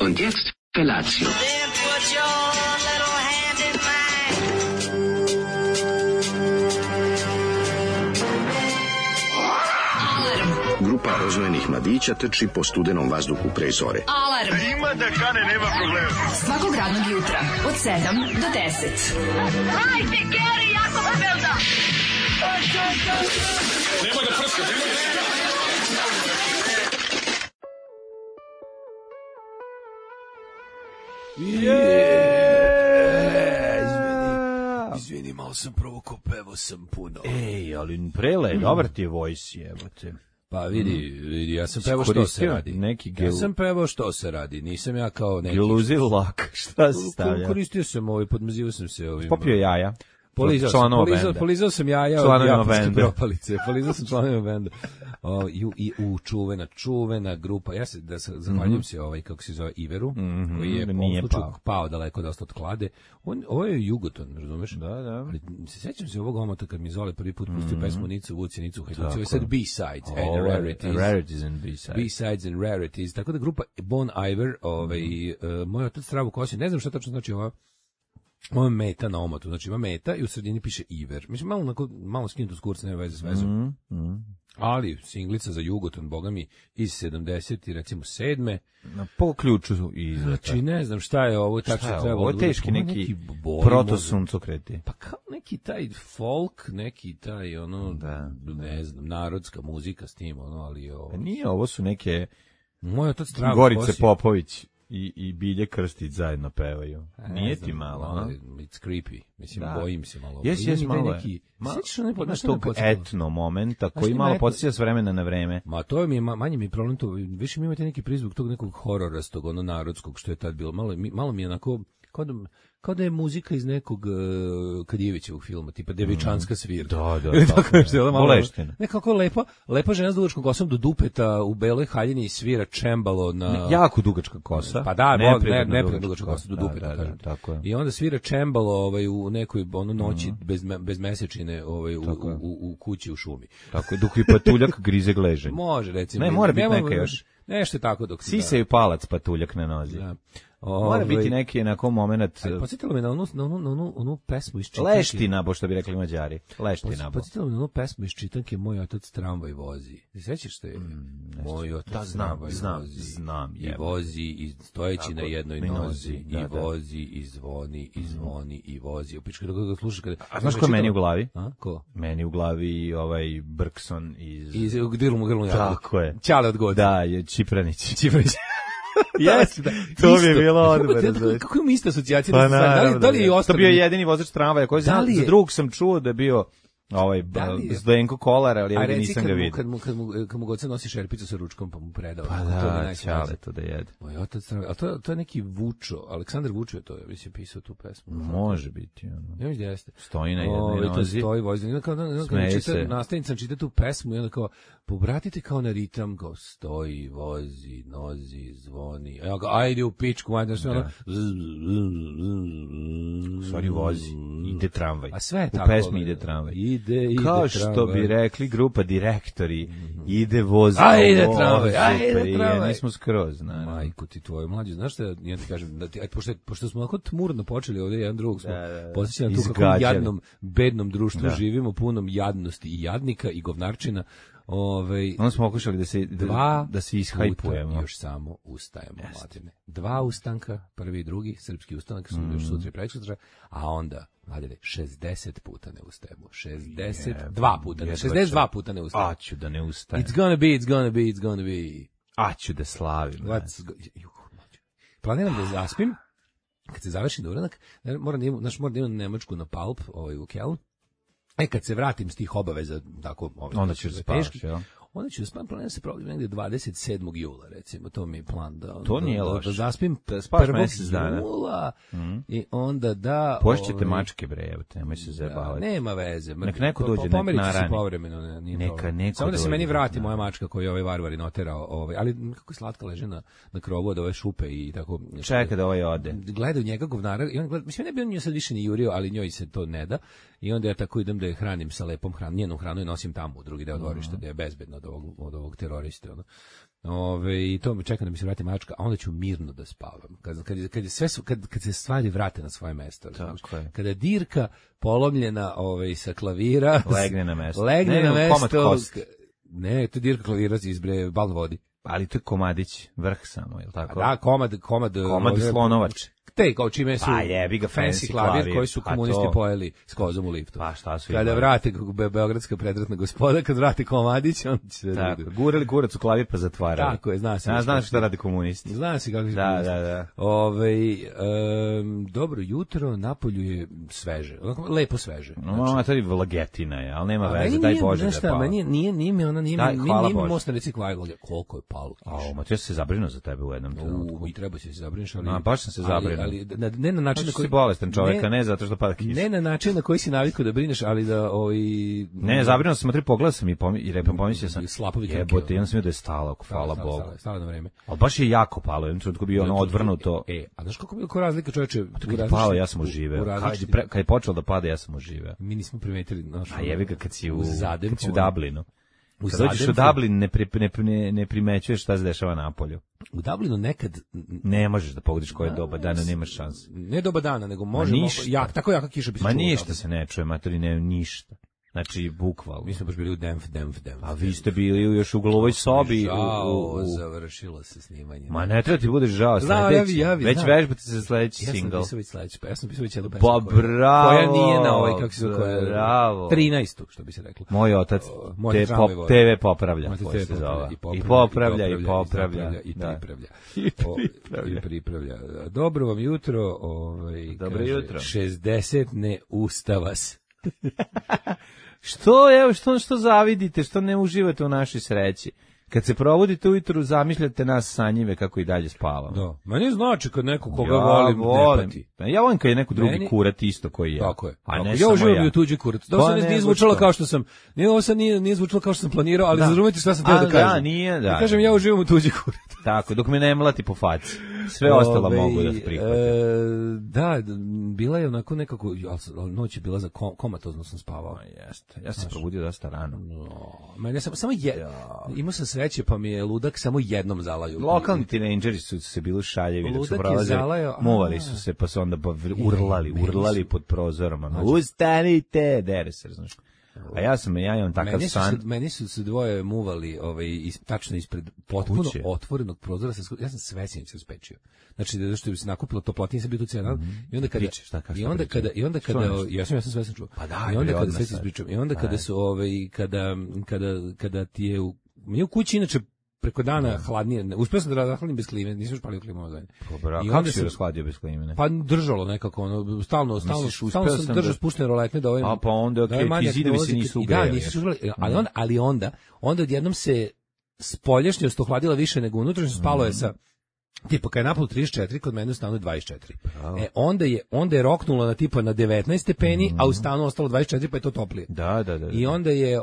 Und jetzt Felatio. Then put your little hand in mine. Grupa rozvojenih mladića trči po studenom vazduhu pre zore. Alarm. Ima da kane, nema problema. Svakog radnog jutra od 7 do 10. Hajde, Geri, jako se velda. Nemoj da prska, nemoj da prska. Izvini, malo sam provukao, pevo sam puno. Ej, ali prele, dobar ti je voice, jebote. Pa vidi, ja sam pevao što se radi. Ja sam pevao što se radi, nisam ja kao neki... Geluzil lak, šta se stavlja? Koristio sam podmazivao sam se ovim... Popio jaja. Polizao sam jaja od japanske propalice. Polizao sam članovima benda. I čuvena grupa. Ja se zahvaljujem se kako se zove Iveru, koji je pao daleko dosta od klade. Ovo je Jugoton, razumeš? Da. Ali se sećam se ovog omota kad mi Zole prvi put pustio pesmu Nicu Vuci, Nicu Hajduci. Ovo je sad B-sides and rarities. B-sides and rarities. Tako da grupa Bon Iver, moj otac Stravu Kosin, ne znam šta tačno znači ova meta na omotu, znači ima meta i u sredini piše Iver. Mislim, malo skinuto s kurca, nema veze s vezom. Ali singlica za Jugoton, boga mi, iz 70 i recimo 7. Po ključu izleta. Znači, ne znam šta je ovo, tačno trebalo. Ovo je teški neki protosuncokreti. Pa kao neki taj folk, neki taj, ne znam, narodska muzika s tim, ali ovo... Pa nije, ovo su neke moj otac Zdravko Gorice Popović i Bilje Krstić zajedno pevaju. Nije ti malo, it's creepy. Mislim, bojim se malo. Jes, malo je. Imaš tog etno momenta koji malo podsjeća s vremena na vreme. Ma to mi je, manje mi je problem to, više mi imate neki prizvuk tog nekog hororastog, narodskog, što je tad bilo. Malo mi je onako, kao da je muzika iz nekog Kadijevićevog filma, tipa Devičanska svirka. Da. Boleština. Nekako lepa žena s dugačkom kosom do dupeta u beloj haljini i svira čembalo na... Jako dugačka kosa. Pa da, neprijatno dugačka kosa do dupeta, kažem. Tako je. I onda svira čembalo u nekoj noći bez mesečine u kući u šumi. Tako je, dok i patuljak grize gleženj. Može, recimo. Ne, mora biti neka još. Nešto tako dok... Sise i palac patuljak na nozi. Da. Mora biti neki onako moment... Podsjetilo me na onu pesmu iz Čitanke. Leština, bo što bi rekli Mađari. Leština. Podsjetilo me na onu pesmu iz Čitanke Moj otac tramvaj vozi. Ti sećaš što je? Moj otac tramvaj vozi. Znam. I vozi, i stojeći na jednoj nozi. I vozi, i zvoni, i zvoni, i vozi. Upička dok ga slušaš kada... A znaš ko je meni u glavi? Ko? Meni u glavi Brkson iz... Grlu jabuku. Tako je. Ćale od god. Da, je Čipranić. Yes, to bi bilo odbrano. Kako mi ista asocijacija? Pa Da li je ostalo? To bio jedini vozač tramvaja koji za drugog sam čuo da je bio Zdenko Kolar, ali ja nisam ga vidio. Kad mu goca nosi šerpicu sa ručkom pa mu predao. Pa da, Ćale to da jede. Moj otac, a to je neki Vučo, Aleksandar Vučo je to, ja mislim pisao tu pesmu. Može biti. Ja mislim da jeste. Stoji na jednoj nozi. Stoji vozi. Nastavnica čita tu pesmu i onda kao, pobratite kao na ritam, kao stoji, vozi, nozi, zvoni. Ja ga, ajde u pičku, ajde sve ono. Stvari vozi, ide tramvaj. A sve je tako. U pesmi ide tramvaj. Kao što bi rekli grupa Direktori, ide voz. Ajde tramvaj. Nismo skroz, naravno. Majku ti tvoju mlađu, znaš šta, ja ti kažem, da ti, pošto smo onako tmurno počeli ovdje jedan drugog, smo posjećali na tu kakvom jadnom, bednom društvu živimo, punom jadnosti i jadnika i govnarčina. Onda smo pokušali da se ishajpujemo. Još samo ustajemo, mladine. 2 ustanka, prvi i drugi, srpski ustanak su još sutra i preksutra, a onda, mladine, 60 puta ne ustajemo. 62 puta ne ustajemo. Aću da ne ustajem. It's gonna be. Aću da slavim. Planiram da zaspim, kad se završi uranak, moram da imam Nemačku na Palp, u Kelnu. Kad se vratim s tih obaveza, tako, onda ćeš da spavaš, jel? Onda ću da spavam, planiram se probati negdje 27. jula, recimo, to mi je plan da... To nije loše. Da zaspim 1. jula i onda da... Pošćete mačke, bre, evo te, nemoj se zajebavati. Nema veze. Nek neko dođe, nek narani. Pomerići se povremeno, nije problem. Samo da se meni vrati moja mačka koju je ovaj varvari noterao, ali kako je slatka leže na krovu od ove šupe i tako... Čeka da ovaj ode. Gledaju njega govnara, i on gleda, mislim, ne bi on nju sad više ni jurio, ali njoj se to ne da. I onda ja tako idem da je hranim sa lepom hranom, njenu hranu i nosim tamo u drugi deo dvorišta, da je bezbedno od ovog teroriste, I to me čeka da mi se vrati mačka, a onda ću mirno da spavam. Kad se stvari vrate na svoje mesto. Kada dirka polomljena sa klavira legne na mesto. Ne, to dirka klavira iz balna vodi. Ali to je komadić, vrh samo, je li tako? Da, komad slonovač. Te kao čime su fancy klavir koji su komunisti pojeli s kozom u liftu. Pa šta su kada vrate beogradska predratna gospoda, kad vrate komadić, on će se tako, gurali kurac u klavir pa zatvarali. Tako je, zna se. Znaš šta rade komunisti. Zna se kako se da. Dobro jutro, napolju je sveže, lepo sveže. No, to je vlagetina je, ali nema veze, daj Bože da pala. Nije mi most na reci koliko je palo. Ma ja se zabrinuo za tebe u jednom trenutku. I treba se zabrinuš, ali baš sam se zabrinuo. Ali ne na način na koji si bolestan čovjek, ne zato što pada kiša. Ne na način na koji si navikao da brineš, ali da ne, zabrinuo sam, pogledao sam i pomislio sam slapovi jebote, ja sam vidio da je stalo, hvala Bogu. Stalo na vreme. Al baš je jako palo, jednom trenutku bio odvrnuto. A znaš kako razlika, čoveče, palo, ja sam uživao. Kad je počelo da pada, ja sam uživao. Mi nismo primetili, znaš. A jebi ga kad si u Dublinu. Kad dođeš u Dublin, ne primećuješ šta se dešava napolju. U Dublinu nekad ne možeš da pogodiš koje doba dana, nemaš šanse. Ne doba dana, nego možemo, tako jaka kiša bi se čula. Ma ništa se ne čuje, matori, ne, ništa. Znači, bukvalno. Mi smo baš bili u Denf. A vi ste bili još u glovoj sobi. Žao, završilo se snimanje. Ma ne treba ti budeš žao. Već vežbate se sledeći single. Ja sam pisao već jednu pesmu. Pa bravo. Koja nije na ovoj, kako se zove, 13. što bi se reklo. Moj otac TV popravlja. I popravlja. I pripravlja. Dobro vam jutro. Dobro jutro. 60 ne ustava se. Što zavidite, što ne uživate u našoj sreći? Kad se probudite ujutru, zamišljate nas sanjive kako i dalje spavamo. Da. Meni znači kad neko koga volim ne pati. Ja volim kad je neko drugi kurat isto koji je. Tako je. Ja uživam u tuđi kurat. Da se nije zvučalo kao što sam. Ovo sad nije zvučalo kao što sam planirao, ali razumete šta sam htio da kažem. Da, nije, da. Kažem ja uživam u tuđi kurat. Tako, dok me ne mlati po faci. Sve ostalo mogu da prihvatim. Da, bila je onako nekako, noć je bila za komatozno sam spavao. Jeste. Ja sam se probudio dosta rano. Ja sam samo imao sam sreće, pa mi je ludak samo jednom zalaju. Lokalni tinejdžeri su se bili šaljevi dok su prolazili. Muvali su se, pa su onda urlali pod prozorom. Ustanite, dere se, znaš. A ja imam takav san. Meni su se dvoje muvali tačno ispred potpuno otvorenog prozora. Ja sam sve sinoć spečio. Znači, da što bi se nakupilo toplotnije, sam bio tu cijel dan. I onda kada ja sam sve sam čuo. Pa da, i onda kada sve se ispričam. I onda kada su kada ti je mi u kući inače preko dana hladnije. Uspeo sam da rahladim bez klime, nisam još palio klimu na zadnje. I kako si rashladio bez klime? Pa držalo nekako, stalno sam držao spuštene roletne da A pa onda, okej, ti zidovi se nisu ugrejali. Da, nisu se ugrejali, ali onda odjednom se spoljašnjost ohladila više nego unutrašnjost, spalo je sa tipa kad je napolu 34, kod mene u stanu je 24. Onda je roknulo na tipa na 19 stepeni, a u stanu ostalo 24, pa je to toplije. Da. I onda je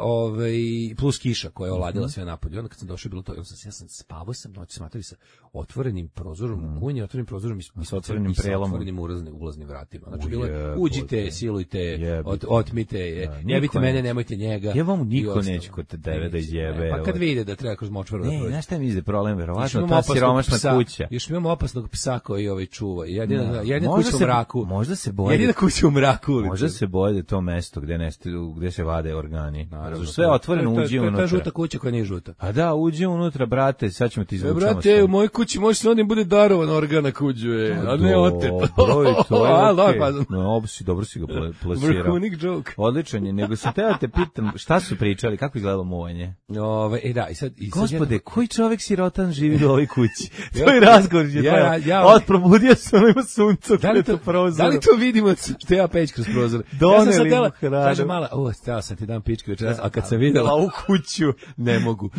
plus kiša koja je oladila sve napolje. Onda kad sam došao bilo to, ja sam spavao noć smatrali sa otvorenim prozorom kunje, otvorenim prozorom i sa otvorenim prelomom, otvorenim ulaznim vratima. Znači bilo je uđite, silujte, otmite, jebite mene, nemojte njega. Ja vam niko neće kod tebe da izjebe. Pa kad vide da treba kroz močvaru da prođe. Ne, znaš šta mi izde problem, verovatno ta siromašna kuća. Još imamo opasnog psa koji čuva. Jedina kuća u mraku. Možda se boje. Jedina kuća u mraku. Možda se boje da je to mesto gde se vade organi. Sve otvoreno, uđi unutra. To je žuta kuća koja nije žuta. A da, uđi unutra, brate, sad ćemo ti izvučamo. Brate, u mojoj kući može se onim bude darovan organ na kuđu, a ne otet. Dobro si ga plasirao. Vrhunik joke. Odličan je, nego sam teo te pitam, šta su pričali, kako izgledalo muvanje? Gospode, koji čovek sirotan živi u ovoj kući? To je razgovor je probudio se, ono ima sunca kretu prozor. Da li to vidimo što ja peć kroz prozor? Doneli mu hranu. Kaže mala, stela sam ti dam pičke večeras, a kad sam videla u kuću, ne mogu.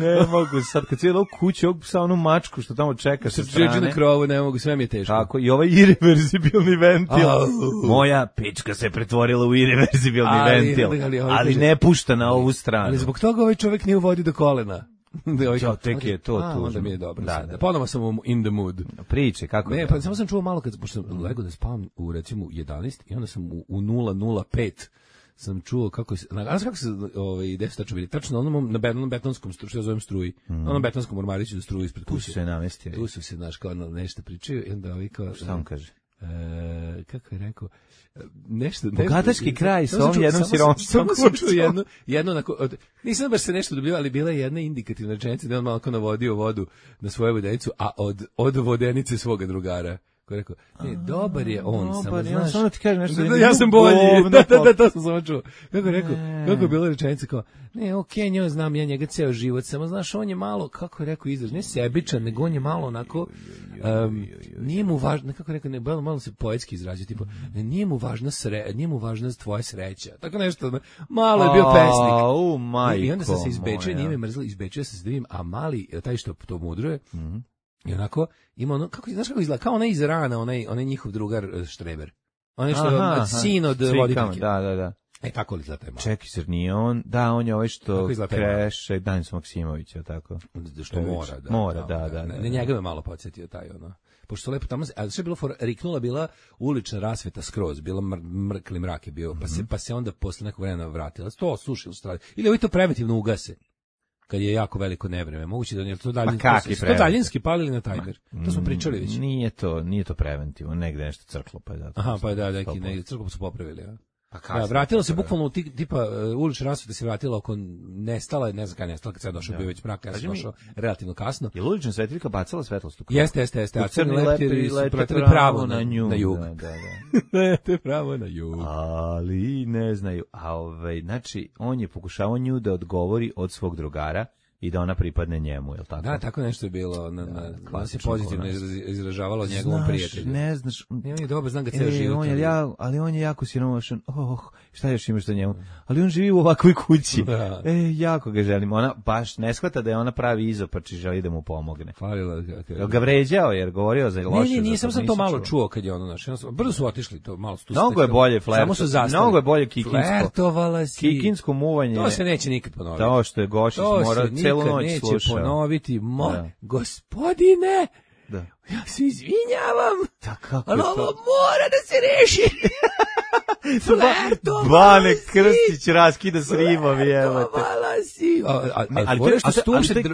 Sad kad si videla u kuću, sa onu mačku što tamo čeka sa strane. Srđe na krovu, ne mogu, sve mi je teško. Tako, i ovaj irreverzibilni ventil. Moja pička se pretvorila u irreverzibilni ventil, ali ne pušta na ovu stranu. Ali zbog toga ovaj čovjek nije u vodi do kolena. Tek je to tužno. Onda mi je dobro. Da. Ponovo sam in the mood. Priče, kako je? Ne, pa samo sam čuo malo pošto sam legao da spavam u recimo 11 i onda sam u 0:05 sam čuo kako se gde su tačno bili, tačno na onom na betonskom što ja zovem struji, na onom betonskom ormariću za struju ispred kuće. Tu se namestio. Tu su se, znaš, kao nešto pričaju i onda ovi kao... Šta on kaže? Kako je rekao? Nešto bogataški kraj sa ovom jednom siromašnom kućom. Jedno nisam baš se nešto dobio, ali bila je jedna indikativna rečenica da on malo navodio vodu na svoju vodenicu, a od vodenice svoga drugara. Ko je rekao, dobar je on, samo znaš... Samo ti kaže nešto... Ja sam bolji, to sam samo čuo. Kako je rekao, kako je bila rečenica kao, okej, njoj znam ja njega ceo život, samo znaš, on je malo, kako je rekao izraz, ne sebičan, nego on je malo onako, nije mu važno, kako je rekao, malo se poetski izrazio, tipo, nije mu važna tvoja sreća, tako nešto, malo je bio pesnik. I onda sam se izbečio, nije me mrzlo, izbečio sam se da vidim, a mali, taj što to mudruje, i onako, ima ono, znaš kako izgleda, kao onaj iz Rana, onaj njihov drugar Štreber. Onaj što je sin od voditeljke. Da. Tako li izgleda taj malo? Čekaj, zar nije on? Da, on je ovaj što kreše Danis Maksimovića, tako. Što mora, da. Mora, da. Ne, njega me malo podsjetio taj, ono. Pošto lepo tamo, ali sve je bilo riknula, bila ulična rasveta skroz, bila mrkli mrak je bio, pa se onda posle nekog vremena vratila. To slušaj u stradi. Ili ovi to preventivno ugase. Kad je jako veliko nevreme, moguće da nije to daljinski palili na tajmer. To smo pričali već. Nije to preventivno, negde nešto crklo pa je zato. Aha, pa da, neki negde crklo su popravili, a. Da, vratila se bukvalno tipa ulična rasveta se vratila oko nestala, ne znam kada nestala, kad se došao bio već mrak, ja sam došao relativno kasno. Je ulična svetlika bacala svetlost? Jeste, a crni leptiri su pratili pravo na jug. Da. Pravo na jug. Ali ne znaju. Znači, on je pokušavao nju da odgovori od svog drugara i da ona pripadne njemu, je li tako? Da, tako nešto je bilo, ona se pozitivno izražavalo o njegovom prijatelju. Ne znaš. On je dobro, znam ga ceo život. Ali on je jako siromašan. Šta još imaš za njemu? Ali on živi u ovakvoj kući. Da. Jako ga želim. Ona baš ne shvata da je ona pravi izopač i želi da mu pomogne. Falila ga vređao jer govorio za loše. Ne, nisam to malo čuo kad je ono naš. Brzo su otišli, to malo su tu. Mnogo je bolje mnogo je bolje kikinsko. Flertovala si. Kikinsko muvanje. To se neće nikad ponoviti. To što je Gošić mora celu noć slušao. Neće ponoviti, gospodine. Da. Ja se izvinjavam. Ali ovo mora da se reši. Bane Krstić raskida s ribovi, evo te. Ali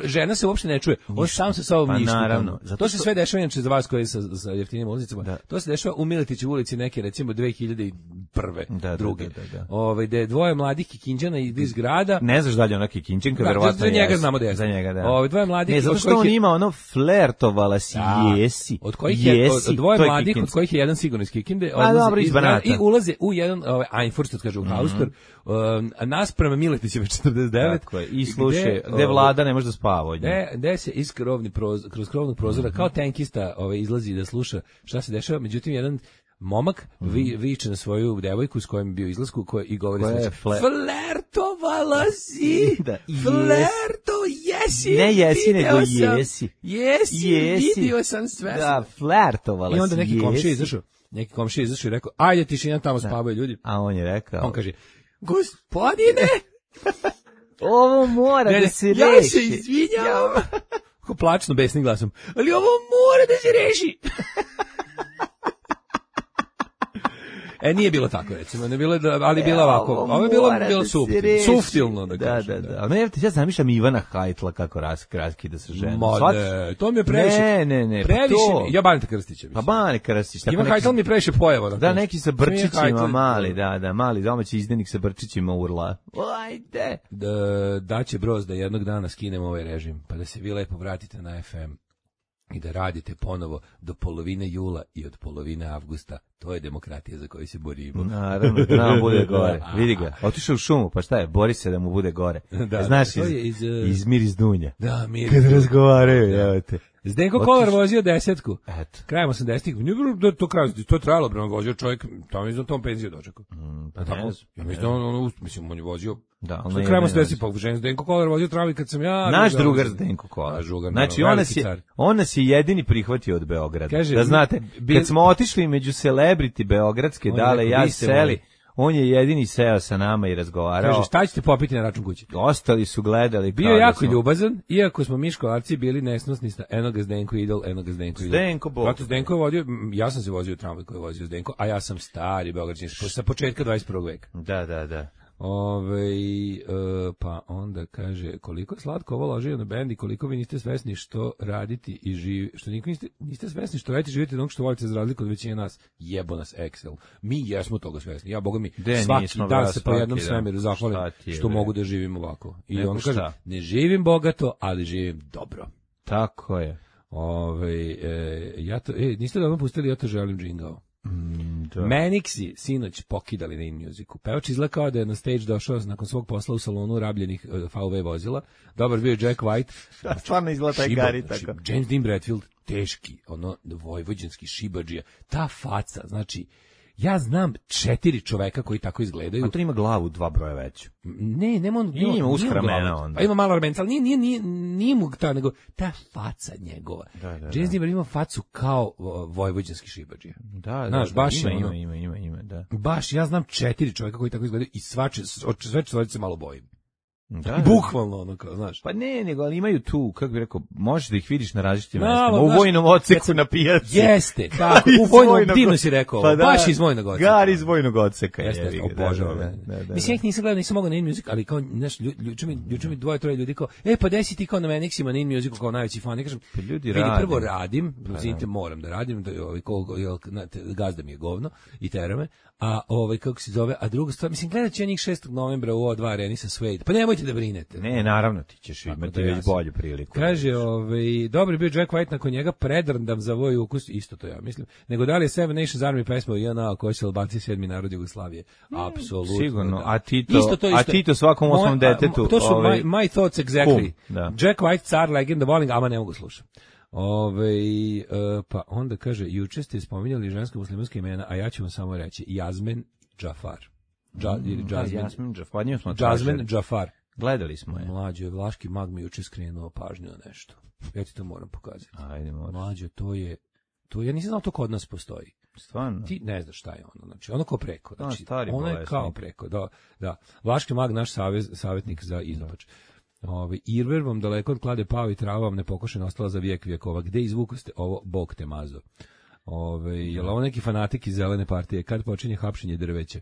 žena se uopšte ne čuje. On sam se sa ovom ništa. Naravno. To se sve dešava inače za vas koji sa jeftinim ulaznicama. To se dešava u Miletićevoj ulici neke, recimo 2001. druge. Gde je dvoje mladih Kikinđana iz grada. Ne znaš da li je ona Kikinđanka, verovatno. Za njega znamo da je. Za njega, da. Dvoje mladih. Ne, zato što on ima ono flertovala si, jesi. Od kojih je dvoje mladih, od kojih je jedan sigurno iz Kikinde, i ulaze u jedan Einfurst, kaže u Haustor, naspram Miletićeve 49. Tako je, i slušaj, gde vlada ne može da spava od nje. Gde se kroz krovnog prozora, kao tenkista izlazi da sluša šta se dešava, međutim jedan momak viče na svoju devojku s kojom je bio izlasku i govori sledeće. Flertovala si! Jesi! Ne jesi, nego jesi. Jesi, vidio sam sve. Da, flertovala si, i onda neki komšija izašao i rekao, ajde tišina, tamo spavaju ljudi. A on je rekao. On kaže, gospodine! Ovo mora da se reši. Ja se izvinjavam. Kako plačno, besnim glasom. Ali ovo mora da se reši. Nije bilo tako, recimo, ne bilo, ali bilo ovako. Ovo je bilo suftilno, da kažem. Da. No, ja zamišljam Ivana Hajtla kako raskida sa ženom. Ne, to mi je previše. Ne. Previše, ja Baneta Krstića. Pa Bane Krstić. Ivan Hajtl mi je previše pojava. Da, neki sa brčićima mali, mali domaći izdenik sa brčićima urla. Ajde. Da će Broz da jednog dana skinemo ovaj režim, pa da se vi lepo vratite na FM. I da radite ponovo do polovine jula i od polovine avgusta. To je demokratija za koju se borimo. Naravno, da nam bude gore. Vidi ga, otišao u šumu, pa šta je, bori se da mu bude gore. Znaš, iz Miris Dunja. Da, Miris Dunja. Kad razgovaraju, evo te. Zdenko Kolar vozio 10-ku. Eto. Krajem 80-ih. Nije bilo to trajalo, bre, on vozio čovjek, tamo je za tom penziju dočekao. Pa tako, ja mislim, on je vozio. Da, on je krajem 80-ih, pa Zdenko Kolar vozio travi kad sam ja. Naš drugar Zdenko Kolar. Znači, on nas je jedini prihvatio od Beograda. Da znate, kad smo otišli među celebrity beogradske, Dale, ja seli, On je jedini seo sa nama i razgovarao. Kaže, šta ćete popiti na račun kuće? Ostali su gledali. Bio jako ljubazan, iako smo mi školarci bili nesnosni, eno ga Zdenko idol, eno ga Zdenko idol. Zdenko Bog. Zato Zdenko je vodio, ja sam se vozio u tramvaj koji je vozio Zdenko, a ja sam stari Beograđanin sa početka 21. veka. Da. Pa onda kaže, koliko je slatko ovo ložio na bend i koliko vi niste svesni što raditi i živi, što niste svesni što radite i živite onog što volite za razliku od većine nas. Jebo nas Excel. Mi jesmo toga svesni. Ja, boga mi, svaki dan se po jednom svemiru zahvalim što mogu da živim ovako. I on kaže, ne živim bogato, ali živim dobro. Tako je. Niste da vam pustili, ja to želim džingao. Manixi sinoć pokidali na InMusicu. Pevač izgleda kao da je na stage došao nakon svog posla u salonu rabljenih VW vozila. Dobar bio Jack White. Da, stvarno izgleda taj Gari tako. James Dean Bradfield, teški, vojvođanski šibadžija. Ta faca, znači, ja znam 4 čoveka koji tako izgledaju. A to ima glavu 2 broja veću. Nema on. Ima uska ramena onda. Pa ima malo ramenca, ali nije mu ta, nego ta faca njegova. James Dean ima facu kao vojvođanski šibadžija. Znaš, baš ima, da. Baš, ja znam 4 čoveka koji tako izgledaju i sve se malo bojim. Bukvalno ono kao, znaš. Pa ne, nego ali imaju tu, kako bih rekao, možeš da ih vidiš na različitim mestima. U vojnom odseku na pijaci. Jeste, tako, u vojnom, divno si rekao, baš iz vojnog odseka. Gari iz vojnog odseka. Jeste, obožavam. Mislim, ja ih nisam gledao, nisam mogao na InMusic, ali kao, znaš, juče mi 2-3 ljudi kao, pa desi ti kao na Manixima na InMusicu kao najveći fan. Ja kažem, vidi, prvo radim, zinite, moram da radim, gazda mi je govno i tera me, a kako se zove, a druga stvar, mislim, gledat će njih 6. novembra u O2 areni sa Suede. Pa nemojte da brinete. Ne, naravno ti ćeš imati već bolju priliku. Kaže, dobro bio Jack White, nakon njega predrndam za voj ukus, isto to ja mislim. Nego da li je Seven Nations Army pesma JNA koja će Albanci 7. narod Jugoslavije? Apsolutno. Sigurno, da. A Tito svakom 8. detetu. To su my thoughts exactly. Jack White, car, legenda, volim, ama ne mogu slušati. Pa onda kaže, juče ste spominjali ženska muslimanska imena, a ja ću vam samo reći, Jasmin Džafar. Jasmin Džafar. Gledali smo je. Mlađo, vlaški mag mi juče skrenuo pažnju na nešto. Ja ti to moram pokazati. Ajde, moraš. Mlađo, to je, ja nisam znao to kod nas postoji. Stvarno? Ti ne znaš šta je ono, znači ono kao preko. Znači, ono je kao preko, da. Vlaški mag, naš savjetnik za iznač. Irver vam daleko od klade pao i trava vam nepokošena ostala za vijek vijekova. Gde izvukoste ovo, Bog te mazo? Jel ovo neki fanatik iz zelene partije? Kad počinje hapšenje drveća?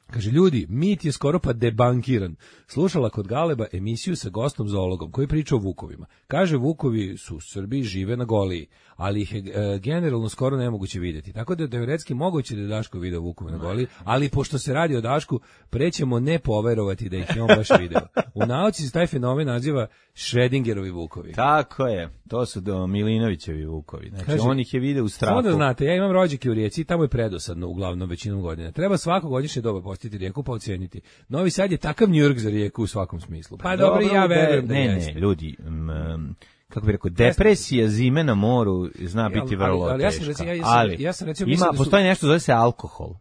Kaže, ljudi, mit je skoro pa debankiran. Slušala kod Galeba emisiju sa gostom zoologom koji priča o vukovima. Kaže, vukovi su u Srbiji, žive na Goliji, ali ih je generalno skoro nemoguće vidjeti. Tako da je teoretski moguće da je Daško video vukove na Goliji, ali pošto se radi o Dašku, prećemo ne poverovati da ih je on baš video. U nauci se taj fenomen naziva Schrödingerovi vukovi. Tako je, to su Milinovićevi vukovi. Znači, kaže, on ih je video u strahu. Samo da znate, ja imam rođake u Rijeci, tamo je predosadno uglavnom većinom godina. Treba svako godišnje doba posjetiti Rijeku pa oceniti. Novi Sad je takav New York za Rijeku u svakom smislu. Pa dobro, ja verujem da jeste. Ne, ljudi, kako bih rekao, depresija zime na moru zna biti vrlo teška. Ali, postoji nešto zove se alkohol.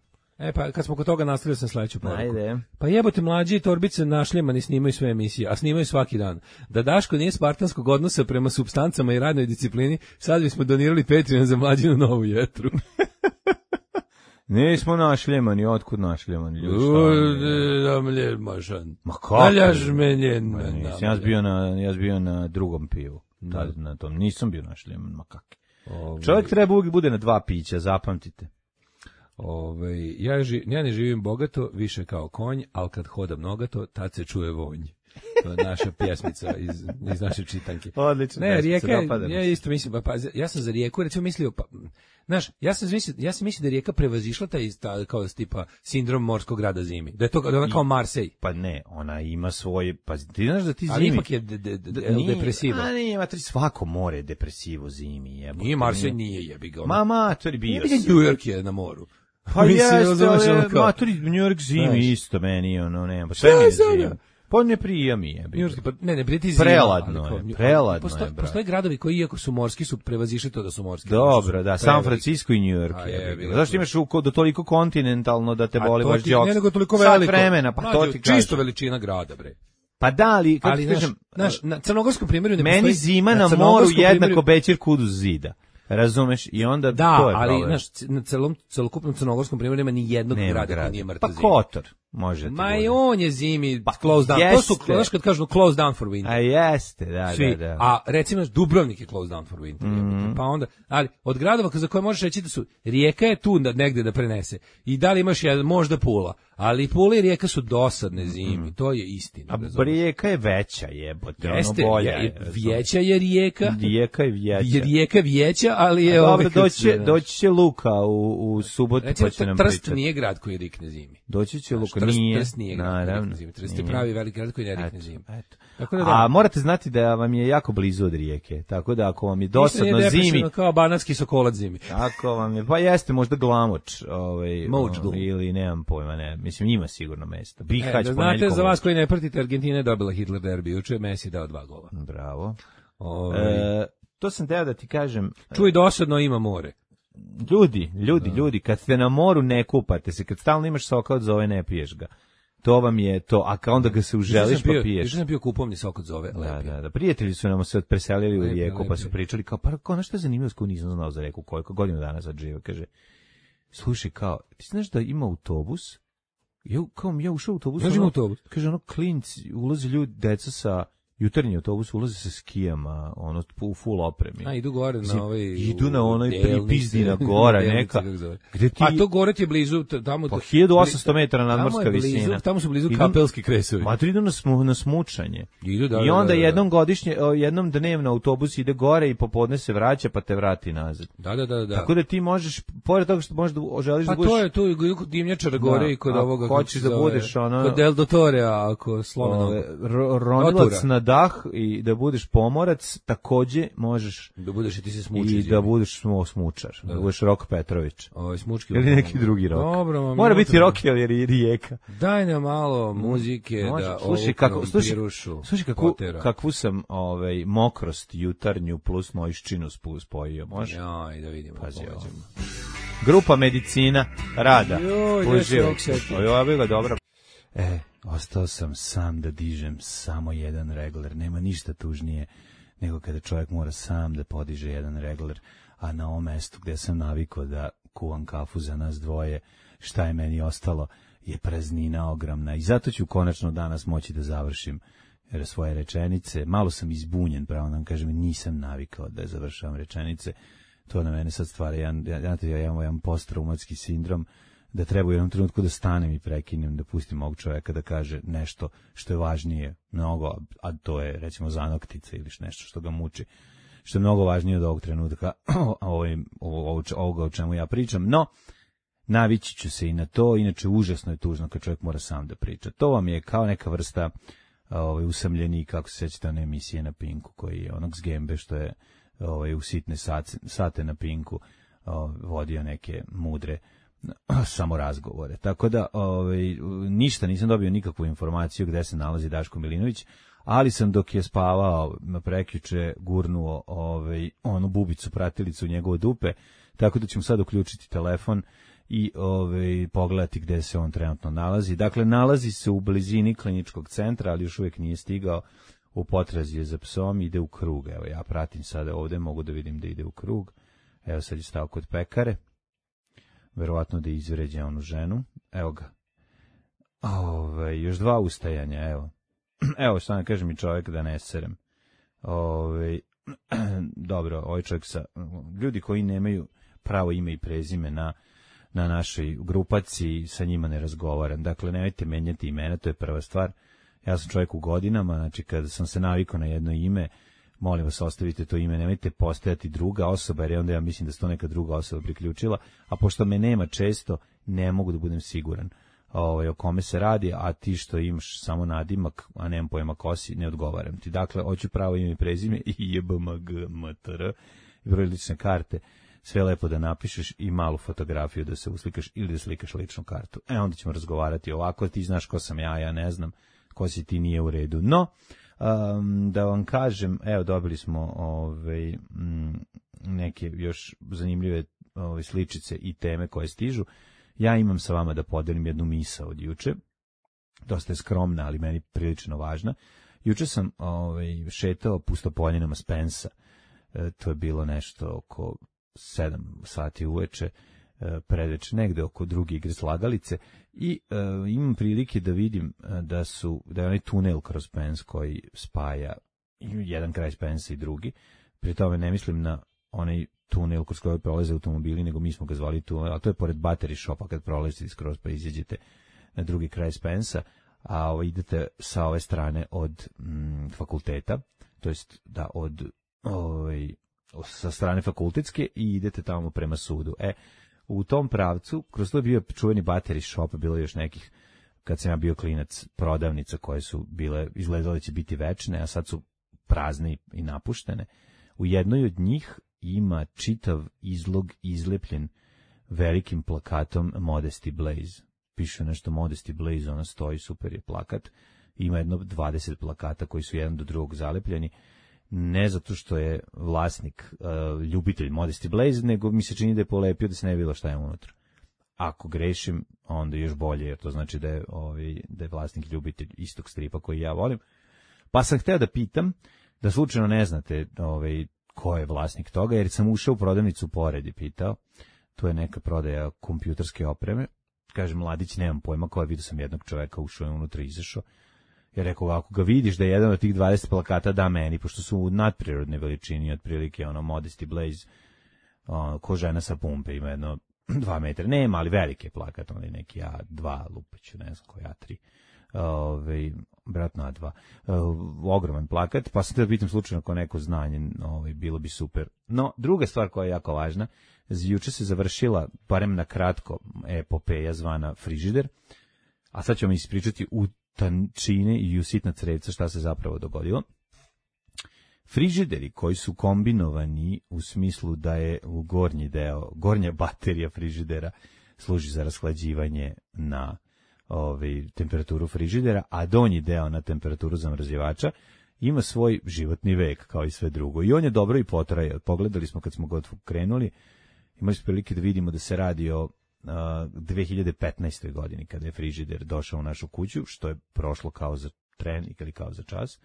Pa kad smo kod toga nastavili sam sledeću poruku. Ajde. Pa jebote, mlađi torbice našljemani snimaju sve emisije, a snimaju svaki dan. Da Daško nije spartanskog odnosa prema supstancama i radnoj disciplini, sad bismo donirali Patreon za Mlađinu novu jetru. Nismo našljemani, otkud našljemani? Ma kako? Ja bio na drugom pivu. Na tom nisam bio našljeman, ma kak. Čovjek treba uvijek bude na 2 pića, zapamtite. Ja ne živim bogato, više kao konj, ali kad hodam nogato, tad se čuje vonj. To je naša pjesmica iz naše čitanke. Odlično. Ne, Rijeka, ja isto mislim, ja sam za Rijeku recimo mislio, znaš, ja sam mislio da je Rijeka prevazišla taj kao tipa sindrom morskog grada zimi. Da je to ona kao Marsej. Pa ne, ona ima svoj, pa ti znaš da ti zimi. Ali ipak je depresivo. A ne, ima svako more je depresivo zimi, jebote. Nije Marsej, nije jebi ga. To je bio. New York je na moru. Pa jeste, New York zimi isto meni, nema, pa sve mi je zimi. Pa ne prija mi je. Ne prija ti zima. Preladno je. Postoje gradovi koji, iako su morski, su prevazišli to da su morski. Dobro, da, San Francisco i New York je. Zašto imaš do toliko kontinentalno da te boli baš džok? Ne, nego toliko veliko. Sad vremena, pa to ti kažem. Čisto veličina grada, bre. Pa da, ali, kako ti kažem, na crnogorskom primjeru ne postoji. Meni zima na moru jednako Bećir Kuduz zida. Razumeš? I onda da, to je ali problem. znaš, na celokupnom crnogorskom primjeru nema ni jednog grada koji nije mrtav pa zimi. Kotor može ti ma i on je zimi closed down. To su, znaš kad kažu closed down for winter. A jeste, da. A recimo Dubrovnik je closed down for winter. Pa onda, ali od gradova za koje možeš reći da su, Rijeka je tu negde da prenese. I da li imaš možda Pula. Ali Pula i Rijeka su dosadne zimi, to je istina. A Rijeka je veća, jebote, ono bolja. Vijeća je Rijeka. Rijeka je vijeća. Rijeka vijeća, ali je... Dobro, doći će Luka u subotu, pa će nam pričati. Trst nije grad koji rikne zimi. Doći će Luka, Trst nije grad koji rikne zimi. Trst je pravi veliki grad koji ne rikne zimi. A morate znati da vam je jako blizu od Rijeke, tako da ako vam je dosadno zimi... kao banatski Sokolac zimi. Tako vam je, pa jeste možda Glamoč, ili nemam pojma, ne. Mislim, ima sigurno mesta. Bihać, da znate, za vas koji ne pratite, Argentina je dobila Hitler derbi, juče Messi dao 2 gola. Bravo. To sam teo da ti kažem... Čuj, dosadno ima more. Ljudi, kad ste na moru ne kupate se, kad stalno imaš sok od zove ne piješ ga. To vam je to, a onda ga se uželiš pa piješ. Još sam bio kupovni sok od zove, lepi. Da. Prijatelji su nam se preselili u Rijeku, pa su pričali kao, pa nešto je zanimljivo s koju nisam znao za Rijeku, koliko godinu dana sad žive, kaže, slušaj, kao, ti znaš da ima autobus? Ja ušao u autobus. Kaže, klinci, ulazi ljudi, deca sa jutarnji autobus, ulazi sa skijama, u full opremi. A, idu gore na ovaj... Idu na onoj pripizdina gora, neka. Gde ti... A to gore ti je blizu, tamo... Pa 1800 metara nadmorska visina. Tamo su blizu Kapelski kresovi. Ma to idu na smučanje. I onda jednom dnevno autobus ide gore i popodne se vraća, pa te vrati nazad. Da. Tako da ti možeš, pored toga što možeš želiš da budeš... Pa to je tu kod dimnjačara gore i kod ovoga... Hoćeš da budeš ono... Kod Del Dottorea, ako slomenog. Ronilac na dah i da budeš pomorac, takođe možeš da budeš i ti se smuči. I da budeš smučar, da budeš Rok Petrović. Smučki. Ili neki drugi Rok. Dobro, mora biti Rok jer je Rijeka. Daj nam malo muzike da slušaj kakvu sam mokrost jutarnju plus mojščinu spojio, može? Jaj, da vidimo. Pazi, Grupa Medicina Rada. Ovo je dobro. Ostao sam sam da dižem samo jedan regler. Nema ništa tužnije nego kada čovjek mora sam da podiže jedan regler, a na ovom mestu gdje sam navikao da kuvam kafu za nas dvoje, šta je meni ostalo je praznina ogromna. I zato ću konačno danas moći da završim svoje rečenice. Malo sam izbunjen, pravo da vam kažem, nisam navikao da završavam rečenice. To na mene sad stvara jedan posttraumatski sindrom, da treba u jednom trenutku da stanem i prekinem, da pustim ovog čovjeka da kaže nešto što je važnije mnogo, a to je recimo zanoktica ili nešto što ga muči, što je mnogo važnije od ovog trenutka, ovoga o čemu ja pričam, no navići ću se i na to, inače užasno je tužno kad čovjek mora sam da priča. To vam je kao neka vrsta usamljenik, kako se sjećate one emisije na Pinku, koji je onog Zgembe što je u sitne sate na Pinku vodio neke mudre samo razgovore. Tako da ništa, nisam dobio nikakvu informaciju gde se nalazi Daško Milinović, ali sam dok je spavao prekjuče gurnuo onu bubicu pratilicu u njegovo dupe, tako da ćemo sad uključiti telefon i pogledati gde se on trenutno nalazi. Dakle, nalazi se u blizini kliničkog centra, ali još uvijek nije stigao, u potrazi je za psom, ide u krug. Evo, ja pratim sada ovde, mogu da vidim da ide u krug. Evo, sad je stao kod pekare. Verovatno da izvređe onu ženu. Evo ga. Još 2 ustajanja, evo. Evo, šta ne kaže mi čovjek da ne serem. Dobro, ovaj čovjek ljudi koji nemaju pravo ime i prezime na našoj grupaciji, sa njima ne razgovaram. Dakle, nemojte menjati imena, to je prva stvar. Ja sam čovjek u godinama, znači kada sam se navikao na jedno ime, molim vas, ostavite to ime, nemojte postojati druga osoba, jer onda ja mislim da se to neka druga osoba priključila, a pošto me nema često, ne mogu da budem siguran o kome se radi, a ti što imaš samo nadimak, a nemam pojma ko si, ne odgovaram ti. Dakle, hoću pravo ime i prezime i JBMGMTR, broj lične karte, sve lepo da napišeš i malu fotografiju da se uslikaš ili da slikaš ličnu kartu. Onda ćemo razgovarati ovako, ti znaš ko sam ja ne znam, ko si ti, nije u redu. No, da vam kažem, evo dobili smo neke još zanimljive sličice i teme koje stižu. Ja imam sa vama da podelim jednu misao od juče, dosta je skromna, ali meni prilično važna. Juče sam šetao pustopoljenama Spensa, to je bilo nešto oko 7 sati uveče, predveče, negde oko druge igre Slagalice i imam prilike da vidim da je onaj tunel kroz Pens koji spaja jedan kraj Spensa i drugi. Pri tome ne mislim na onaj tunel kroz koji prolaze automobili, nego mi smo ga zvali tunel, a to je pored battery shopa kad prolazite skroz pa izađete na drugi kraj Spensa, a idete sa ove strane od fakulteta, to jest da sa strane fakultetske i idete tamo prema sudu. U tom pravcu, kroz to je bio čuveni battery shop, bilo je još nekih, kad sam ja bio klinac, prodavnica koje su bile, izgledale će biti večne, a sad su prazne i napuštene. U jednoj od njih ima čitav izlog izlepljen velikim plakatom Modesty Blaze. Piše nešto Modesty Blaze, ona stoji, super je plakat. Ima jedno 20 plakata koji su jedan do drugog zalepljeni. Ne zato što je vlasnik ljubitelj Modesty Blaze, nego mi se čini da je polepio da se ne bilo šta je unutra. Ako grešim, onda još bolje, jer to znači da je vlasnik ljubitelj istog stripa koji ja volim. Pa sam hteo da pitam, da slučajno ne znate ko je vlasnik toga, jer sam ušao u prodavnicu pored i pitao. To je neka prodaja kompjuterske opreme. Kažem, mladić, nemam pojma koja, vidio sam jednog čoveka, ušao je unutra i izašao. Ja rekao, ako ga vidiš da je jedan od tih 20 plakata da meni, pošto su u nadprirodne veličini, otprilike Modesty Blaze, ko žena sa pumpe, ima jedno 2 metra, nema, ali velike plakat, neki A2 lupeću, ne znam koji A3, vratno A2, ogroman plakat, pa sam te da pitam slučajno ako neko znanje, bilo bi super. No, druga stvar koja je jako važna, juče se završila, barem na kratko, epopeja zvana frižider, a sad ću vam ispričati u tančine i u sitna crevca šta se zapravo dogodilo. Frižideri koji su kombinovani u smislu da je u gornja baterija frižidera služi za rashlađivanje na temperaturu frižidera, a donji deo na temperaturu zamrzivača, ima svoj životni vek kao i sve drugo. I on je dobro i potraje. Pogledali smo kad smo ga krenuli, imali smo prilike da vidimo da se radi o 2015. godini kada je frižider došao u našu kuću, što je prošlo kao za tren ili kao za čas.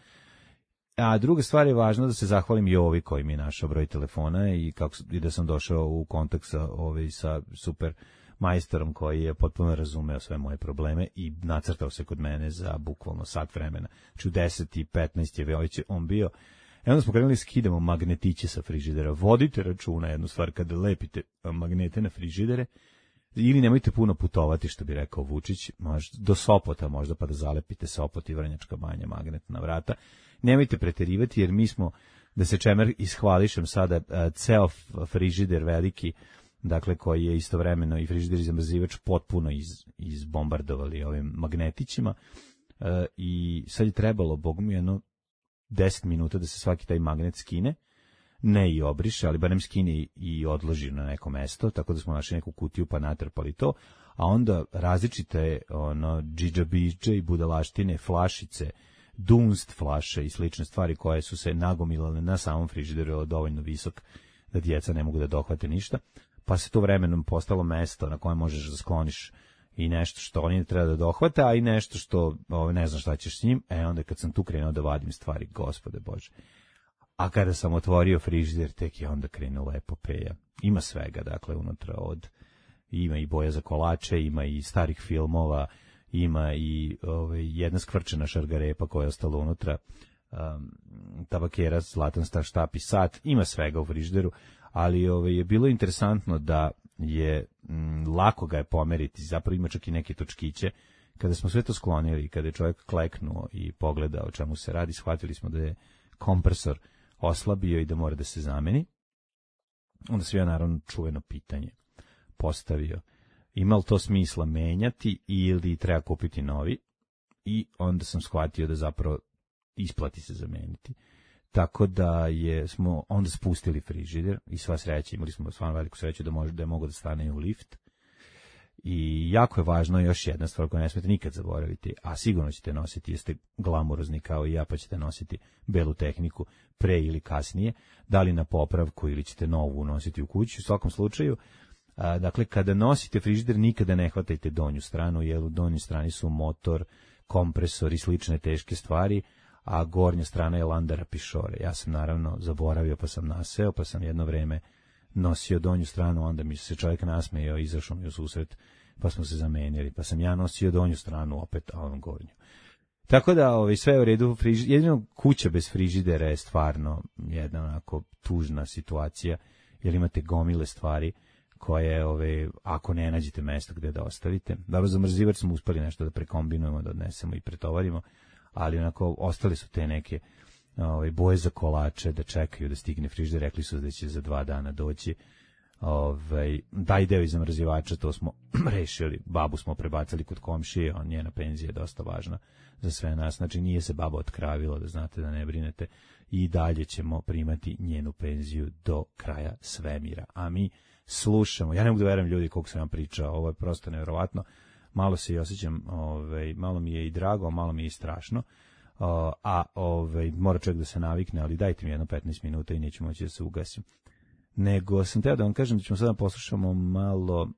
A druga stvar je važno da se zahvalim Jovi koji mi je našao broj telefona i da sam došao u kontakt sa super majstorom koji je potpuno razumeo sve moje probleme i nacrtao se kod mene za bukvalno sat vremena. Znači u 10:15 je već on bio. Onda smo krenuli skidamo magnetiće sa frižidera. Vodite računa jednu stvar, kada lepite magnete na frižidere, ili nemojte puno putovati, što bi rekao Vučić, do Sopota možda, pa da zalepite Sopot i Vrnjačka Banja magnet na vrata. Nemojte preterivati, jer mi smo, da se čemer ishvališem sada, ceo frižider veliki, dakle koji je istovremeno i frižider i zamrzivač potpuno izbombardovali ovim magnetićima, i sad je trebalo, bog mi, 10 minuta da se svaki taj magnet skine, ne i obriše, ali barem skine i odloži na neko mesto, tako da smo našli neku kutiju pa natrpali to, a onda različite džidžabiđe i budalaštine, flašice, dunst flaše i slične stvari koje su se nagomilale na samom frižideru, dovoljno visok da djeca ne mogu da dohvate ništa, pa se to vremenom postalo mesto na kojem možeš da skloniš i nešto što oni ne treba da dohvate, a i nešto što ne znam šta ćeš s njim. Onda kad sam tu krenuo da vadim stvari, Gospode Bože. A kada sam otvorio frižider, tek je onda krenula epopeja. Ima svega, dakle, unutra ima i boja za kolače, ima i starih filmova, ima i jedna skvrčena šargarepa koja je ostala unutra, tabakera, zlatan štap i sat, ima svega u frižideru, ali je bilo interesantno da je lako ga je pomeriti, zapravo ima čak i neke točkiće. Kada smo sve to sklonili, kada je čovjek kleknuo i pogledao o čemu se radi, shvatili smo da je kompresor oslabio i da mora da se zameni. Onda sam ja naravno čuveno pitanje postavio, ima li to smisla menjati ili treba kupiti novi, i onda sam shvatio da zapravo isplati se zameniti. Tako da smo onda spustili frižider i sva sreća, imali smo stvarno veliku sreću da je mogo da stane u lift. I jako je važno još jedna stvar koju ne smete nikad zaboraviti, a sigurno ćete nositi, jeste glamurozni kao i ja, pa ćete nositi belu tehniku pre ili kasnije, da li na popravku ili ćete novu nositi u kuću. U svakom slučaju, dakle, kada nosite frižider, nikada ne hvatajte donju stranu, jer u donjoj strani su motor, kompresor i slične teške stvari, a gornja strana je landara pišore. Ja sam naravno zaboravio, pa sam naseo, pa sam jedno vreme nosio donju stranu, onda mi se čovjek nasmejao, izašao mi u susret, pa smo se zamenili, pa sam ja nosio donju stranu opet, a on gornju. Tako da sve je u redu, jedino kuća bez frižidera je stvarno jedna onako tužna situacija, jer imate gomile stvari koje, ako ne nađete mesto gde da ostavite. Dobro, za mrzivač smo uspeli nešto da prekombinujemo, da odnesemo i pretovarimo, ali onako ostali su te neke boje za kolače da čekaju da stigne frižider, rekli su da će za 2 dana doći. Daj deo iz zamrzivača, to smo rešili, babu smo prebacali kod komšije, njena penzija je dosta važna za sve nas, znači nije se baba otkravila, da znate, da ne brinete, i dalje ćemo primati njenu penziju do kraja svemira, a mi slušamo, ja ne mogu da verujem ljudi koliko sam vam pričao, ovo je prosto nevjerovatno, malo se i osjećam, malo mi je i drago, malo mi je i strašno, mora čovjek da se navikne, ali dajte mi jedno 15 minuta i neću moći da se ugasim. Nego sam teo da vam kažem da ćemo sada poslušamo malo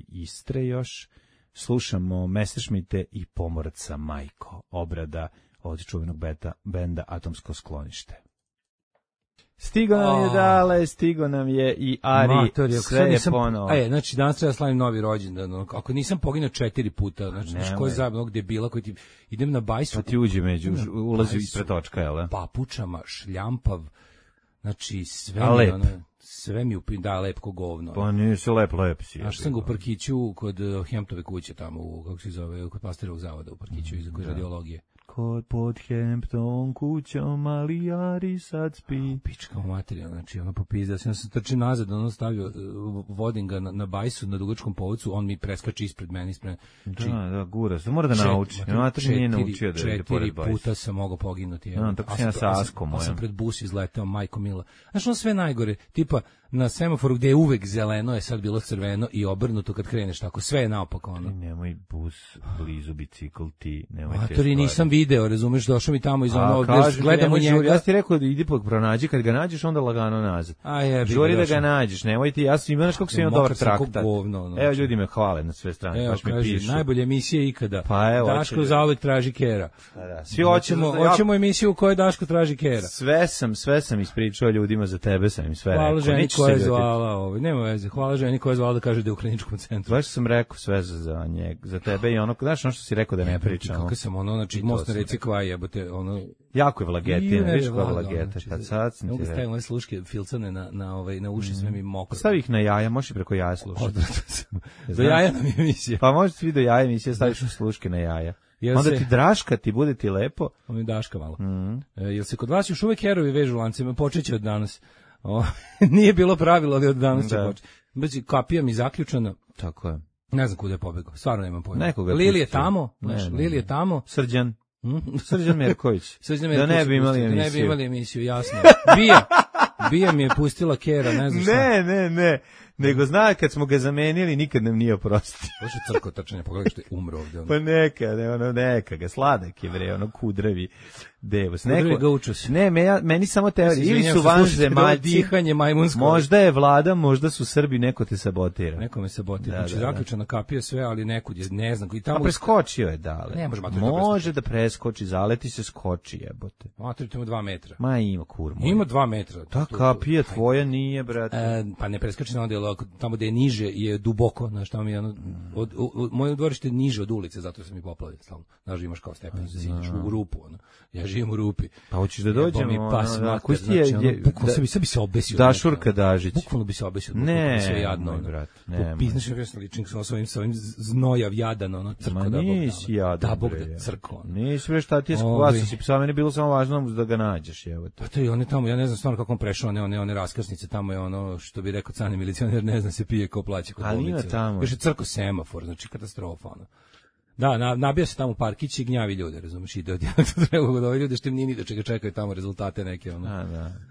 Istre još, slušamo Messerschmitte i Pomoraca Majko, obrada od čuvenog benda Atomsko sklonište. Stigo nam je Dale, stigo nam je i Ari, sve je ponovo. Znači danas treba slavim novi rođendan, ako nisam poginuo 4 puta, znači ko je zajedno gdje bila, koji ti idem na bajsu. Pa ti uđe ulazi ispred točka, jel da? Papučama, šljampav, znači sve mi da lep ko govno. Pa nisi lep si. A što sam ga u parkiću kod Hemptove kuće tamo, kako se zove, kod Pasterovog zavoda u parkiću iz radiologije. Kod pod Hempton kućom, ali Ari sad spi. Pička materija, znači ono popizda. Ja sam trčim nazad, ono stavio, vodim ga na bajsu, na dugačkom povodcu, on mi preskači ispred mene. Da, gura, to mora da nauči. Mater nije naučio da je pored bajsa. 4 puta sam mogao poginuti. Tako sam ja sa Askom. Pa sam pred bus izletao, majko mila. Znači ono sve najgore, tipa na semaforu gdje je uvek zeleno, je sad bilo crveno i obrnuto kad kreneš tako, sve je naopako ono. Nemoj bus blizu, bicikl ti, nemoj te stvari. Nisam video, razumeš, došao mi tamo iz ono, gledamo njega. Ja ti rekao da idi pronađi, kad ga nađeš onda lagano nazad. Žuri da ga nađeš, nemoj ti, ja sam imaš kako sam imao dobar traktat. Evo ljudi me hvale na sve strane, evo, baš mi pišu. Najbolje emisije ikada. Pa evo, Daško zauvek traži kera. Svi hoćemo emisiju u kojoj Daško traži kera. Sve sam ispričao ljudima, za tebe sam im sve rekao. Hvala ženi koja je zvala, nema veze. Hvala ženi koja je zvala da kaže da je u kliničkom centru. Baš sam rekao sve za njega, za tebe i ono, znaš ono što si rekao da ne pričamo. Kako sam ono, znači most na reci Kvaj, jebote, ono. Jako je vlagetina, viš koja je vlageta. Kad sad sam ti rekao. Stavim ove sluške filcane na uši, sve mi mokro. Stavi ih na jaja, možeš i preko jaja slušati. Do jaja nam je emisija. Pa možeš svi do jaja emisije, staviš sluške na jaja. Onda ti draška, ti bude ti lepo. Ono je daška malo. Jel se kod vas još uvek herovi vežu lancima? Počeće od danas. Nije bilo pravilo, ali od danas će početi. Znači, kapija mi zaključana. Tako je. Ne znam kuda je pobegao, stvarno nemam pojma. Lili je tamo, Lili je tamo. Srđan Merković. Da ne bi imali emisiju, jasno. Bija mi je pustila kera, ne znam šta. Ne. Nego zna, kad smo ga zamenili, nikad nam nije oprostio. Bože crko trčanje, pogledaj što je umro ovdje. Pa neka ga, sladak je bre, kudravi devos. Kudravi ga učus. Ne, meni samo teorija. Ili su vanzemaljci, dihanje majmunsko. Možda je vlada, možda su Srbi, neko te sabotira. Neko me sabotira. Znači, zaključana kapija sve, ali nekud je, ne znam. A preskočio je dale. Ne, može da preskoči, zaleti se, skoči jebote. Mater, ima 2 metra. Ma ima kurmo. Ima 2 metra. Ta kapija tvoja nije, brate. Pa ne preskoči na onda, tamo gde je niže je duboko, znaš, tamo je ono, moje dvorište je niže od ulice, zato sam i poplavio stalno. Znaš, imaš kao stepenice, siđeš u rupu, ono. Ja živim u rupi. Pa hoćeš da dođemo, koji ti je, bukvalno bi se obesio. Dašurka Dažić. Bukvalno bi se obesio. Ne, sve jadno, brat, ne. Znaš, ja sam ličnik sa ovim znojav jadan, ono, crko da Bog da. Nisi jadan, da Bog da crko. Nisi bre, šta ti je skvasa, si psa, meni bilo samo važno da ga nađeš, evo. Pa to je on je tamo, ja ne znam stvarno kako on prešao, one raskrsnice, tamo je ono, što bi rekao cani milicioner, ne znam se pije ko plaća kod bolnice. Još je crko semafor, znači katastrofa, ono. Da, nabija se tamo parkić i gnjavi ljude, razumiješ, ide od jednog do drugog, ove ljude što im nije ni do čega čekaju tamo rezultate neke, ono.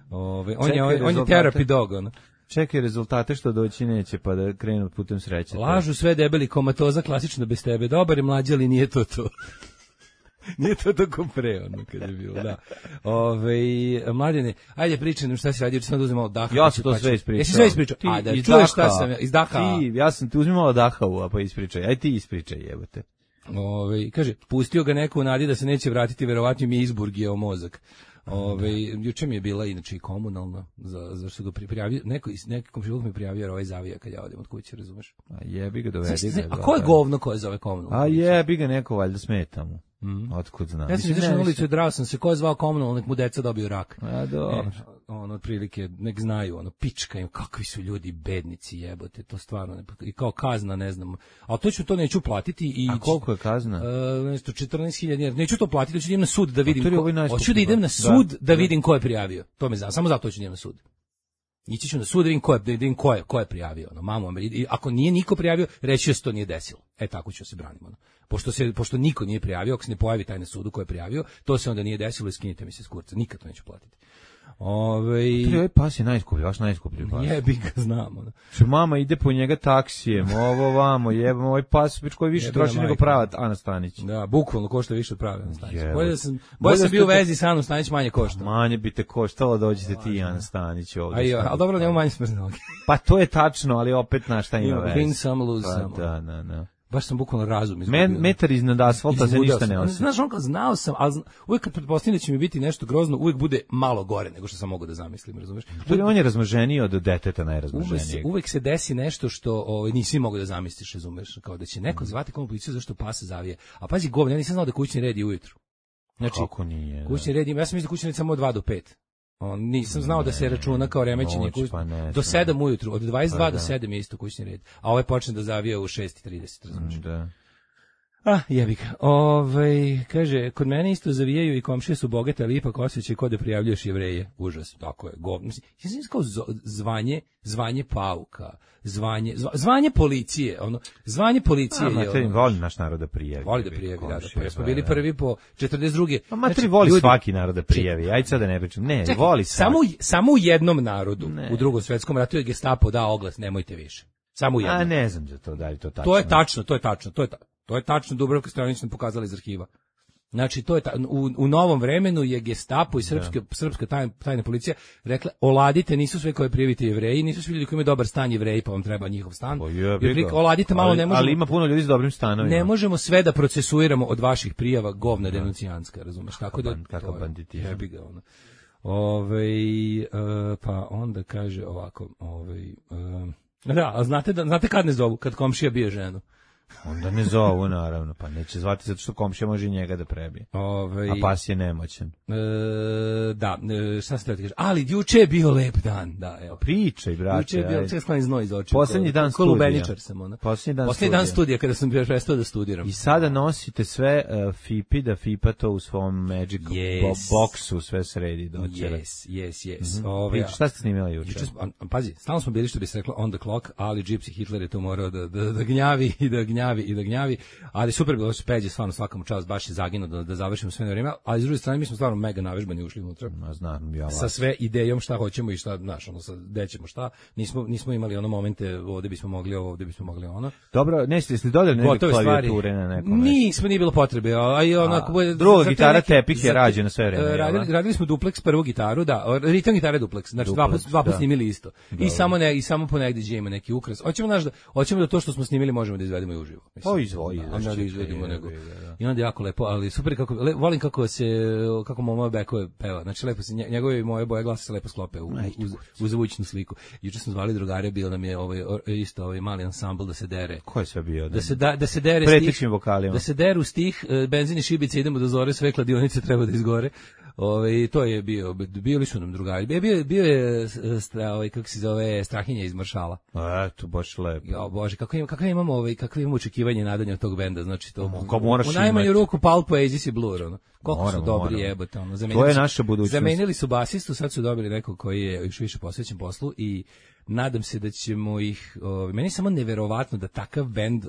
On je therapy dog, ono. Čekaj rezultate što doći neće, pa da krenu putem sreće. Lažu sve debeli, komatoza, klasično bez tebe, dobar je mlađi, ali nije to. Nije to tako pre, ono, kad je bilo, da. Mladine, ajde pričaj nam šta si radio, sam da uzim malo daha. Ja sam to sve ispričao. Jesi sve ispričao? Da čuješ šta sam, iz daha. Ja sam ti uzmi malo daha, pa ispričaj. Ajde ti ispričaj, jebote. Kaže, pustio ga neko u nadi da se neće vratiti, verovatno mi je izburgijao mozak. Juče mi je bila inače i komunalna, zašto ga prijavio, neki komšiluk mi prijavio jer ovaj zavija kad ja odem od kuće, razumeš? A jebi ga, dovedi ga. A ko je govno koje zove komunalno? A jebi ga, neko valjda smeta mu. Otkud znam. Ja sam izašao na ulicu i drao sam se, ko je zvao komunalno, nek mu deca dobiju rak. A dobro. Otprilike, nek znaju, pičkaju, kakvi su ljudi bednici, jebote, to stvarno, i kao kazna, ne znam, a to neću platiti. A koliko je kazna? 14.000, neću to platiti, hoću da idem na sud da vidim, hoću da idem na sud da vidim ko je prijavio, to me znam, samo zato hoću da idem na sud. Ići ću na sud da vidim ko je prijavio, mamu, ako nije niko prijavio, reći se to nije desilo. Tako ću se braniti. Pošto niko nije prijavio, ako se ne pojavi taj na sudu ko je prijavio, to se onda nije desilo i skinite mi se s kurca, nikad to neću platiti. Ovaj pas je najskuplji, vaš najskuplji pas. Jebi ga, znamo. Mama ide po njega taksijem, ovo vamo, jebam, ovaj pas koji više troši nego prava Ana Stanić. Da, bukvalno košta više od prave Ana Stanić. Bolje sam bio u vezi sa Anom Stanić, manje košta. Manje bi te koštalo, dođete ti Ana Stanić ovdje. Ali dobro, nema manje smrzne noge. Pa to je tačno, ali opet na šta ima veze. Win some, lose some. Da. Baš sam bukvalno razum izgubio. Metar iznad asfalta se ništa ne osjeća. Znaš, znao sam, ali uvijek kad pretpostavljam da će mi biti nešto grozno, uvijek bude malo gore nego što sam mogao da zamislim, razumeš? On je razmaženiji od deteta najrazmaženijeg. Uvijek se desi nešto što nisi mogao da zamisliš, razumeš? Kao da će neko zvati komu policiju zašto pas zavije. A pazi, govno, ja nisam znao da kućni red je ujutru. Znači, kako nije? Kućni red ima, ja sam mislio da kućni red samo od 2 do 5. Nisam znao da se računa kao remećenje do 7 ujutru, od 22 do 7 je isto kućni red, a ovaj počne da zavija u 6:30, razumiješ? Da. Jebi ga. Kaže, kod mene isto zavijaju i komšije su bogate, ali ipak osjećaj kod da prijavljuješ Jevreje. Užas, tako je. Ja sam kao zvanje pauka, zvanje policije, zvanje policije je. Voli naš narod da prijavi. Voli da prijavi, da. Smo bili prvi po 42. A materi voli svaki narod da prijavi. Ajde sad da ne pričam. Ne, voli svaki. Samo u jednom narodu, u Drugom svetskom ratu je Gestapo dao oglas, nemojte više. Samo u jednom. A ne znam za to, da li to tačno. To je tačno, Dubravka Stojanović nam pokazala iz arhiva. Znači, to je u novom vremenu je Gestapo i srpska tajna policija rekla, oladite, nisu sve koje prijavite Jevreji, nisu svi ljudi koji imaju dobar stan Jevreji, pa vam treba njihov stan. Oladite malo, ne možemo. Ali ima puno ljudi s dobrim stanovima. Ne možemo sve da procesuiramo od vaših prijava, govna denuncijanska, razumeš? Tako da, kakav banditizam. Jebi ga, ono. Pa onda kaže ovako, da, a znate kad ne zovu? Kad komšija bije ženu. Onda ne zovu, naravno, pa neće zvati zato što komšija može i njega da prebije. A pas je nemoćan. Da, šta se treba ti kaže? Ali juče je bio lep dan, da, evo. Pričaj, brate. Juče je bio, sklani znoj iz očiju. Poslednji dan studija. Kolubeničar sam, ona. Poslednji dan studija, kada sam prestao da studiram. I sada nosite sve Fipi, da Fipa to u svom Magic boxu sve sredi doćera. Yes. Šta ste snimila juče? Pazi, stalno smo bili, što bi se reklo, on the clock, ali Gypsy Hitler je to morao da gnjavi i da gnjavi, ali super bilo što Peđe, stvarno svakom čast, baš je zaginuo da završimo sve na vrijeme, ali s druge strane mi smo stvarno mega navežbani ušli unutra. Sa sve idejom šta hoćemo i šta, znaš, gde ćemo šta, nismo imali ono momente, ovde bismo mogli ovo, ovde bismo mogli ono. Dobro, jeste dodali neke klavijature na nekom? Nismo, nije bilo potrebe, a i onako... Druga gitara Tepih je rađena sve vreme. Radili smo duplex, prvu gitaru, da, ritam gitare duplex, znači dva put snimili isto. I samo ponegdje gdje ima neki ukras. Hoćemo da to što smo snimili možemo da izvedemo i uživo. Onda da izvedimo nego. I onda je jako lepo, ali super volim kako moja Bekove peva. Znači lepo se njegove i moje boje glasa se lepo sklope u zvučnu sliku. Juče smo zvali drugare, bio nam je ovaj mali ansambl da se dere. Ko je sve bio? Da se dere pretečnim vokalima. Da se deru stih, benzin i šibice, idemo do zore, sve kladionice treba da izgore. To je bili su nam drugari. Bio je kako se zove, Strahinja iz Maršala. Eto, baš lepo. Ja, Bože, kakve imamo očekivanje i nadanje od tog benda, znači to. U najmanju ruku Pulp Oasis i Blur, ono. Koliko su dobri, jebote, ono. To je naša budućnost. Zamenili su basistu, sad su dobili nekog koji je još više posvećen poslu i nadam se da ćemo ih, meni je samo neverovatno da takav bend,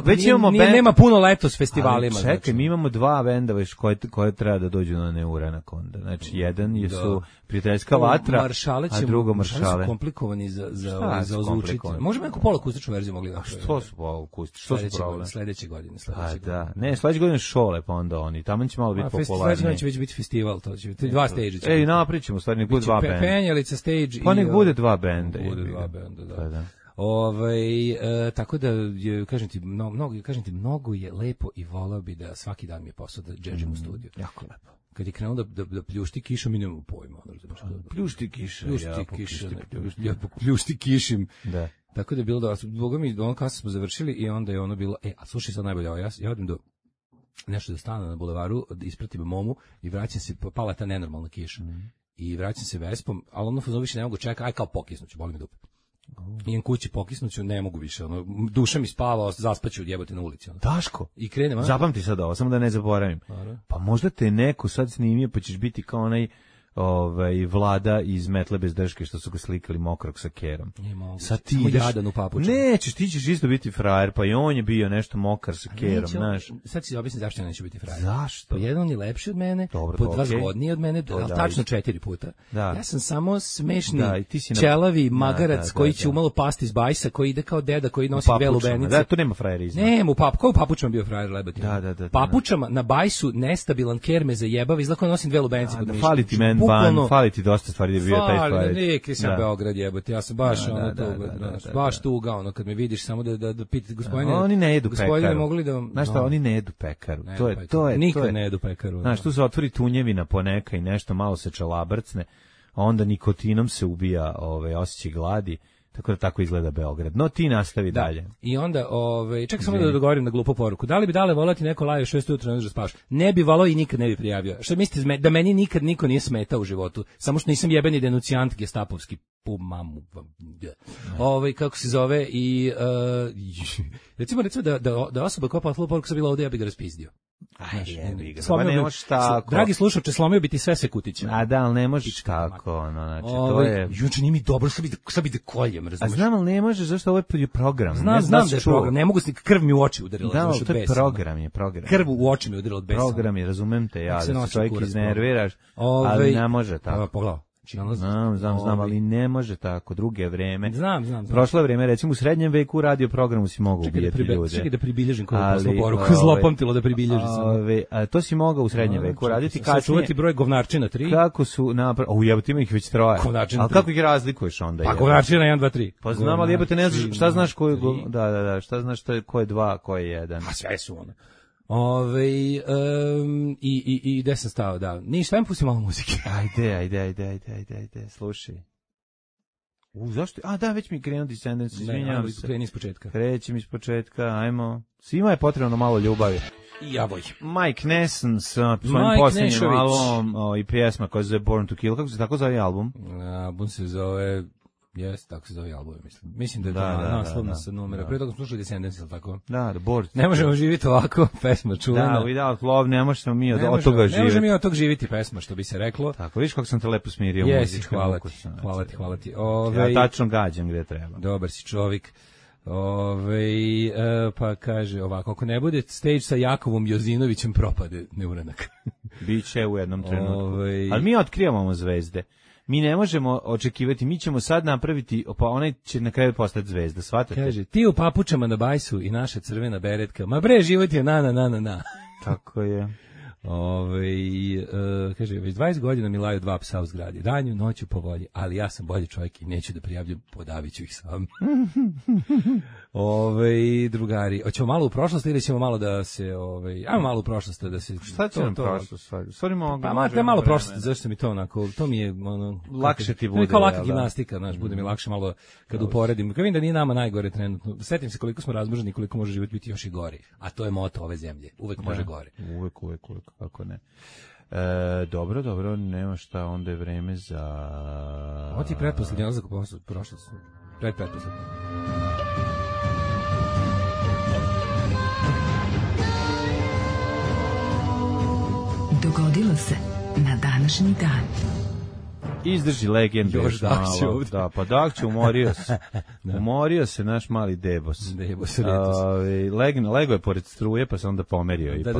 već imamo bend, nema puno letos festivalima. Ali čekaj, mi imamo dva benda već koje treba da dođu na Neuranak onda. Znači, jedan su Prijateljska vatra, a drugo Maršale. Maršale su komplikovani za ozvučiti. Možemo neku poluakustičnu verziju mogli da. Što su poluakustični? Što su problem? Sledeće godine. Da. Ne, sledeće godine Šole, pa onda oni. Tamo će malo biti popularni. Sledeće godine će već biti festival, to će biti dva stage. Napričamo, stvari, nek bude dva benda. Penjalica stage. Pa nek bude dva benda. Da. Tako da kažem ti mnogo je lepo i voleo bi da svaki dan mi je posao da džedžim u studiju. Jako lepo. kad je krenuo da pljušti kiša, mi nemamo pojma. Pljušti kiša, ja pljušti kišim. Da. Tako da je bilo da, Boga mi, ono kasno smo završili i onda je ono bilo, a slušaj sad najbolje, ja odim do nešto da stane na bulevaru, da ispratim momu i vraćam se, pala ta nenormalna kiša. I vraćam se Vespom, ali ono fazon više ne mogu čekati, aj kao pokisnuću, boli me dupe. Idem kući, pokisnuću, ne mogu više, ono, duša mi spava, zaspaću jebote na ulici. Ono. Daško, i krenem, zapamti sad ovo, samo da ne zaboravim. Pa možda te neko sad snimio, pa ćeš biti kao onaj Vlada iz Metle bez drške što su ga slikali mokrog sa kerom. Sad ti ideš, nećeš, ti ćeš isto biti frajer, pa i on je bio nešto mokar sa kerom, znaš. Sad si objasni zašto ja neću biti frajer. Zašto? Po jedan je lepši od mene, dobro, po dva zgodniji od mene, ali tačno 4 puta. Da. Ja sam samo smešni, ćelavi magarac koji će umalo pasti iz bajsa, koji ide kao deda, koji nosi dve lubenice. Da, tu nema frajerizma. Nema, ko u papučama bio frajer lebati? Da. Papučama na bajsu nestabilan ker me zajebava, izlako nosim dve lubenice pod mišem. Fali ti fali ti dosta stvari da bi bio taj frajer. Neki sam Beograd jebote, ja sam baš baš tuga, ono kad me vidiš samo da pitate gospodine. Oni ne jedu pekaru. Mogli da znaš šta, oni ne jedu pekaru. To je nikad ne jedu pekaru. Znaš, tu se otvori tunjevina poneka i nešto malo se čalabrcne, a onda nikotinom se ubija osjećaj gladi. Tako da tako izgleda Beograd. No ti nastavi dalje. I onda, čekaj samo da dogovorim na glupu poruku. Da li bi dale volati neko laje 6 ujutro da spavaš? Ne bi volao i nikad ne bi prijavio. Šta mislite da meni nikad niko nije smetao u životu? Samo što nisam jebeni denucijant gestapovski mamu. Kako se zove i recimo da osoba koja poslala poruku sa bila ovde, ja bi ga raspizdio. Dragi slušalče, slomio bi ti sve sekutiće. A da, ali ne možeš tako, znači to je. Juče nije mi dobro, sad bi da koljem, razumeš? A znam, ali ne možeš, zašto ovo je program. Znam da je program, ne mogu se, krv mi u oči udarila. Da, to je program. Krv u oči mi udarila od besa. Program je, razumem te, ja, da se čovjek iznerviraš, ali ne može tako. Pogledaj. Znam, ali ne može tako, druge vreme. Znam. Prošlo vreme, recimo u srednjem veku u radio programu si mogao ubijati ljude. Čekaj da pribilježim koju poslu poruku, zlopamtilo da pribilježim. To si mogao u srednjem veku raditi kasnije. Sačuvati broj govnarčina 3. Kako su napravili, jebote ima ih već 3. Ali kako ih razlikuješ onda? Pa govnarčina 1, 2, 3. Pa znam, ali jebote ne znaš, šta znaš ko je, šta znaš ko je 2, ko je 1. A sve su one. I gde sam stao, da. Ništa, ajmo pusti malo muzike. Ajde, slušaj. Zašto? Da, već mi krenuo Descendants, izvinjavam se. Kreni iz početka. Krećem iz početka, ajmo. Svima je potrebno malo ljubavi. Javoj. Mike Nesson sa svojim posljednjim albumom i pjesma koja se zove Born to Kill. Kako se tako zove album? Album se zove... Jes, tako se zove album, mislim. Mislim da je to naslovna sa numera. Prije toga smo slušali Descendants, ili tako? Da, Born. Ne možemo živjeti ovako, pesma čuvena. Da, Without Love, ne možemo mi od toga živjeti. Ne možemo mi od toga živjeti, pesma, što bi se reklo. Tako, vidiš kako sam te lepo smirio. Jesi, hvala ti. Ja tačno gađam gde treba. Dobar si čovjek. Pa kaže ovako, ako ne bude stage sa Jakovom Jozinovićem, propade neuranak. Biće u jednom trenutku. Ali mi otkrivamo zvezde. Mi ne možemo očekivati, mi ćemo sad napraviti, pa onaj će na kraju postati zvezda, shvatate? Kaže, ti u papučama na bajsu i naša crvena beretka, ma bre, život je na. Tako je. Kaže, već 20 godina mi laju 2 psa u zgradi, danju, noću po volji, ali ja sam bolji čovjek i neću da prijavljam, podaviću ih sam. Drugari, hoćemo malo u prošlost ili ćemo malo da se, ajmo malo u prošlost da se... Šta će nam prošlost? Pa malo prošlost, zašto mi to onako, to mi je lakše ti bude. Kao laka gimnastika, znaš, bude mi lakše malo kad uporedim. Kad vidim da nije nama najgore trenutno, setim se koliko smo razmnoženi, koliko može život biti još i gori, a to je moto ove zemlje, uvek može gore. Uvek, kako ne. Dobro, nema šta, onda je vreme za... Ovo ti je pretposlednji odlazak u prošlost. Pretposlednji. Dogodilo se na današnji dan. Izdrži legend. Još Dakće ovdje. Da, pa Dakće umorio se. Umorio se naš mali Debos. Lego je pored struje, pa se onda pomerio ipak.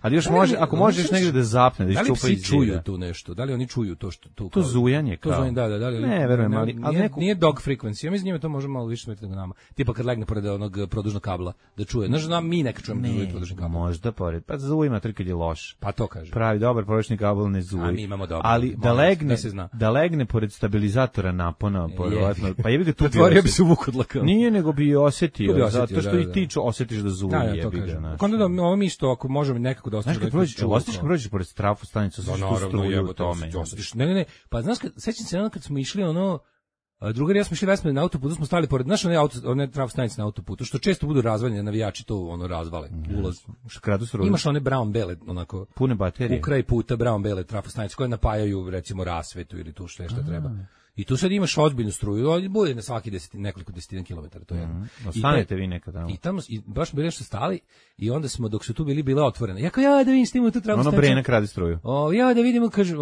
Ali još može, ako možeš negdje da zapne, da iščupa iz zida. Da li psi čuju tu nešto? Da li oni čuju to što tu? To zujanje kao. To zujanje, da. Ne, verujem, ali nije dog frequency. Ja mislim njima to može malo više smetiti nego nama. Tipa kad legne pored onog produžnog kabla da čuje. Znaš, mi neka čujemo da zuje produžni kabel. Možda pored. Pa zujima kad je loš. Pa to kaže. Pravi dobar produžni kabel ne zuji. A mi imamo dobar. Ali da legne da legne pored stabilizatora napona, verovatno. Pa jebi ga tu pretvorio bi se u vukodlaka. Nije, nego bi osetio, zato što i ti osetiš da zuvi, jebi ga. Onda da ovo mi isto, ako možemo nekako da ostaneš. Znaš kad prođeš pored trafu stanicu, sa što struju u tome. Ne, pa znaš, sećam se kad smo išli drugar i ja smo išli Vesme na autoputu, smo stali pored one trafostanice na autoputu, što često budu razvaljene, navijači to razvale, ulaz. Imaš one brown-bele, onako, pune baterije. U kraj puta brown-bele trafostanice koje napajaju, recimo, rasvetu ili tu što treba. I tu sad imaš ozbiljnu struju, ali bude na svaki nekoliko desetina kilometara, to je. Ostanete vi nekad tamo. I tamo, baš bili nešto stali, i onda smo, dok su tu bile otvorene, ja da vidim s tim u tu travu stanicu. Ono Brenak radi struju. Ja da vidimo, kaže,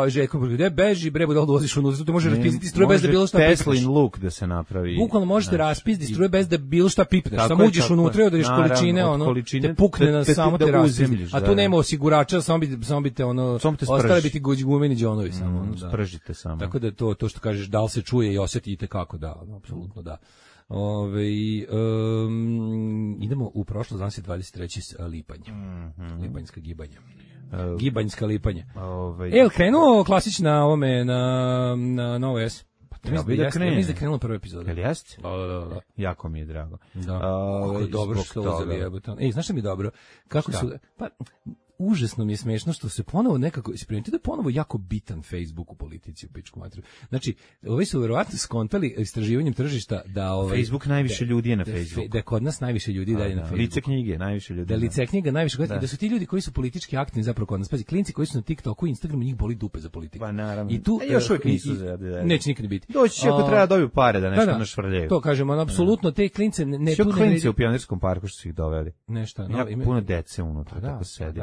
Željko, gde beži, bre, da ulaziš unutra, tu može raspiziti struje bez da bilo šta pipneš. Teslin luk da se napravi. Bukvalno možete raspiziti struje bez da bilo šta pipneš, samo uđeš unutra i odreš količine, te pukne na samo te raspizdi. A tu nema osigurača, samo bi te ostale biti gumeni džonovi samo. Spržite samo. Tako da to što kažeš, da li se čuje i osjetite kako, da, apsolutno da. Idemo u prošlost, danas je 23. lipanj. Lipanjska gibanja. Gibanjska lipanje. Krenuo klasična ovome na Novo S. Treba da krene. Mislim da krenuo prva epizoda. Jel jeste? Da. Jako mi je drago. Da. Kako dobro što uzeli jebote. Znaš šta mi je dobro? Kako su... Užasno mi je smešno što se ponovo nekako isprimetite da je ponovo jako bitan Facebook u politici u pičku materiju. Znači, ovi su verovatno skontali istraživanjem tržišta da Facebook najviše ljudi je na Facebooku. Da je kod nas najviše ljudi dalje na Facebooku. Lice knjige najviše ljudi. Da lice knjiga najviše kod nas. Da su ti ljudi koji su politički aktivni zapravo kod nas. Pazi, klinci koji su na TikToku i Instagramu, njih boli dupe za politiku. Pa naravno. I tu još uvijek nisu neće nikad biti. Doći će ako treba dobiju pare da nešto našvrljaju. To kažemo, apsolutno te klince ne tu klinci u Pionirskom parku što su ih doveli. Nešto, puno dece unutra tako sedi.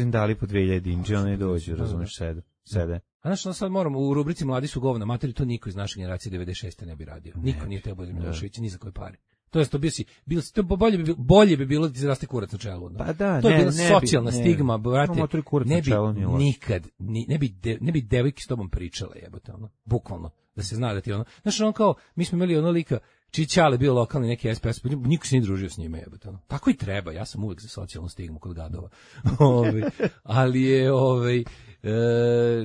Dali po 2000 dinđe, one dođu, razumeš, sede. A znaš, sad moram, u rubrici Mladi su govna materi, to niko iz naše generacije 96. ne bi radio. Niko nije teo Božidar Milošević, ni za koje pare. To jest, to bolje bi bilo da ti zaraste kurac na čelu. Pa da, to je bila socijalna stigma, brate. Ne bi devojke s tobom pričale, jebote, bukvalno, da se zna da ti znaš, kao, mi smo imali lika, čiji Ćale bio lokalni neki SPS, niko se nije družio s njima, jebote. Tako i treba, ja sam uvek za socijalnu stigmu kod gadova. Ali je,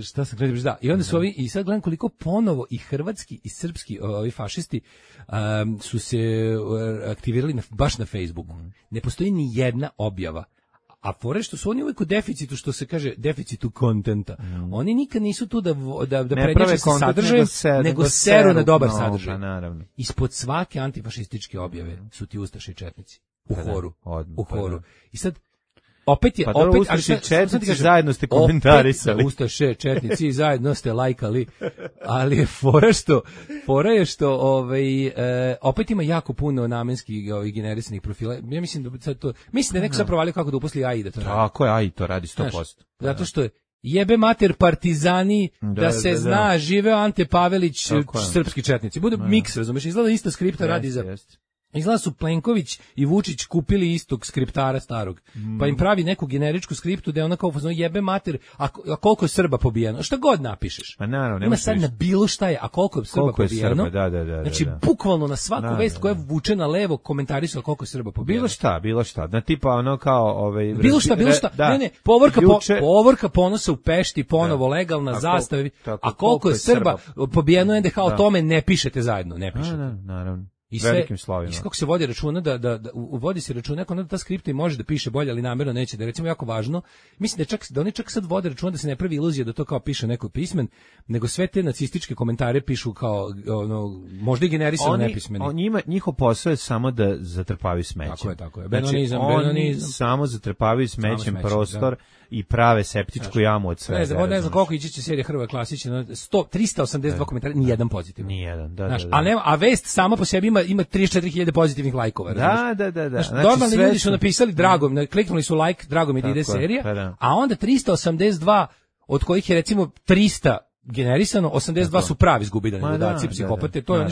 šta sam gledao, da. I onda su i sad gledam koliko ponovo i hrvatski i srpski fašisti su se aktivirali baš na Facebooku. Ne postoji ni jedna objava. A fore što su oni uvijek u deficitu, što se kaže deficitu kontenta. Oni nikad nisu tu da prednjače sa sadržajem, nego seru na dobar sadržaj. Ispod svake antifašističke objave su ti ustaše i četnici. U horu. I sad, opet je, Ustaše četnici zajedno ste komentarisali. Ustaše četnici zajedno ste lajkali, ali je fora je što opet ima jako puno namenskih generisanih profila. Ja mislim da je neko sad provalio kako da uposli AI da to radi. Tako je, AI to radi 100%. Zato što je jebe mater partizani, da se zna, živeo Ante Pavelić, srpski četnici. Bude miks, razumeš, izgleda isto skripta radi za... Izgleda su Plenković i Vučić kupili istog skriptara starog, pa im pravi neku generičku skriptu da je ona kao jebe mater, a koliko je Srba pobijeno, šta god napišeš. Pa naravno, ima sad na bilo šta je, a koliko je Srba pobijeno. Znači, bukvalno na svaku vest koja je vučena levo komentarisala koliko je Srba pobijeno. Bilo šta, na tipa ono kao... Bilo šta, ne, povorka ponosa u Pešti, ponovo legalna zastava, a koliko je Srba pobijeno, NDH o tome ne pišete zajedno, ne pišete. Naravno. I velikim slovima. I kako se vodi računa vodi se računa neko da ta skripta i može da piše bolje, ali namjerno neće, da je recimo jako važno. Mislim da oni čak sad vode računa da se ne pravi iluzija da to kao piše neko pismen, nego sve te nacističke komentare pišu kao možda i generisano nepismeni. Njihov posao je samo da zatrpavaju smećem. Tako je. Benonizam. Oni samo zatrpavaju smećem prostor i prave septičku jamu od svega. Ne znam koliko ići će serija Hrvatska klasična, 382 komentara, ni jedan pozitivan. Ni jedan, da. A vest sama po sebi ima 34.000 pozitivnih lajkova. Da. Normalni ljudi su napisali drago, kliknuli su like, drago mi da ide serija, a onda 382, od kojih je recimo 300 generisano, 82 su pravi zgubidani ludaci, psihopate, to je ono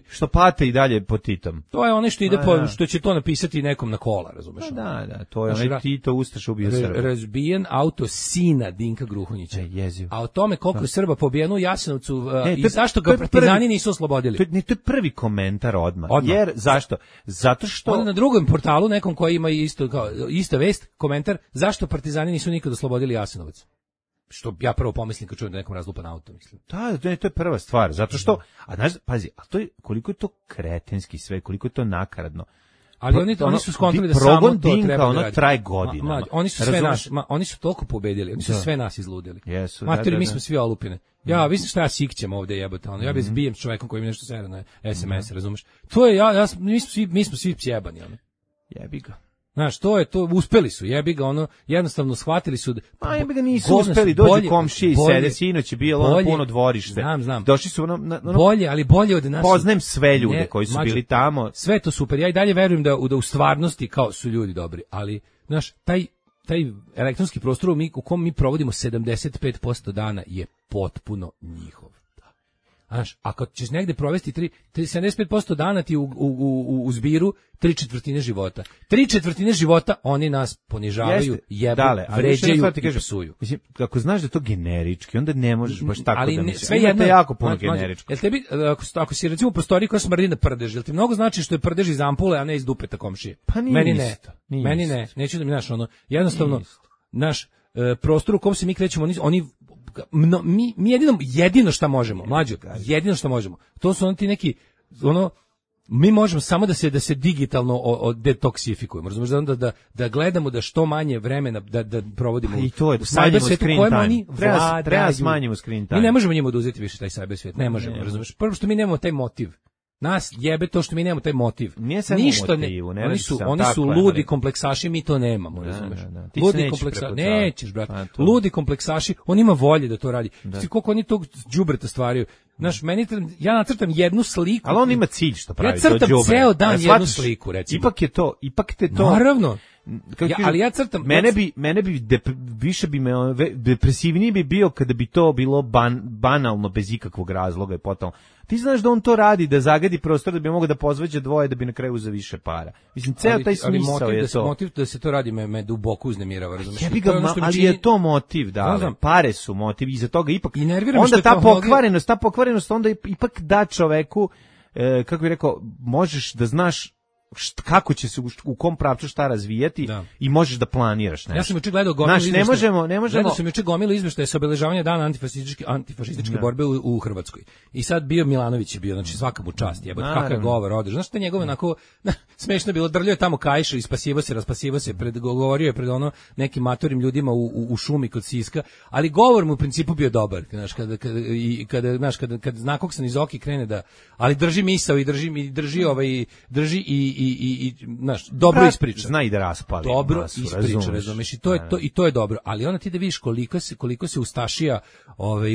što pate i dalje po Titom. To je ono što ide što će to napisati nekom na kola, razumeš? Da, to je onaj Tito ustaš ubio Srba. Razbijen auto sina Dinka Gruhonjića. A o tome koliko je Srba pobijeno u Jasenovcu i zašto ga partizani nisu oslobodili. To je prvi komentar odmah. Jer zašto? Zato što onda na drugom portalu nekom koji ima ista vest, komentar, zašto partizani nisu nikad oslobodili Jasenovac. što ja prvo pomislim kad čujem da nekom razlupan auto, mislim. Da, to je prva stvar, zato što, a znaš, pazi, a to je, koliko je to kretenski sve, koliko je to nakaradno. Ali oni su skontali da samo to treba da radi. Traje godinama. Oni su sve nas, oni su toliko pobedili, oni su sve nas izludili. Matori, mi smo svi olupine. Ja, vidim šta ja sikćem ovde, jebote, ja bez bijem s čovekom koji mi nešto sere na SMS, razumeš? To je mi smo svi sjebani, ono. Jebi ga. Znaš, to uspeli su, jebi ga, jednostavno shvatili su... jebi ga nisu uspeli, dođu komšije i sede, sinoć je bilo puno dvorište. Znam. Došli su bolje od nas. Poznajem sve ljude koji su bili tamo. Sve to super, ja i dalje verujem da u stvarnosti kao su ljudi dobri, ali, znaš, taj elektronski prostor u kom mi provodimo 75% dana je potpuno njihov. Znaš, ako ćeš negde provesti 75% dana ti u zbiru 3/4 života. 3/4 života oni nas ponižavaju, jebu, vređaju i psuju. Mislim, ako znaš da je to generički, onda ne možeš baš tako da misliš. Sve jedno jako puno generičko. Jel tebi, ako si recimo u prostoriji koja smrdi na prdež, jel ti mnogo znači što je prdež iz ampule, a ne iz dupeta komšije? Pa nije Meni ne. Neću da mi, znaš, jednostavno, naš prostor u kom se mi krećemo, mi jedino šta možemo, mlađo, jedino šta možemo, to su ti neki, mi možemo samo da se digitalno detoksifikujemo, razumiješ, da gledamo da što manje vremena da provodimo i to je, u cyber svijetu kojem oni vladaju. Treba smanjimo screen time. Mi ne možemo njima oduzeti više taj cyber svijet, ne možemo, razumiješ, prvo što mi nemamo taj motiv. Nas jebe to što mi nemamo taj motiv. Ništa oni su ludi kompleksaši, mi to nemamo, razumeš? Ludi kompleksaši, nećeš, brate. Ludi kompleksaši, on ima volje da to radi. Ti koliko oni tog đubreta stvaraju. Znaš, ja nacrtam jednu sliku. Ali on ima cilj što pravi. Ja crtam ceo dan jednu sliku, recimo. Ipak te to. Naravno. Ali ja crtam. Mene bi više bi me depresivniji bi bio kada bi to bilo banalno bez ikakvog razloga i potom. Ti znaš da on to radi da zagadi prostor da bi mogao da pozveđe dvoje da bi na kraju uzeo više para. Mislim, ceo taj smisao je to. Motiv da se to radi me duboko uznemirava, razumiješ? Ali je to motiv, da. Pare su motiv, iza toga ipak. Onda ta pokvarenost onda ipak da čoveku, kako bih rekao, možeš da znaš kako će se u kom pravcu šta razvijati i možeš da planiraš nešto. Ja sam juče gledao gomilu izveštaje. Gledao sam juče gomilu izveštaje sa obeležavanja dana antifašističke borbe u Hrvatskoj. I sad bio Milanović je bio, znači svaka mu čast, jebote, kakav govor odeš. Znaš šta njegove onako smešno bilo, drljao je tamo kaiša, raspasivo se, govorio je pred nekim matorim ljudima u šumi kod Siska, ali govor mu u principu bio dobar, znaš, kada zna kog sam iz oki krene da, ali drži misao i drži i znaš, dobro ispriča. Zna i da raspali. Dobro ispriča, razumeš, i to je dobro, ali onda ti da vidiš koliko se ustašija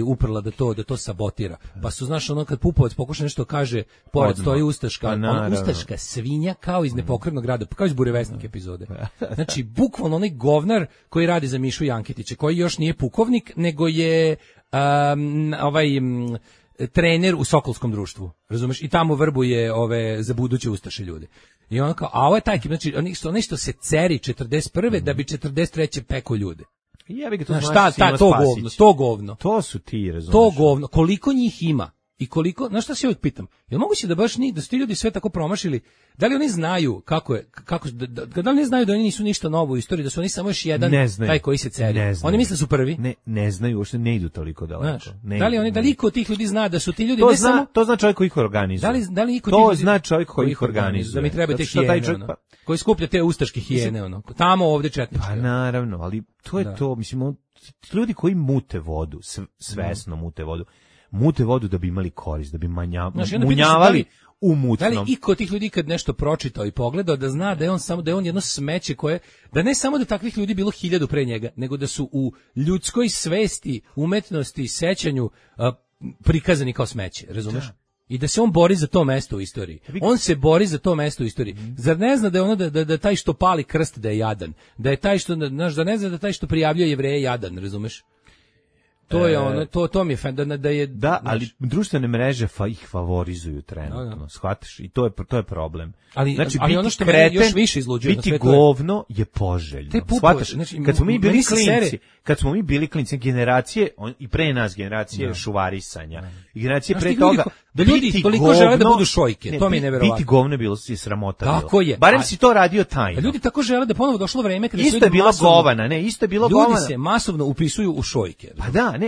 uprla da to sabotira. Pa su, znaš, kad Pupovac pokuša nešto kaže, pored stoji ustaška, ustaška svinja kao iz Nepokretnog grada, kao iz Burevestnik epizode. Znači, bukvalno onaj govnar koji radi za Mišu Janketića, koji još nije pukovnik, nego je trener u Sokolskom društvu, razumeš, i tamo vrbuje za buduće ustaše ljude. I on kao, a ovo je taj ekip, znači, oni što se ceri 41. da bi 43. peko ljude. To govno. To su ti, razumeš. To govno, koliko njih ima i koliko, znaš šta se uvijek pitam, je li moguće da baš da su ti ljudi sve tako promašili, da li oni znaju da li oni znaju da oni nisu ništa novo u istoriji, da su oni samo još jedan taj koji se ceri. Oni misle su prvi. Ne znaju, uopšte ne idu toliko daleko. Da li iko od tih ljudi zna da su ti ljudi to zna čovjek koji ih organizuje. To zna čovjek koji ih organizuje. Da mi treba te hijene, koji skuplja te ustaške hijene, tamo ovde četničke. Pa naravno, ali to je to, mislim, ljudi koji mute vodu, svesno mute vodu da bi imali korist, da bi munjavali u mutnom. Da li iko od tih ljudi kad nešto pročitao i pogledao da zna da je on jedno smeće koje, da ne samo da takvih ljudi bilo 1000 pre njega, nego da su u ljudskoj svesti, umetnosti, sećanju prikazani kao smeće, razumeš? I da se on bori za to mesto u istoriji. On se bori za to mesto u istoriji. Zar ne zna da je da taj što pali krst da je jadan? Da je taj što, znaš, da ne zna da taj što prijavljuje Jevreje jadan, razumeš? To je to mi je da je... Da, ali društvene mreže ih favorizuju trenutno, shvatiš? I to je problem. Znači, ali ono što me još više izluđuje biti govno je poželjno. Shvataš? Znači, kad smo mi bili klinci, generacije, i pre nas generacije šuvarisanja, generacije pre toga, da ljudi toliko žele da budu šojke, to mi je neverovatno. Biti govno bilo je sramota. Tako je. Barem si to radio tajno. Ljudi tako žele da ponovo došlo vreme kada isto je bilo govana, isto je bilo govana. Ljudi se masovno upisuju u šojke. Pa da,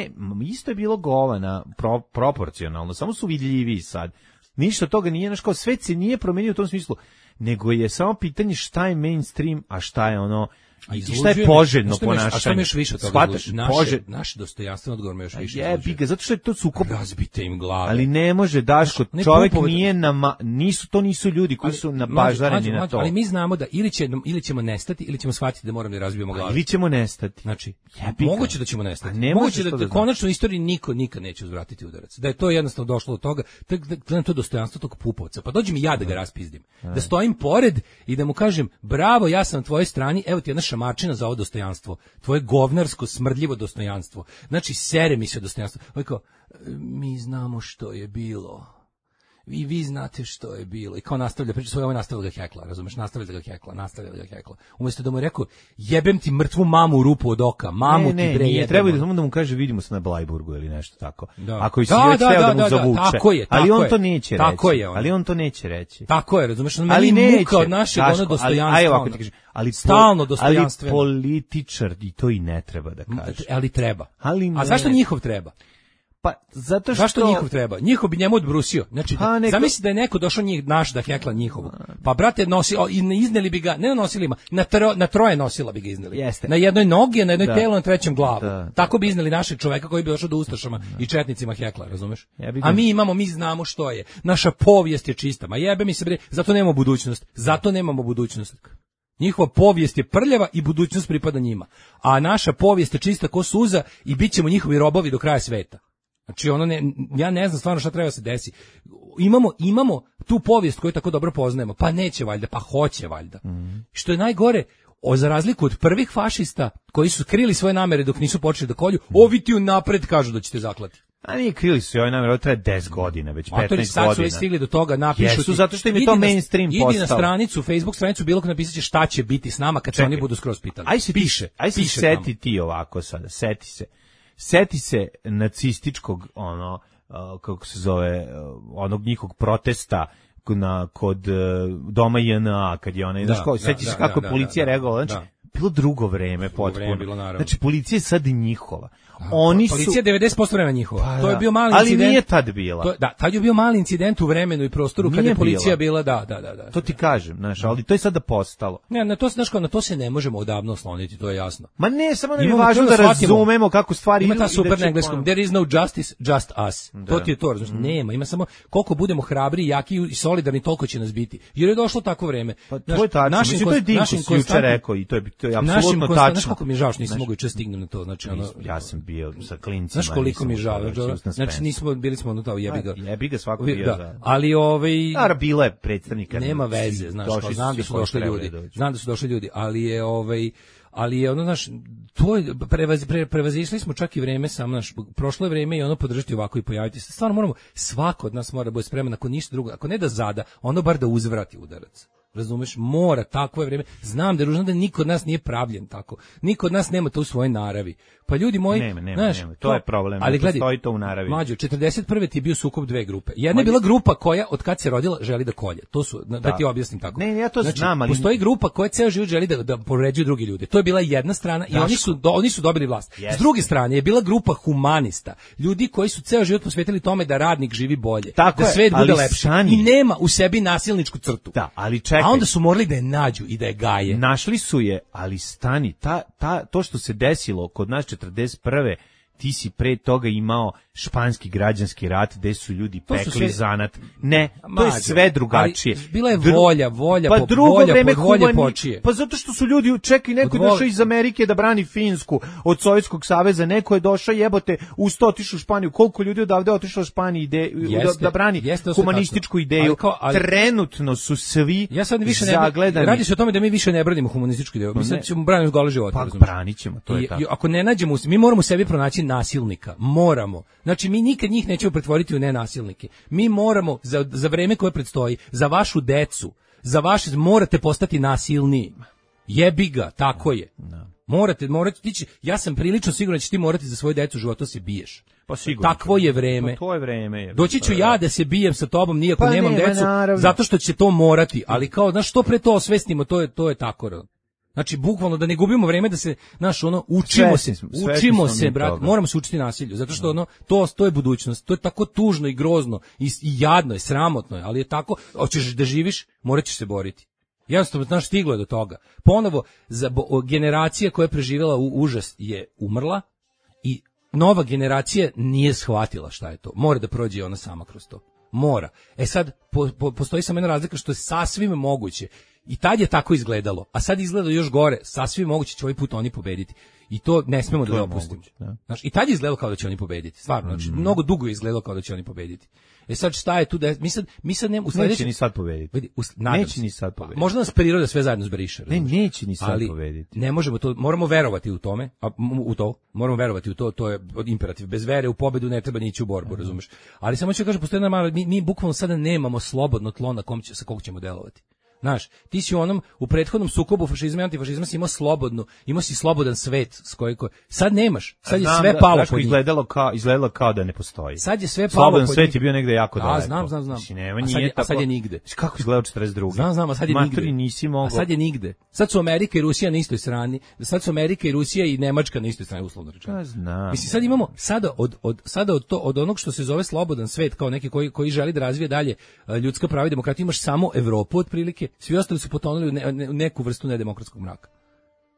isto je bilo govana proporcionalno, samo su vidljiviji sad. Ništa toga nije, znaš, kao svet se nije promenio u tom smislu, nego je samo pitanje šta je mainstream, a šta je ono, i šta je poželjno ponašanje. A šta mi još više od toga? Naše dostojanstveno odgovor me još više. Jebi ga, zato što je to sukob. Razbite im glave. Ali ne može, Daško, čovjek nije to nisu ljudi koji su nabaždareni na to. Ali mi znamo da ili ćemo nestati, ili ćemo shvatiti da moramo da razbijemo glave. Ili ćemo nestati. Znači, moguće da ćemo nestati. Moguće da konačno u istoriji niko nikad neće uzvratiti udarac. Da je to jednostavno došlo do toga, gledam to dostojanstvo tog Pupovca. Pa dođi mi ja da ga raspizdim. Da stojim pored i da mu kažem, bravo, ja sam na tvojoj strani, evo ti jedna šamarčina za ovo dostojanstvo, tvoje govnarsko, smrdljivo dostojanstvo. Znači, sere mi se dostojanstvo. Ovo kao, mi znamo što je bilo. I vi znate što je bilo. I kao nastavlja priča svoje, ovo je nastavlja ga hekla, razumeš? Nastavlja ga hekla. Umjesto da mu je rekao, jebem ti mrtvu mamu u rupu od oka, mamu ti bre jebem. Treba da samo da mu kaže, vidimo se na Blajburgu ili nešto tako. Da. Ako i si već teo da mu zavuče. Tako je, ali on to neće reći. Tako je. Ali on to neće reći. Tako je, razumeš? Ali muka od našeg ono dostojanstva. Ali stalno dostojanstveno. Ali političar i to i ne treba da kaže. Ali treba. A zašto njihov treba? Pa zato što zašto njihov treba? Njihov bi njemu odbrusio. Znači, zamisli da je neko došao naš da hekla njihovog. Pa brate izneli bi ga, ne na nosilima, na troje nosila bi ga izneli. Jeste. Na jednoj nogi, na jednoj telu, na trećem glavu. Tako bi izneli našeg čoveka koji bi došao do ustašama i četnicima hekla, razumeš? A mi znamo što je. Naša povijest je čista. Ma jebe mi se bre, zato nemamo budućnost. Njihova povijest je prljava i budućnost pripada njima. A naša povijest je čista ko suza i bit ćemo njihovi robovi do kraja sveta. Znači ja ne znam stvarno šta treba se desi. Imamo tu povijest koju tako dobro poznajemo, pa neće valjda, pa hoće valjda. Što je najgore, za razliku od prvih fašista koji su krili svoje namere dok nisu počeli da kolju, ovi ti unapred kažu da ćete zaklati. A nije krili su ovaj namjer, ovo traje 10 godina, već 15 godina. Sad su već stigli do toga, napišu Jesu, zato što im je to mainstream postao. Idi na stranicu, Facebook stranicu, bilo ko napisat će šta će biti s nama kad se oni budu skroz pitali. Aj se seti ti ovako sada, seti se nacističkog, kako se zove, onog njihovog protesta kod doma JNA, kad je onaj, seti se kako je policija reagovala, znači, bilo drugo vreme potpuno. Znači, policija je sad njihova. Policija 90% vremena njihova. To je bio mali incident. Ali nije tad bila. Tad je bio mali incident u vremenu i prostoru kada je policija bila, da. To ti kažem, znaš, ali to je sada postalo. Ne, na to se ne možemo odavno osloniti, to je jasno. Ma ne, samo nam je važno da razumemo kako stvari idu. Ima ta super na engleskom, there is no justice, just us. To ti je to, znači, nema, ima samo koliko budemo hrabri, jaki i solidarni, toliko će nas biti. Jer je došlo tako vreme. To je tačno, to je Dinkus juče rekao i to je apsolutno tačno. Znaš kako mi je žao što nisam mogao juče stignem na to, znači ja sam bio sa klincima. Znaš koliko mi je žao, znači bili smo ono tao jebiga svako bio za. Ali bilo je predstavnika. Nema veze, znaš, znam da su došli ljudi, ali je ono, znaš, to je, prevazišli smo čak i vreme samo, znaš, prošlo je vreme i ono podržati ovako i pojaviti se. Stvarno moramo, svako od nas mora biti spreman, ako ništa drugo, ako ne da zada, ono bar da uzvrati udarac. Razumeš, mora, takvo je vreme. Znam da je ružno da niko od nas nije pravljen tako. Niko od nas nema to u svojoj naravi. Pa ljudi moji, nema. To je problem. Ali gledaj, postoji to u naravi. Mlađo, 41. ti je bio sukob dve grupe. Jedna je bila grupa koja od kad se rodila želi da kolje. To su, da ti objasnim tako. Ne, ja to znam, ali postoji grupa koja ceo život želi da povređuje drugi ljude. To je bila jedna strana i oni su dobili vlast. S druge strane je bila grupa humanista. Ljudi koji su ceo život posvetili tome da radnik živi bolje, da svet bude lepši i nema u sebi nasilničku crtu. Da, ali čekaj. A onda su morali da je nađu i da je gaje. Našli su je, ali stani, to što se desilo kod nas 41. ti si pre toga imao španski građanski rat gde su ljudi pekli zanat. Ne, to je sve drugačije. Bila je volja pa drugo vreme volje počije. Pa zato što su ljudi, čekaj, neko je došao iz Amerike da brani Finsku od Sovjetskog saveza, neko je došao, jebote, uz to otišao u Španiju. Koliko ljudi odavde otišlo u Španiju da brani humanističku ideju. Trenutno su svi zagledani. Radi se o tome da mi više ne branimo humanističku ideju. Mi sad ćemo braniti gole živote. Pa branit ćemo, to je tako. Ako ne nađemo, mi moramo sebi pronaći nasilnika. Moramo. Znači, mi nikad njih nećemo pretvoriti u nenasilnike. Mi moramo, za vreme koje predstoji, za vašu decu, morate postati nasilniji. Jebi ga, tako je. Morate tići, ja sam prilično siguran da ćeš ti morati za svoju decu života se biješ. Pa sigurno. Takvo je vreme. To je vreme. Doći ću ja da se bijem sa tobom, nijako nemam decu, zato što će to morati, ali kao, znaš, što pre to osvestimo, to je tako. Znači, bukvalno da ne gubimo vreme da se, znaš, učimo se, brat, moramo se učiti nasilju, zato što to je budućnost, to je tako tužno i grozno i jadno je, sramotno je, ali je tako, hoćeš da živiš, morat ćeš se boriti. Jednostavno, znaš, stiglo je do toga. Ponovo, generacija koja je preživjela užas je umrla i nova generacija nije shvatila šta je to. Mora da prođe ona sama kroz to. Mora. Sad, postoji samo jedna razlika što je sasvim moguće. I tad je tako izgledalo, a sad izgleda još gore, sasvim moguće će ovaj put oni pobediti. I to ne smemo da dopustimo. Znaš, i tad je izgledalo kao da će oni pobediti, stvarno, znači, mnogo dugo je izgledalo kao da će oni pobediti. Sad šta je tu da mi sad u sledećem neće ni sad pobediti. Vidi, neće ni sad pobediti. Možda nas priroda sve zajedno zbriše. Neće ni sad pobediti. Ne možemo to, moramo verovati u tome, moramo verovati u to, to je imperativ. Bez vere u pobedu ne treba ni ići u borbu, razumeš? Ali samo ću kažem, postoji normalno, mi bukvalno sada nemamo slobodno tlo sa kog ćemo delovati. Znaš, ti si u prethodnom sukobu fašizma i antifašizma si imao si slobodan svet s kojim sad nemaš. Sad je sve palo pod njih. Izgledalo kao da ne postoji. Sad je sve palo slobodan pod njih. Slobodan svet je bio negde jako daleko. Znam. A sad je nigde. Kako izgledao 42. Znam, a sad je nigde. Nisi mogao. A sad je nigde. Sad su Amerika i Rusija na istoj strani. Sad su Amerika i Rusija i Nemačka na istoj strani, uslovno rečeno. Znam. Mislim, sad imamo od onog što se zove slobodan svet, kao neki koji želi da razvije dalje ljudska prava i demokratiju, imaš samo Evropu otprilike. Svi ostali su potonuli u neku vrstu nedemokratskog mraka.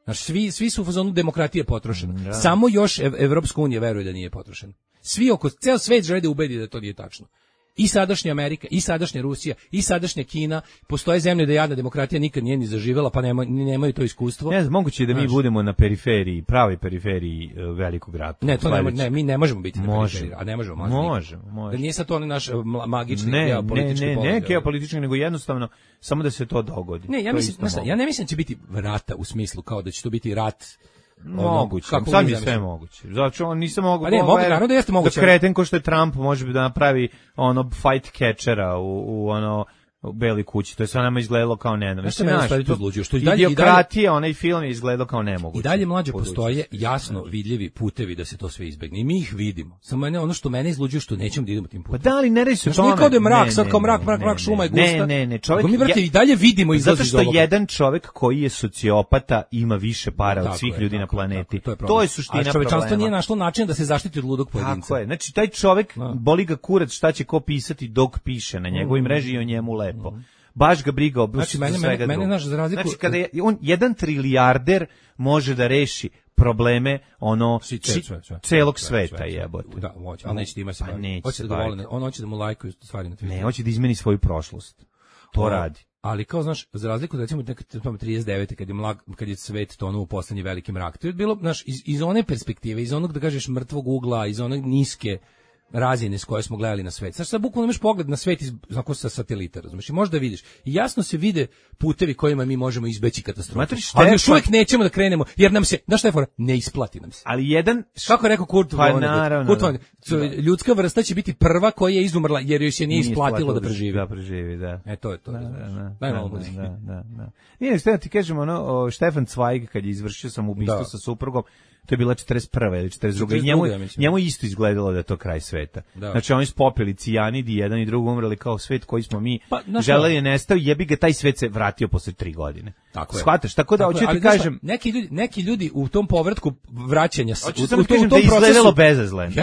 Znači, svi su u fazonu demokratije potrošena. Samo još Evropska unija veruje da nije potrošena. Ceo svet želi da ubedi da to nije tačno. I sadašnja Amerika, i sadašnja Rusija, i sadašnja Kina, postoje zemlje da jadna demokratija nikad nije ni zaživela, pa nemaju to iskustvo. Ne znam, moguće je da mi budemo na periferiji, pravoj periferiji velikog rata. Mi ne možemo biti na periferiji, a ne možemo. Možemo. Da nije sad to naš magični geopolitički položaj. Ne geopolitički, nego jednostavno samo da se to dogodi. Ja ne mislim da će biti rata u smislu kao da će to biti rat. Moguće, sad je sve moguće. Zato nisam mogao. Naravno da jeste moguće. Da kreten ko što je Trump može da napravi fight catchera u u Beloj kući. To je sve nama izgledalo kao Idiokratija, onaj film je izgledalo kao nemoguće. I dalje mlađe postoje jasno vidljivi putevi da se to sve izbegne. I mi ih vidimo. Samo ono što mene izluđuje što nećemo da idemo tim putem. Pa da li ne reći se tome? Znači, kao da je mrak, sad kao mrak, šuma je gusta. Ne, čovjek. Mi, brate, i dalje vidimo izlazi iz ovoga. Zato što jedan čovjek koji je sociopata ima više para od svih ljudi na planeti. To je suština problema. A čovečanstvo nije našlo način da se zaštiti od ludog pojedinca. Tako je. Znači, taj čovjek, boli ga kurac šta će ko pisati dok piše na njegovoj mreži i o njemu lepo. Baš ga briga o svega drugog. Znači, kada je on 1 trilijarder može da reši probleme celog sveta, jebote. Da, hoće, ali neće da ima se baviti. On hoće da mu lajkuju stvari na Twitteru. Ne, hoće da izmeni svoju prošlost. To radi. Ali kao, znaš, za razliku da recimo 39. kad je svet tonuo u poslednji veliki mrak, to je bilo, znaš, iz one perspektive, iz onog, da kažeš, mrtvog ugla, iz onog niske razine s koje smo gledali na svet. Sad bukvalno imaš pogled na svet sa satelita, razumiješ? I možda vidiš. I jasno se vide putevi kojima mi možemo izbeći katastrofu. Ali još uvijek nećemo da krenemo, jer nam se, znaš šta je fora? Ne isplati nam se. Ali jedan... Kako je rekao Kurt Vonnegut? Ljudska vrsta će biti prva koja je izumrla, jer joj se nije isplatilo da preživi. Da preživi, da. To je to. Daj malo muzike. Nije, što ti kažem, Stefan Zweig, kad je izvršio samoubistvo sa suprugom, to je bila 41. ili 42. Njemu isto izgledalo da je to kraj sveta. Da. Znači, oni su popili cijanid i jedan i drugo umrli kao svet koji smo mi želeli je nestao, jebi ga, taj svet se vratio posle 3 godine. Tako je. Shvataš? Tako da, hoću ti kažem... Neki ljudi u tom povratku vraćanja... Hoću sam kažem da je izgledalo bezazleno.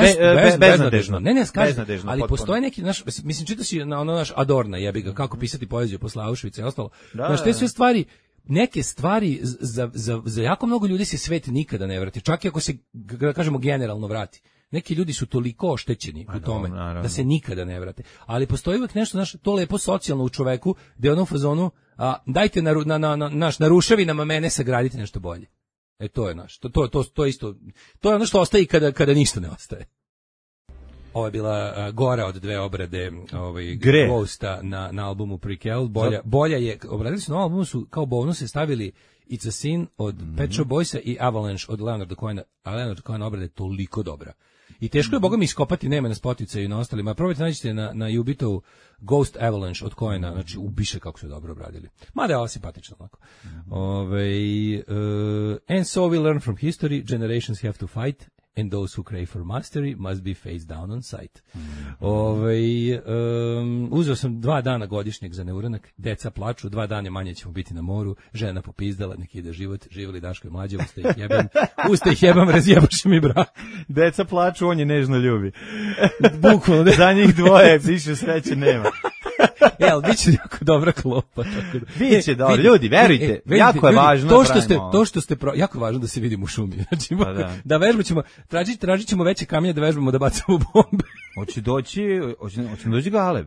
Beznadežno. Ne, skažem. Ali postoje neki, mislim, čitaš i na naš Adorna, jebi ga, kako pisati poeziju posle Auschwitza i ostalo. Znaš, te sve stvari... Neke stvari za jako mnogo ljudi se svet nikada ne vrati, čak i ako se, kažemo, generalno vrati. Neki ljudi su toliko oštećeni u tome da se nikada ne vrate. Ali postoji uvijek nešto, znaš, to lepo socijalno u čoveku, gde je ono u fazonu, dajte na ruševinama mene sagradite nešto bolje. To je naš. To je isto. To je ono što ostaje kada ništa ne ostaje. Ovo je bila gora od 2 obrade Ghosta na albumu Prequel. Bolja je, obradili su na albumu, su kao bonuse stavili It's a Sin od Pet Shop Boysa i Avalanche od Leonarda Cohena. A Leonard Cohen obrada je toliko dobra. I teško je boga mi iskopati, nema na Spotify i na ostalima. Probajte nađite na Ubitovu Ghost Avalanche od Coena, znači ubiše kako su dobro obradili. Mada je ovo simpatično onako. And so we learn from history, generations have to fight, and those who crave for mastery must be face down on sight. Uzeo sam 2 dana godišnjeg za neuranak, deca plaču, 2 dana manje ćemo biti na moru, žena popizdala, neki ide život, živjeli Daško i Mlađe, uste ih jebam, razjebaše mi brak. Deca plaču, on je nežno ljubi. Bukvalno. Za njih dvoje, više sreće nema. Ali bit će jako dobra klopa. Biće dobro, ljudi, verujte, jako je važno. Jako je važno da se vidimo u šumi. Znači, da vežbamo ćemo, tražit ćemo veće kamenje da vežbamo da bacamo bombe. Hoće doći Galeb.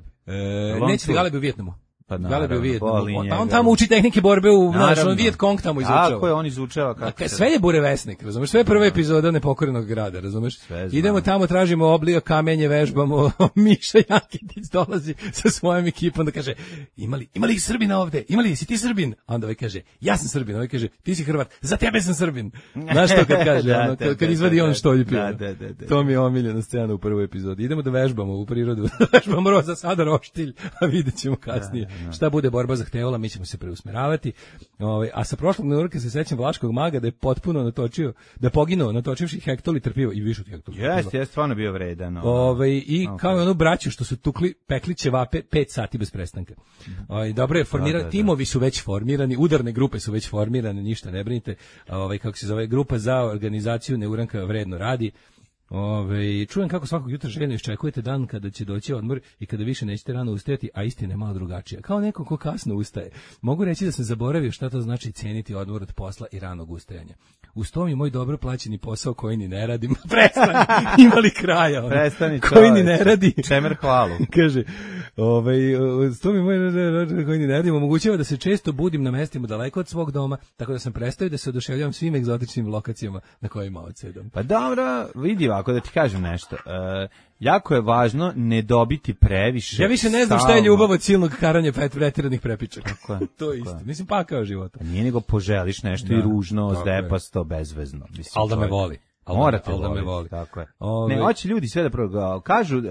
Neće da Galeb u Vijetnamu. Pa Galeb je u Vijetnamu. Pa on tamo uči tehnike borbe u našom Viet Cong tamo izučava. Tako je, on izučava. Sve je burevesnik, razumeš? Sve je prva epizoda Nepokorenog grada, razumeš? Idemo tamo, tražimo oblija, kamenje, vežbamo, Miša Jakitić dolazi sa svojom ekipom da kaže, ima li Srbina ovde? Si ti Srbin? A onda ovaj kaže, ja sam Srbin. Ovaj kaže, ti si Hrvat, za tebe sam Srbin. Znaš što kad kaže, kad izvadi on štoljpi. To mi je omiljena scena u prvoj epizodi. Idemo da vežbamo u prirodu, vežbamo za sada roštilj, a vidjet ćemo kasnije. Šta bude borba zahtevala, mi ćemo se preusmeravati. A sa prošlog neurka se sećam Vlaškog maga da je potpuno natočio, da je poginuo natočivši hektolitr piva i više od hektolitra. Jeste stvarno bio vredan. I kao onu braću što su pekli ćevape 5 sati bez prestanka. Dobro je formirati, timovi su već formirani, udarne grupe su već formirane, ništa ne brinite. Kako se zove, grupa za organizaciju neuranka vredno radi. Čujem kako svakog jutra željno iščekujete dan kada će doći odmor i kada više nećete rano ustajati, a istina je malo drugačija. Kao neko ko kasno ustaje. Mogu reći da sam zaboravio šta to znači cijeniti odmor od posla i ranog ustajanja. Uz to mi moj dobro plaćeni posao koji ni ne radim. Prestani, imali kraja. Prestani, koji ni ne radi. Čemer hvalu. Kaže, uz to mi moj koji ni ne radim omogućava da se često budim na mestima daleko od svog doma, tako da sam prestao da se oduševljavam svim egzotičnim lokacijama na kojima odsedam. Pa dobro, vidi ako da ti kažem nešto. Jako je važno ne dobiti previše. Ja više ne znam šta je ljubav od silnog karanja pretiranih prepičaka. To je isto. Mislim, pakao života. Nije nego poželiš nešto i ružno, zdepasto, bezvezno. Ali da me voli. Morate da me voli. Tako je. Ne, hoće ljudi sve da kažu,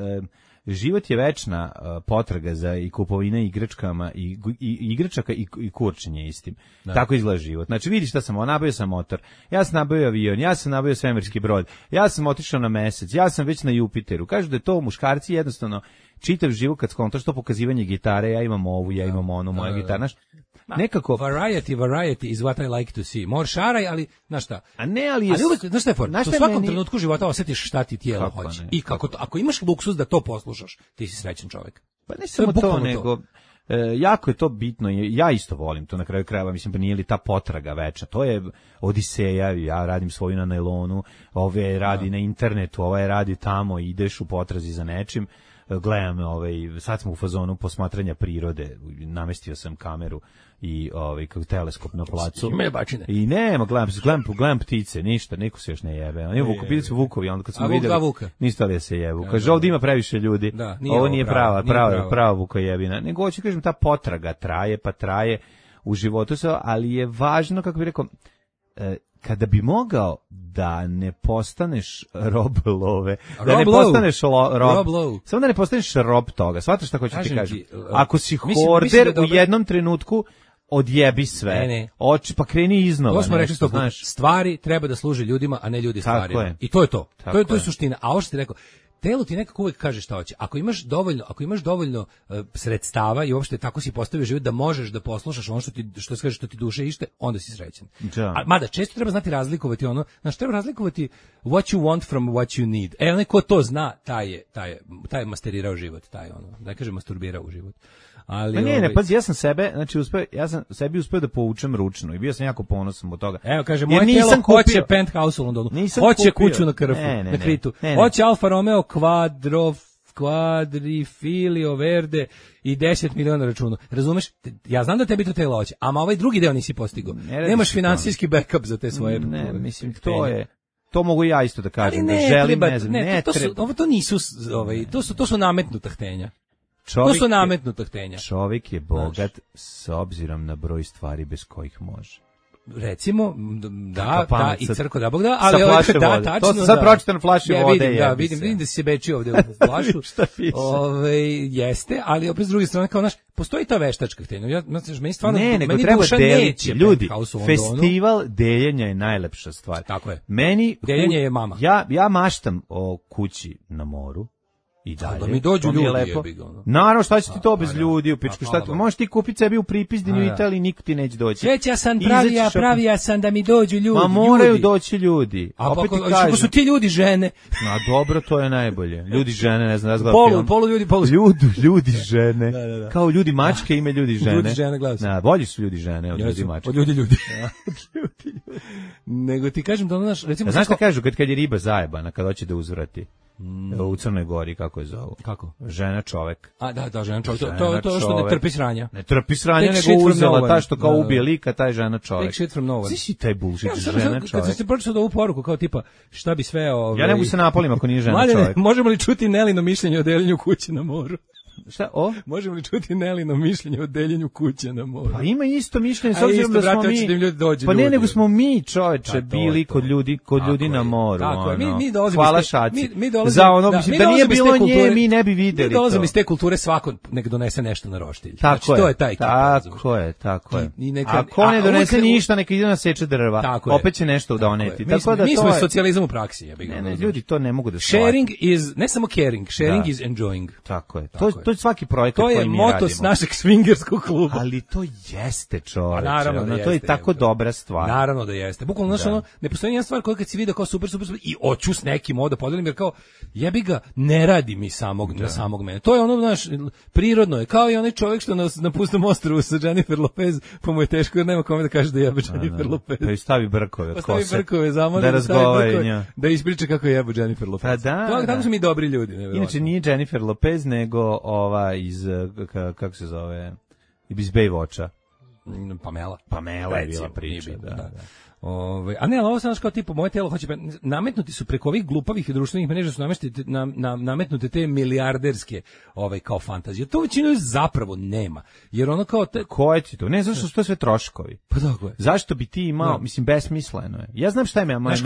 život je večna potraga za i kupovina igračkama i igračaka i kurčenje istim. Da. Tako izgleda život. Znači vidiš šta sam, nabavio sam motor, ja sam nabavio avion, ja sam nabavio svemirski brod, ja sam otišao na mesec, ja sam već na Jupiteru. Kažu da je to muškarci jednostavno čitav život kad skontaš to pokazivanje gitare, ja imam ovu, ja imam onu, moja gitara, nekako variety is what I like to see. More šaraj, ali znaš šta? A ne, ali uvek, znaš šta je for? U svakom trenutku života osjetiš šta ti tijelo hoće. I kako to, ako imaš luksus da to poslušaš, ti si srećan čovjek. Pa ne samo to, nego jako je to bitno, ja isto volim to na kraju krajeva, mislim, pa nije li ta potraga večna, to je odiseja, ja radim svoju na nailonu, ove radi na internetu, ovaj radi tamo, ideš u potrazi za nečim, gledam, sad smo u fazonu posmatranja prirode, namestio sam kameru i kao teleskop na placu. I nema, gledam ptice, ništa, niko se još ne jebe. Oni bili su vukovi, onda kad smo videli, ništa li se jebu. Kaže, ovdje ima previše ljudi, ovo nije prava vukojebina. Nego hoću kažem, ta potraga traje u životu, ali je važno, kako bih rekao, kada bi mogao da ne postaneš rob love, da ne postaneš rob, samo da ne postaneš rob toga, shvataš šta hoću ti kažem. Ako si horder u jednom trenutku, odjebi sve, pa kreni iznova. To smo rekli, stvari treba da služe ljudima, a ne ljudi stvarima. I to je to. To je suština. A ovo što ti rekao, telo ti nekako uvek kaže šta hoće. Ako imaš dovoljno sredstava i uopšte tako si postavio život da možeš da poslušaš ono što ti duše ište, onda si srećan. Mada često treba znati razlikovati treba razlikovati what you want from what you need. Onaj ko to zna, taj je masterirao život, da kažem masturbirao u život. Ali pazi, ja sam sebi uspeo da povučem ručno i bio sam jako ponosan od toga. Evo, kaže, moje telo hoće penthouse u Londonu, hoće kuću na Krfu, na Kritu, hoće Alfa Romeo Quadrifilio Verde i 10 miliona računa. Razumeš? Ja znam da tebi to telo hoće, ama ovaj drugi deo nisi postigao. Nemaš finansijski backup za te svoje. Ne, mislim, to mogu ja isto da kažem, da želim, ne znam, ne treba. To su nametnuta htenja. To su nametnuta htenja. Čovjek je bogat s obzirom na broj stvari bez kojih može. recimo, da, i crko da Bog da, ali da, tačno, to sam sad pročitan flaši vode. Vidim da si se bečio ovde u flašu. Šta piše? Jeste, ali opet s druge strane, kao postoji ta veštačka htjenja. Meni stvarno, nego treba deliti. Ljudi, festival deljenja je najlepša stvar. Tako je. Deljenje je mama. Ja maštam o kući na moru. I dalje. Da mi dođu ljudi, Naravno, šta će ti to bez ljudi u pičku? Možeš ti kupiti sebi u Pripizdinju u Italiji, niko ti neće doći. Sreća sam, pravija sam da mi dođu ljudi. Ma moraju doći ljudi. A opet ti kažem. Ako su ti ljudi žene. A dobro, to je najbolje. Ljudi žene, ne znam, ja zgledam film. Polu ljudi, polu. Ljudi žene. Da. Kao ljudi mačke, ime ljudi žene. Ljudi žene, gledam. Bolji su ljudi žene od ljudi mačke. Od ljudi. Nego ti kažem da ono recimo. Znaš šta kažu kad je riba zajebana, kad hoće da uzvrati? U Crnoj Gori, kako je zovu? Kako? Žena čovek. Da, žena čovek. To što ne trpi sranja. Ne trpi sranja, nego uzela ta što kao ubije lika, taj žena čovek. Take shit from no one. Svi si taj bullshit, žena čovek. Kad se pročitao ovu poruku, kao tipa, šta bi sve... Ja ne mogu se napolim ako nije žena čovek. Možemo li čuti Nelino mišljenje o deljenju kuće na moru? Šta, Možemo li čuti Nelino mišljenje o deljenju kuće na moru? Pa ima isto mišljenje, s obzirom da smo mi... Pa ne, nego smo mi, čoveče, bili kod ljudi na moru. Tako je, mi dolazimo... Hvala šaci. Za ono, mislim, da nije bilo nje, mi ne bi videli to. Mi dolazimo iz te kulture, svako nek donese nešto na roštilj. Tako je, to je taj tako je. Ako ne donese ništa, neka ide na seče drva. Opet će nešto doneti. Mi smo socijalizam u praksi. Ne, ljudi to ne mogu da shvate. Sharing is, ne samo caring, sharing is enjoying. Tako je. To je svaki projekat koji mi radimo. To je moto s našeg swingerskog kluba. Ali to jeste, čoveče. Naravno da jeste. To je tako dobra stvar. Naravno da jeste. Bukvalno, znaš, ne postoji jedna stvar koja kad si vidio kao super i hoću s nekim da podelim, jer kao jebi ga, ne radi mi na samog mene. To je ono, znaš, prirodno je. Kao i onaj čovjek što na pustom ostrvu sa Jennifer Lopez, pa mu je teško jer nema kome da kaže da jebe Jennifer Lopez. Pa i stavi brkove od kose. Stavi brkove, zamoli da razgovara da ispriča kako jebe Jennifer Lopez. Pa da. Tako su mi dobri ljudi. Inače nije Jennifer Lopez, nego iz, kako se zove, iz Baywatcha. Pamela je bila priča, da. A ne, ali ovo sam kao tipu, moje telo hoće, nametnuti su preko ovih glupavih i društvenih mreža su nametnute te milijarderske kao fantazije. To većinu zapravo nema. Jer ono kao... Koje ti to? Ne, zašto su to sve troškovi? Pa tako je. Zašto bi ti imao, mislim, besmisleno je. Ja znam šta je meni... Znaš,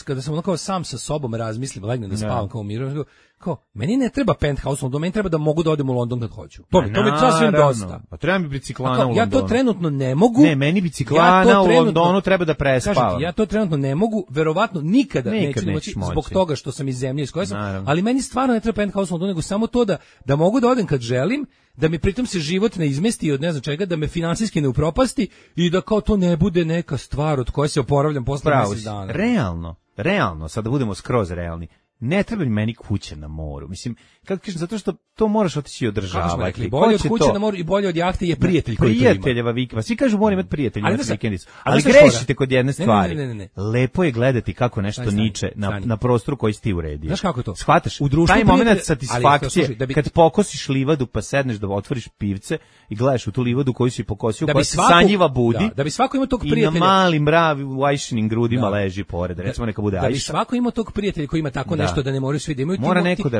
kada sam ono kao sam sa sobom razmislim, legnem da spavam kao u miru, kao, meni ne treba penthouse, do meni treba da mogu da odem u London kad hoću. To mi sasvim dosta. Pa treba mi biciklana u Londonu. Ja to trenutno ne mogu. Ne, meni biciklana u Londonu treba da prespavam. Kažem, ja to trenutno ne mogu, verovatno nikada neću moći zbog toga što sam iz zemlje iz koje sam, ali meni stvarno ne treba penthouse u Londonu, nego samo to da mogu da odem kad želim, da mi pritom se život ne izmesti od ne znam čega, da me finansijski ne upropasti i da kao to ne bude neka stvar od koje se oporavljam posle mjesec dana. Realno, sad da budemo skroz realni. Ne treba mi meni kuće na moru. Mislim, kako kažem, zato što to moraš otići i održavati. Bolje od kuće na moru i bolje od jahte je prijatelj koji to ima. Prijateljeva vikenda. Svi kažu mora imati prijatelja na vikendicu. Ali grešite kod jedne stvari. Ne. Lepo je gledati kako nešto niče na prostoru koji si ti uredio. Znaš kako to? Shvataš? Taj moment satisfakcije, kad pokosiš livadu pa sedneš da otvoriš pivce i gledaš u tu livadu koju si pokosio, koja se sanjiva budi. Da bi svako imao tog prijatelja. I na malim mravi u ajšinim grudima leži pored. Recimo neka bude ajša. Da bi svako imao tog prijatelja koji ima tako nešto da ne moraju svi da imaju.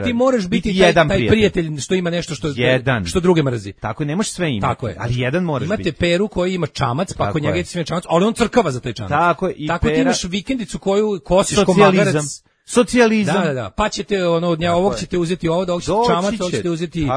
Ti moraš biti taj prijatelj što ima nešto što druge mrzi. Tako je, ne možeš sve imati. Ali jedan moraš biti. Imate Peru koji ima čamac, pa kod njega je sve čamac, ali on crkava za taj čamac. Tako ti imaš vikendicu koju kosiš ko magarac. Socijalizam. Da. Pa ćete od ovog ćete uzeti ovo, ovog ćete čamac, ovog ćete uzeti.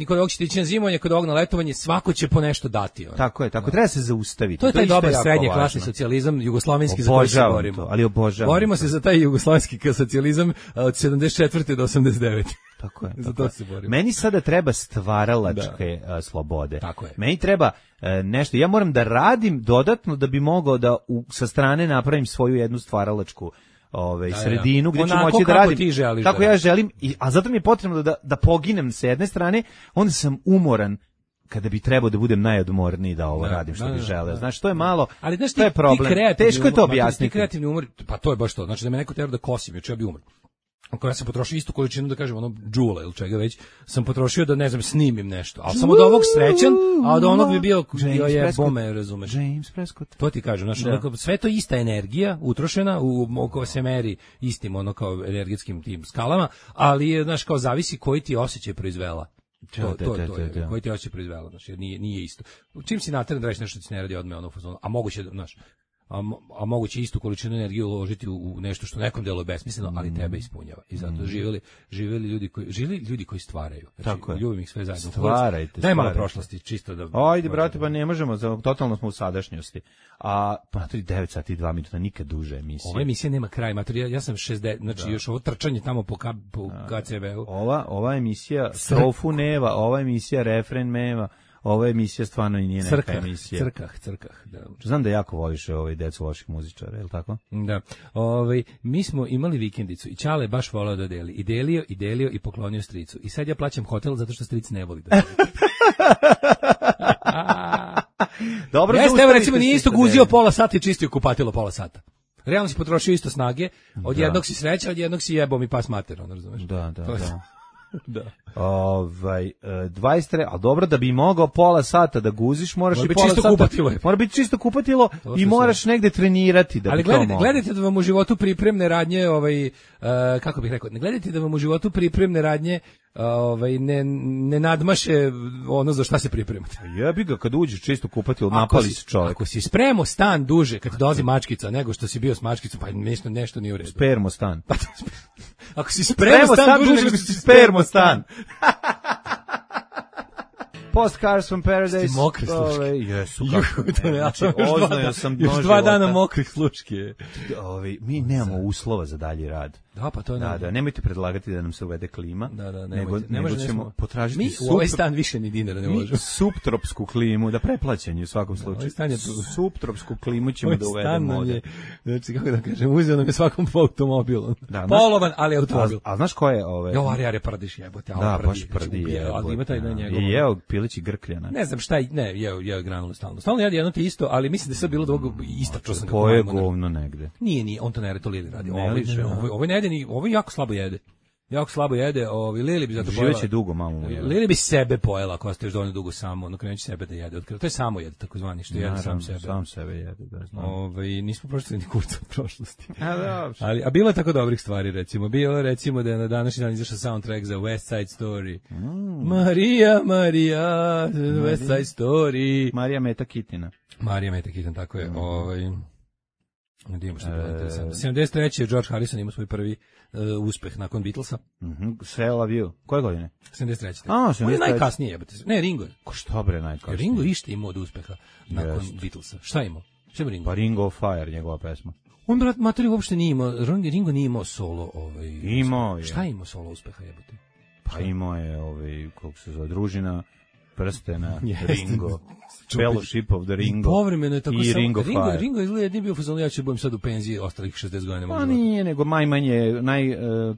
Kod ovog ćete ići na zimovanje, kod ovog na letovanje, svako će po nešto dati. Tako je, treba se zaustaviti. To je taj dobar srednje klasni socijalizam, jugoslovenski, za koji se borimo. Ali obožavam. Borimo se za taj jugoslovenski socijalizam od 74. do 89. Tako je. Za to se borimo. Meni sada treba stvaralačke slobode. Tako je. Meni treba nešto. Ja moram da radim dodatno da bi mogao da sa strane napravim svoju jednu stvaralačku sredinu gdje ću moći da radim kako ja želim, a zato mi je potrebno da poginem sa jedne strane, onda sam umoran kada bi trebao da budem najodmorniji da ovo radim što bi želeo. Znaš, to je malo, ali znaš, to je problem. Teško je to objasniti. Ti kreativni umor, pa to je baš to. Znači da me neko tera da kosim, jer ću ja bi umro. Ako ja sam potrošio istu količinu, da kažem, džula ili čega već, sam potrošio da, ne znam, snimim nešto. Ali sam od ovog srećan, a od onog bi bio bome, razumeš. James Prescott. To ti kažem, znači, sve to ista energija, utrošena, oko se meri istim, kao energetskim tim skalama, ali je, znaš, kao zavisi koji ti osjećaj proizvela. koji ti osjeća proizvela, znaš, jer nije isto. Čim si nateran da radiš nešto ti ne radi odmah ono fazonu, a moguće, znaš, a moguće istu količinu energije uložiti u nešto što nekom deluje besmisleno, ali tebe ispunjava. I zato živeli ljudi koji stvaraju. Znači, ljubim ih sve zajedno. Stvarajte. Daj malo prošlosti, čisto da... Ajde, brate, pa ne možemo, totalno smo u sadašnjosti. A, pa 9 sati i 2 minuta, nikad duže emisije. Ova emisija nema kraj, ja sam 60, znači još ovo trčanje tamo po KCV-u. Ova emisija strofu neva, ova emisija refren meva. Ova emisija stvarno i nije neka emisija. Crkah, da. Znam da jako voliš decu loših muzičara, je li tako? Da. Mi smo imali vikendicu i Ćale je baš volao da deli. I delio i poklonio stricu. I sad ja plaćam hotel zato što stric ne voli da deli. Dobro, jeste, evo recimo nije isto guzio pola sata i čistio kupatilo pola sata. Realno si potrošio isto snage, od jednog si sreća, od jednog si jebao mi pas mater, ono razumeš? Da. Da. 23, a dobro da bi mogao pola sata da guziš, moraš i pola sata. Mora biti čisto kupatilo i moraš negde trenirati da bi to mogao. Ali gledajte da vam u životu pripremne radnje, kako bih rekao, ne gledajte da vam u životu pripremne radnje ne nadmaše ono za šta se pripremate. Jebi ga, kad uđeš čisto kupatilo, napali se čovjek. Ako si spremao stan duže kad dolazi mačkica nego što si bio s mačkicom, pa nešto nije u redu. Spermostan. Ako si spremao stan duže nego što si spermostan. Postcards from Paradise. Sti mokre sluške. Jesu, kako. Oznojao sam dno još 2 dana mokrih sluške. Mi nemamo uslova za dalji rad. Da, pa to je. Da, nemojte predlagati da nam se uvede klima. Nego ćemo potražiti u ovaj stan više ni dinara ne možemo. Subtropsku klimu, da preplaćanje u svakom slučaju. Subtropsku klimu ćemo da uvedemo ovde. Znači, kako da kažem, uzeo nam je svakom automobilom. Polovan, ali automobil. A znaš ko je Are Paradiš jebote, da, baš prdi. Ali ima taj na njegov. I jeo pilići grkljana. Ne znam šta, jeo granulu stalno. Stalno jede jedno te isto, ali mislim da je sve bilo dugo istračio sam ga. Poje govno negde. Nije, on to ne radi, to Lili radi. Ovo ne jede ni, ovo jako slabo jede. Lili bi zato pojela. Živeće dugo, mamu. Lili bi sebe pojela ako ostaje dovoljno dugo samo, no krenuće sebe da jede. To je samo jede, takozvani, što jede sam sebe. Sam sebe jede, da znam. Nismo prošli ni kurca od prošlosti. A bilo je tako dobrih stvari, recimo. Bilo je, recimo, da je na današnji dan izašao soundtrack za West Side Story. Maria, West Side Story. Marija Meta Kitina, tako je. Idemo što je bilo interesantno. 73. je George Harrison imao svoj prvi uspeh nakon Beatlesa. Sve Love You. Koje godine? 73. On je najkasnije jebate. Ne, Ringo je. Ko što bre najkasnije? Ringo ište imao od uspeha nakon Beatlesa. Šta imao? Šta ima Ringo? Pa Ring of Fire, njegova pesma. On, brat, materi uopšte nije imao, Ringo nije imao solo. Imao je. Šta je imao solo uspeha jebate? Pa imao je, kako se zove, Družina prstena, Ringo, Fellowship of the Ringo povremeno je tako i Ring of Fire. Ringo izgleda nije bio fazon, ja ću budem sad u penziji ostalih 60 godina. Pa nije, nego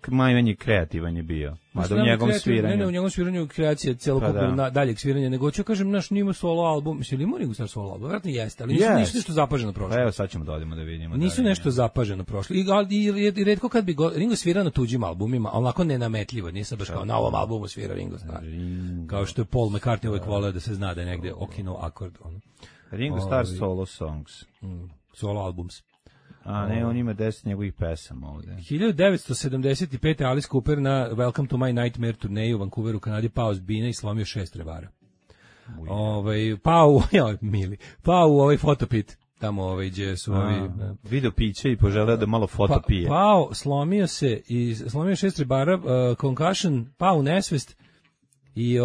najmanje kreativan je bio. Mada u njegovom sviranju. Ne, u njegovom sviranju kreacija celokupno daljeg sviranja, nego ću kažem, naš nima solo album, mislim, ili ima Ringo star solo album, vjerojatno jeste, ali nisu nešto zapaženo prošlo. Evo sad ćemo da odemo da vidimo. Nisu nešto zapaženo prošlo. I retko kad bi Ringo svirao na tuđim albumima, onako nenametljivo, nije sad baš kao na ovom albumu svira Ringo Starr. Kao što je Paul McCartney uvek voleo da se zna da je negde okino akord. Ringo Starr solo songs. Solo albums. A ne, on ima 10 njegovih pesama ovde. 1975. Alice Cooper na Welcome to My Nightmare turneju u Vancouveru, Kanadi, pao s bine i slomio 6 revara. Pao u ovaj fotopit. Tamo gdje su video piće i poželeo da malo foto pije. Slomio 6 revara, concussion, pao u nesvest. I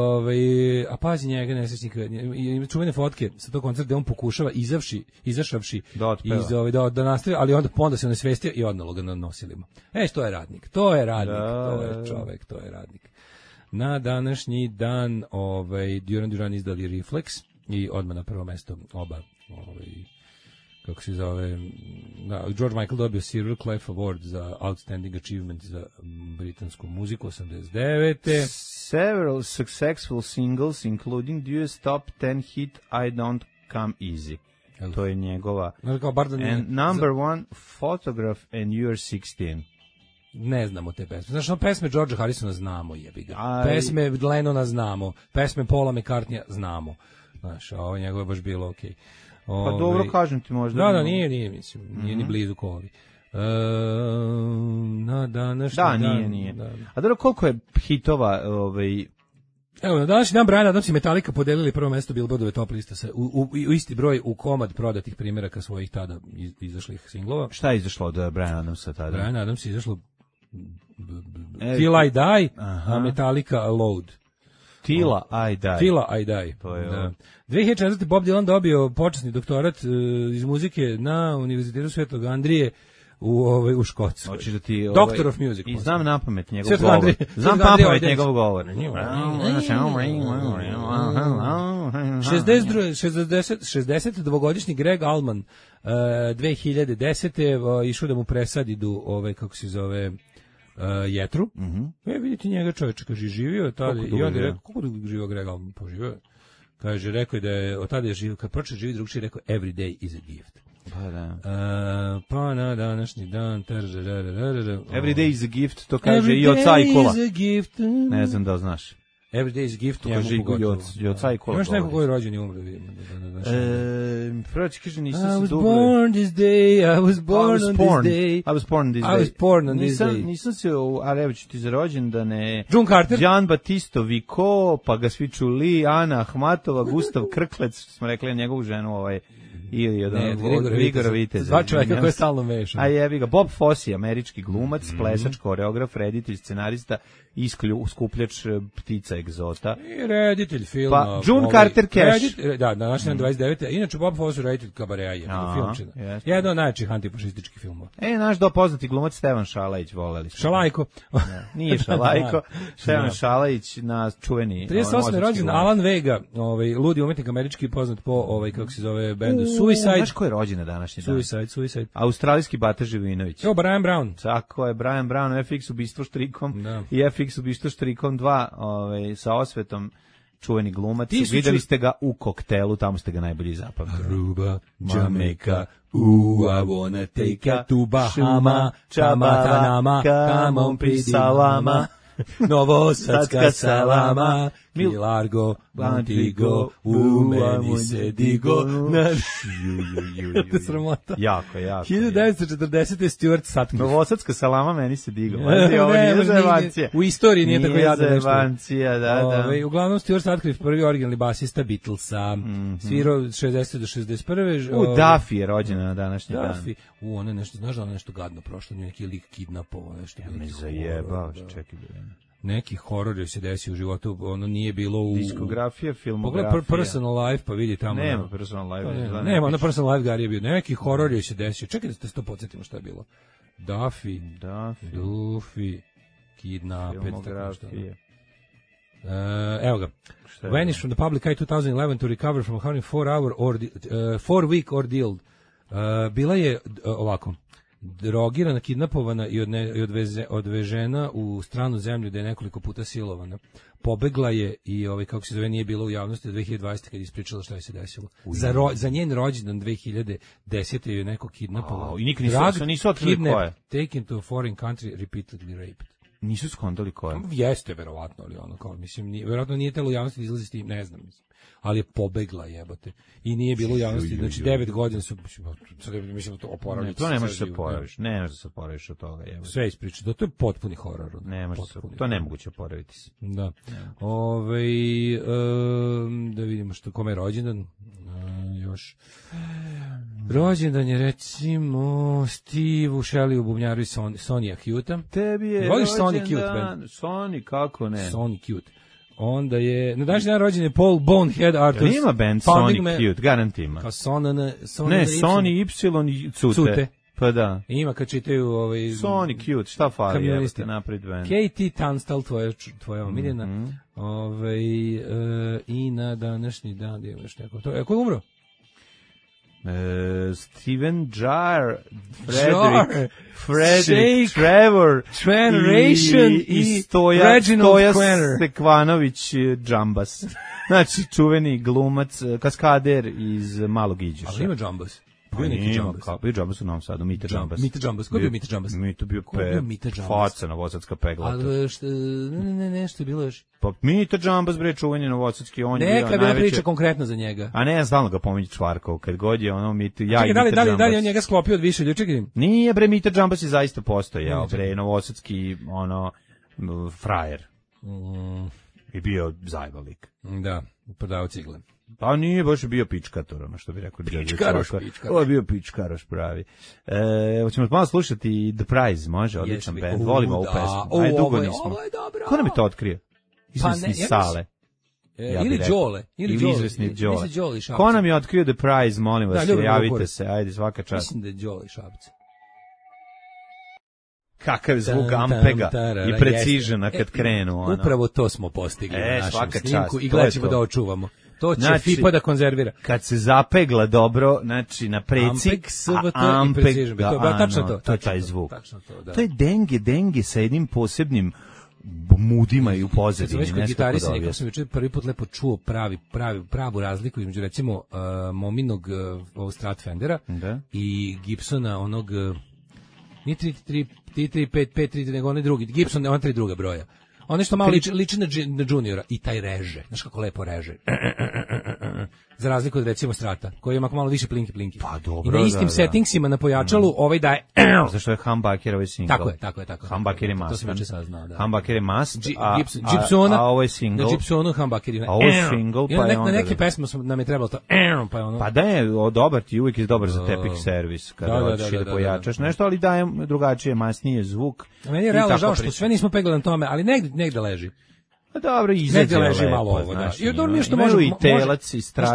a pazi njega nesrećnika, ima čuvene fotke sa tog koncerta gde on pokušava izašavši da nastavi, ali onda se onesvestio i odnalo ga na nosilima. To je radnik, to je čovek, to je radnik. Na današnji dan Duran izdali Reflex i odmah na prvo mesto oba kako se zove, George Michael dobio Silver Clive Award za Outstanding Achievement za britansku muziku 89. Several successful singles including US top 10 hit I Don't Come Easy. To je njegova. And number one photograph and You're 16. Ne znamo te pesme. Znaš, pesme Georgea Harrisona znamo, jebi ga. Pesme Lennona znamo. Pesme Paula McCartneya znamo. Znaš, ovo njegove je baš bilo okej. Pa dobro, kažem ti možda. Da, nije, mislim, nije ni blizu kovi. Na današnji dan. Nije. A dobro, koliko je hitova Evo, na današnji dan Bryan Adams i Metallica podelili prvo mesto Billboardove top lista u isti broj u komad prodatih primjeraka svojih tada izašlih singlova. Šta je izašlo od Bryan Adamsa tada? Bryan Adams je izašlo Till I Die, a Metallica Load. Till I Die. To je da. 2004. Bob Dylan dobio počasni doktorat iz muzike na Univerzitetu Svetog Andrije u Škotskoj. Hoćeš da ti Doctor of Music. I znam napamet njegov govor. Znam napamet njegov govor. 62-godišnji Greg Allman 2010. išao da mu presadidu kako se zove jetru. Vidite njega, čovječa, kaže, živio tada i onda je rekao, kako dugo živio Greg Allman? Poživio. Kaže, rekao je da je od tada je živio, kad pročeo živi drugčije, rekao every day is a gift. Pa da. Pa na današnji dan every day is a gift, to kaže i od Cajkola. Ne znam da znaš. Every day is a gift, to kaže i od Cajkola. Imaš neko koji je rođen i umre, vidimo. Prvači kaže, nisam se dobro. I was born this day, I was born on this day. I was born on this day. Nisam se, ali evo ću ti za rođendane. John Carter. Gian Battisto Vico, pa ga svi čuli, Ana Ahmatova, Gustav Krklec, što smo rekli njegovu ženu, ili od Vigora Viteza. Dva čovjeka koje stalno mešam. A jebi ga, Bob Fosse, američki glumac, plesač, koreograf, reditelj, scenarista, skupljač ptica egzota. I reditelj filma. Pa, June Carter Cash. Da, na našem 29. Inače, Bob Fosse reditelj Kabareja, filmčina. Jedan od najjačih antifašističkih filmova. Naš poznati glumac Stevan Šalajić, voleli smo. Šalajko. Nije Šalajko, Stevan Šalajić na čuveni. 38. rođen Alan Vega, ludi umetnik američki poznat po, kako se zove, bendu Suicide. Znaš ko je rođen na današnji dan? Suicide. Australijski Bata Živinović. Evo, Brian Brown. Tako je, Brian Brown, FX ubistvo štrikom i FX ubistvo štrikom 2 sa osvetom, čuveni glumac. Videli ste ga u Koktelu, tamo ste ga najbolje zapamtili. Aruba, Jamaica, I wanna take ya to Bahama, Chamatanama, come on pretty mama. Novosadska salama, mi Largo, Antigo, u meni se digo. Sramota. Jako. 1940. Stuart Sutcliffe. Novosadska salama, meni se digo. Ovo nije zevancija. U istoriji nije tako jadno nešto. Nije zevancija, da. Uglavnom, Stuart Sutcliffe, prvi originalni basista Beatlesa, svirao 60. do 61. Duffy je rođena na današnji dan. Duffy. Ona nešto, znaš da ona nešto gadno prošlo, neki lik kidnapovao nešto. Ja me zajebao, čekaj. Neki horor je se desio u životu, ono nije bilo u... Diskografija, filmografija. Pogledaj Personal Life, pa vidi tamo. Nema Personal Life. Nema, na Personal Life Gary je bio. Neki horor je se desio. Čekaj da se to podsjetimo šta je bilo. Duffy, Kidnapped. Filmografija. Evo ga. Vanish from the public eye 2011 to recover from a 4-week ordeal. Bila je ovako. Drogirana, kidnapovana i odvežena u stranu zemlju gde je nekoliko puta silovana. Pobegla je i kako se zove, nije bilo u javnosti 2020. kad je ispričala šta je se desilo. Za njen rođendan 2010. je neko kidnapovao. I nikad nisu otkrili ko je. Taken to a foreign country, repeatedly raped. Nisu skontali ko je. Jeste, verovatno, ali verovatno nije telo u javnosti da izlazi s tim, ne znam, ali je pobegla, jebote. I nije bilo u javnosti, znači 9 godina su, mislim da to oporavljaći. To ne možeš se oporaviš, ne možeš se oporaviš od toga, jebote. Sve ispričati, to je potpuni horor. To ne moguće oporaviti se. Da. Da vidimo kome je rođendan. Još. Rođendan je recimo Steve Shelley u bubnjaru i Sonja Cute-a. Tebi je voliš Sonny Cute band? Sonny, kako ne? Sonny Cute. Onda je, na današnji dan rođen je Paul Bonehead Arthurs. Ima band Sonny Cute, garant ima. Kao Sonny Y Cute. Pa da. Ima kad čitaju Sonny Cute, šta fali? Kamioniste. Napred band. Katie Tunstall, tvoja omiljena. I na današnji dan je još neko. Ko je umro? Steven Jar, Frederick Trevor i Stoja Stekvanović Džambas. Znači, čuveni glumac, kaskader iz Malog Iđuša. Ali ima Džambas. Bio Džambas u Novom Sadu, Mita Džambas. Mita Džambas, ko je bio Mita Džambas? Mita bio faca novosadska peglata. Ali nešto je bilo još. Pa Mita Džambas, bre, čuvanje novosadski, on je bio najveći. Neka bila priča konkretno za njega. A ne, stalno ga pominje Čvarkov, kad god je ono Mita, ja i Mita Džambas. Da li on njega sklopio od više ljudi, čekaj. Nije, bre, Mita Džambas je zaista postojao, bre, novosadski, frajer. I bio zajbalik. Da, prodao cigle. Pa nije baš bio pičkator, ono što bi rekao. Pičkaroš. Ovo je bio pičkaroš pravi. Evo ćemo malo slušati The Prize, može, odličan band. Volimo ovu pesmu. Ovo je dobro. Ko nam je to otkrio? Izvesni Sale. Ili Đole. Ili izvesni Đole. Ko nam je otkrio The Prize, molim vas, javite se. Ajde, svaka čast. Mislim da je Đole i Šapca. Kakav zvuk Ampega i precižena kad krenu. Ono. Upravo to smo postigli u našem snimku i gledat ćemo da očuvamo. To će znači, FIPA da konzervira. Kad se zapegla dobro, znači na precik, Ampeg, to je taj zvuk. To je denge sa jednim posebnim mudima i u pozadini. Kad sam već gitarisa, nekako sam jučer prvi put lepo čuo pravu razliku između recimo Mominog Stratfendera i Gibsona onog nije 3-3-5-5-3, nego onaj drugi, Gibson, on 3 druga broja. On nešto malo liči na Juniora i taj reže. Znaš kako lepo reže. Za razliku od recimo Strata, koji ima malo više plinki. Pa dobro, i na istim settingsima na pojačalu ovaj daje... Zašto je Humbucker ovaj single? Tako je. Humbucker je must. To sam već saznao, da. Humbucker je must, a ovo je single. Na Gibsonu Humbucker je... A ovo je single, pa je onda... Na neke pesme nam je trebalo to... Pa je ono... Pa da je, dobar ti uvijek je dobar za tepik servis, kada hoćeš da pojačaš nešto, ali daje drugačije, masnije zvuk. Meni je realno žao što sve nismo peglali na tome, ali negde leži. Pa dobro, izađe leži malo ovo, da. I dobro mi što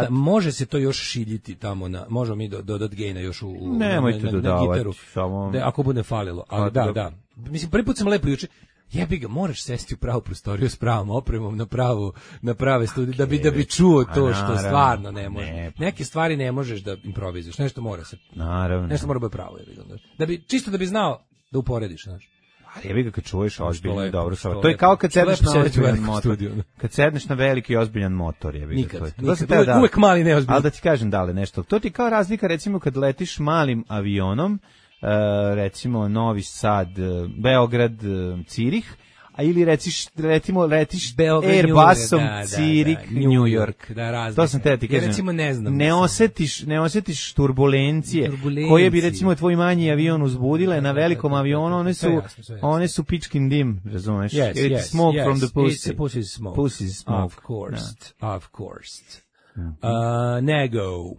može se to još šiljiti tamo na, možemo mi dodati gejna još na gitaru. Samo ako bude falilo, ali da. Mislim prvi put sam lepo juče. Jebi ga, moraš sesti u pravu prostoriju s pravom opremom na prave studije da bi čuo to što stvarno ne može. Neke stvari ne možeš da improvizuješ, nešto mora se. Naravno. Nešto mora biti pravo, da bi čisto da bi znao da uporediš, znaš. Jebi ga kad čuješ ozbiljno dobro stvar. To je kao kad sedneš na ozbiljan motor. Kad sedneš na veliki i ozbiljan motor, jebi ga to. Nikad, uvek mali neozbiljan. Ali da ti kažem dale nešto. To ti kao razlika recimo kad letiš malim avionom, recimo Novi Sad, Beograd, Cirih, a ili letiš Airbusom Cirik, New York. To sam te ti kažem. Ja recimo ne znam. Ne osjetiš turbulencije koje bi recimo tvoj manji avion uzbudile na velikom avionu, one su pičkin dim, razumeš? It's smoke from the pussy. Pussy smoke. Of course. Nego.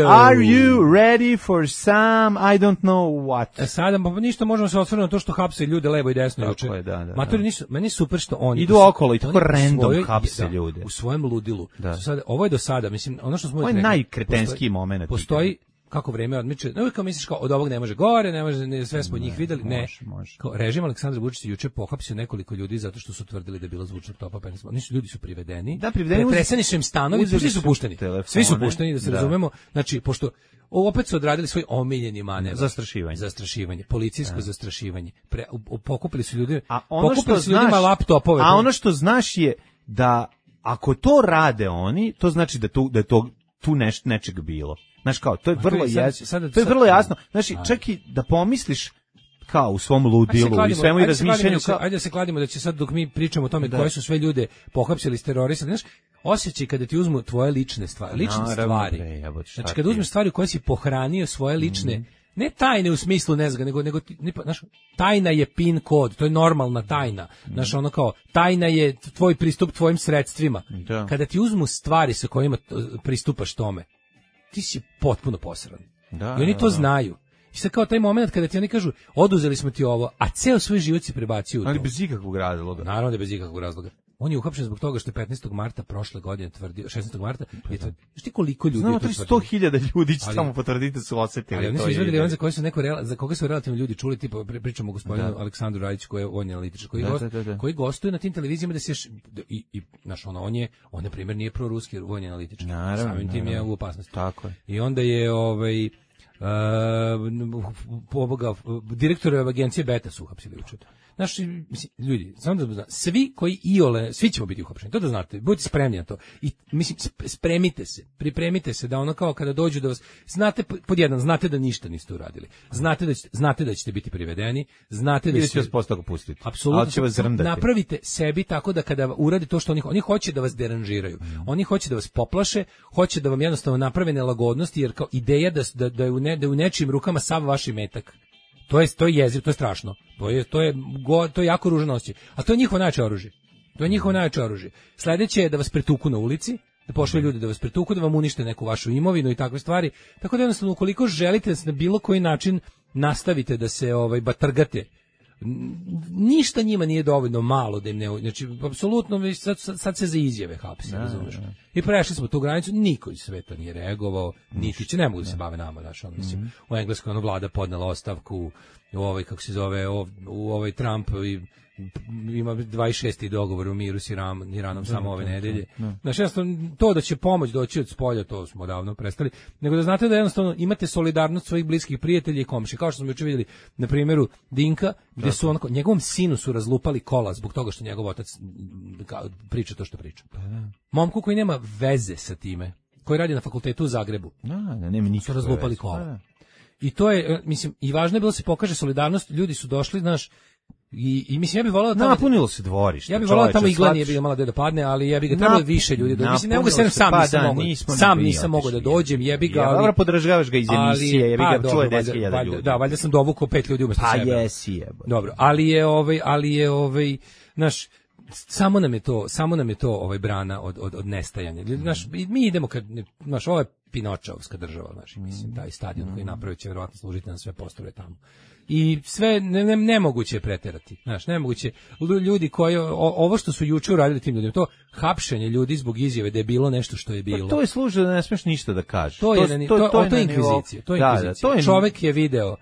Are you ready for some, I don't know what? Sada, pa ništa, možemo se osvrnuti na to što hapse ljude levo i desno juče. Matori nisu, meni je super što oni idu okolo i tako random hapse ljude. U svojem ludilu. Sada, ovo je do sada, mislim, ono što smo rekli. Ovo je najkretenski moment. Postoji kako vreme odmiče. No, kao misliš kao od ovog ne može gore, ne može, sve smo njih videli. Može. Kao režim Aleksandra Vučića juče pohapsio nekoliko ljudi zato što su tvrdili da je bilo zvučnog topa penisma. Ljudi su privedeni. Da, privedeni. Pretreseni su im stanovi, svi su pušteni. Svi su pušteni, da se razumemo. Znači, pošto opet su odradili svoj omiljeni manevar. Zastrašivanje. Policijsko zastrašivanje. Pokupili su ljudi. Pokupili su ljudima laptopove. A ono što znaš je da ako to rade oni, to znači da je to tu nečeg bilo. Znaš kao, to je vrlo jasno. Znači, čak i da pomisliš kao u svom ludilu i svemu i razmišljanju. Ajde da se kladimo da će sad dok mi pričamo o tome koje su sve ljude pohapsili, terorisali, znaš, osjećaj kada ti uzmu tvoje lične stvari. Znači, kada uzmeš stvari u koje si pohranio svoje lične, ne tajne u smislu nezga, nego znaš, tajna je PIN kod, to je normalna tajna. Znaš, ono kao, tajna je tvoj pristup tvojim sredstvima. Kada ti uzmu stvari sa kojima pristupaš tome, ti si potpuno posran. I oni to znaju. I sad kao taj moment kada ti oni kažu, oduzeli smo ti ovo, a ceo svoj život si prebacio u to. Ali bez ikakvog razloga. Naravno da bez ikakvog razloga. On je uhapšen zbog toga što je 15. marta prošle godine tvrdio, 16. marta, je tvrdio. Znaš ti koliko ljudi je to tvrdio? 100.000 ljudi će tamo potvrditi su osetili. Ali oni su izvedili on za koga su relativno ljudi čuli, tipa pričamo o gospodinu Aleksandru Rajiću koji je vojni analitičar, koji gostuje na tim televizijama da se i naš on je na primjer nije proruski vojni analitičar. Samim tim je u opasnosti. Tako je. I onda je direktor agencije Beta su uhapsili juče. Naši ljudi, samo da svi koji svi ćemo biti uhapšeni. To da znate, budite spremni na to. I mislim spremite se, pripremite se da ono kao kada dođu da vas znate znate da ništa niste uradili. Znate da ćete biti privedeni, znate da ćete vas postako pustiti. Apsolutno. Napravite sebi tako da kada uradi to što oni hoće da vas deranžiraju. Oni hoće da vas poplaše, hoće da vam jednostavno naprave nelagodnosti jer kao ideja da je u nečijim rukama sav vaš imetak. To je jezivo, to je strašno. To je jako ružan osjećaj. A to je njihovo najjače oružje. To je njihovo najjače oružje. Sledeće je da vas pretuku na ulici, da pošalju ljudi da vas pretuku, da vam unište neku vašu imovinu i takve stvari. Tako da jednostavno ukoliko želite da se na bilo koji način nastavite da se batrgate, ništa njima nije dovoljno malo da im ne... Znači, apsolutno, sad se za izjave hapse, razumeš? I prešli smo tu granicu, niko iz sveta nije reagovao, niti će, ne mogu da se bave nama, znaš, mislim, u Engleskoj vlada podnela ostavku, kako se zove, u Trump ima 26. dogovor u miru s Iranom samo ove nedelje. Znači, jednostavno, to da će pomoć doći od spolja, to smo davno prestali, nego da znate da jednostavno imate solidarnost svojih bliskih prijatelja i komši, kao što smo juče vidjeli na primjeru Dinka, gde su njegovom sinu su razlupali kola zbog toga što njegov otac priča to što priča. Momku koji nema veze sa time, koji radi na fakultetu u Zagrebu, su razlupali kola. I to je, mislim, i važno je bilo da se pokaže solidarnost, ljudi su došli, znaš, I mislim, ja bih volao tamo... Napunilo se dvorište. Ja bih volao tamo igla nije bilo malo da padne, ali ja bih ga trebalo više ljudi. Mislim, ne mogu se sam nisam mogao da dođem, jebi ga. Dobro, podržavaš ga iz emisije, jebi ga, čuje 10.000 ljudi. Da, valjda sam dovukao 5 ljudi umesto sebe. Pa jesi, jebo. Dobro, ali je naš samo nam je to brana od nestajanja. Naš, mi idemo kad naš ovo je Pinočovska država, naš, mislim, taj stadion koji napravio će verovatno služiti na sve postrojbe tamo. I sve nemoguće je preterati. Znaš, nemoguće. Ljudi koji ovo što su juče uradili tim ljudima, to hapšenje ljudi zbog izjave da je bilo nešto što je bilo. Pa to je služi da ne smeš ništa da kažeš. To je inkvizicija. Čovjek je video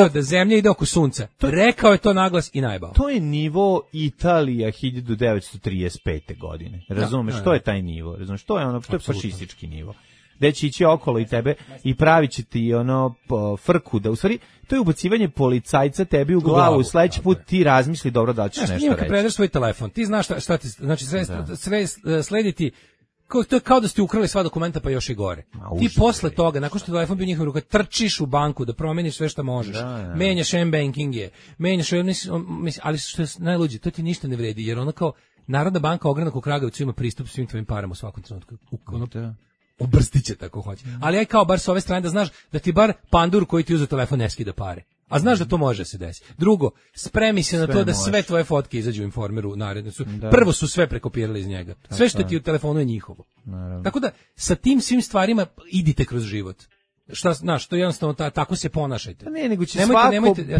da da zemlja ide oko sunca. Rekao je to naglas i najbao. To je nivo Italija 1935. godine. Razumeš, to je taj nivo. Razumeš, to je to je fašistički nivo. Gde će ići okolo i tebe i pravit će ti frku, da u stvari to je ubacivanje policajca tebi u glavu, sledeći put ti razmisli dobro da ćeš nešto reći. Kad predaš svoj telefon, ti znaš šta ti, znači sve slediti, to je kao da ste ukrali sva dokumenta pa još i gore. Ti posle toga, nakon što je telefon bio u njihovim rukama, trčiš u banku da promeniš sve što možeš. Menjaš m-bankinge, ali što je najluđe, to ti ništa ne vredi, jer ono kao Narodna banka ogranak u Kragujevcu ima pristup svim tvojim parama u svakom trenutku. Obrstit će tako hoće. Ali aj kao bar s ove strane da znaš da ti bar pandur koji ti uzeo telefon ne skida pare. A znaš da to može se desiti. Drugo, spremi se na to da sve tvoje fotke izađu u Informeru naredno su. Prvo su sve prekopirali iz njega. Sve što ti u telefonu je njihovo. Tako da sa tim svim stvarima idite kroz život. Šta, znaš, to jednostavno tako se ponašajte. Pa ne, nego će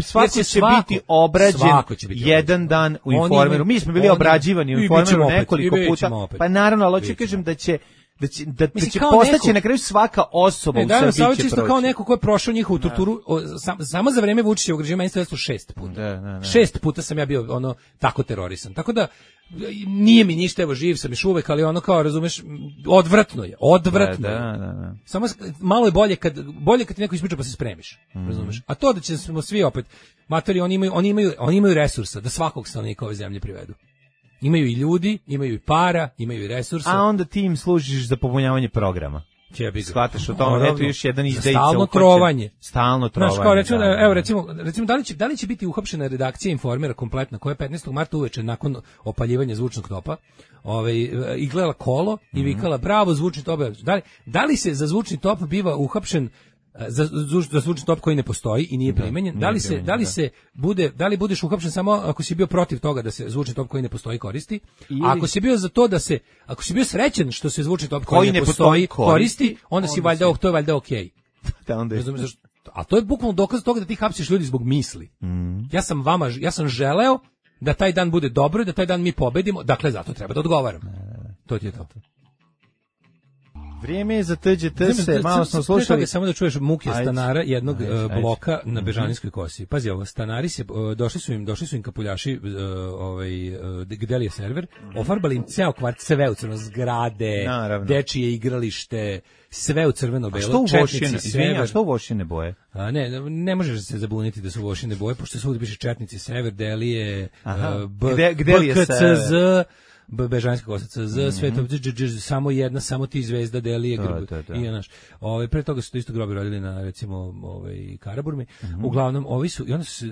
svako će biti obrađen jedan dan u Informeru. Mi smo bili obrađivani u Informeru nekoliko puta. Pa naravno, ali hoću kažem da će postaći na kraju svaka osoba u Srbiji će proći. Kao neko ko je prošao njihovu torturu, samo za vreme Vučićevog režima meni se 6 puta. 6 puta sam ja bio tako terorisan. Tako da nije mi ništa, evo živ sam još uvek, ali kao razumeš, odvratno je. Da. Samo malo je bolje kad ti neko ispriča pa se spremiš, razumeš. A to da ćemo svi opet matori, oni imaju resursa da svakog stanovnika ove zemlje privedu. Imaju i ljudi, imaju i para, imaju i resursa. A onda ti im služiš za popunjavanje programa. Shvataš o tome, eto još jedan izdejica. Stalno trovanje. Znaš, kao recimo, da li će biti uhapšena redakcija Informera kompletna, koja je 15. marta uveče nakon opaljivanja zvučnog topa, iglala kolo i vikala, bravo, zvučni top. Da li se za zvučni top biva uhapšen za zvučni top koji ne postoji i nije primenjen? Da li budeš uhapšen samo ako si bio protiv toga da se zvučni top koji ne postoji koristi? A ako si bio za to ako si bio srećan što se zvučni top koji ne postoji koristi, onda si valjda, to je valjda okej. A to je bukvalno dokaz toga da ti hapsiš ljudi zbog misli. Ja sam želeo da taj dan bude dobro i da taj dan mi pobedimo, dakle zato treba da odgovaram. To ti je to. Vrijeme je za TGT-se, malo smo slušali. Samo da čuješ muke stanara jednog bloka na Bežanijskoj kosi. Pazi ovo, stanari došli su im kapuljaši, gde li je server, ofarbali im ceo kvart, sve u crveno, zgrade, dečije igralište, sve u crveno-belo, četnici, sever. A što u vošine boje? Ne možeš se zabuniti da su vošine boje, pošto svugdje piše četnici, sever, Delije, BKCZ, Bežanska Kosaca, Z, Sveto, samo jedna, samo ti zvezda deli grb. I naš. Pre toga su to isto grobi rodili na recimo Karaburmi. Uglavnom ovi su i onda su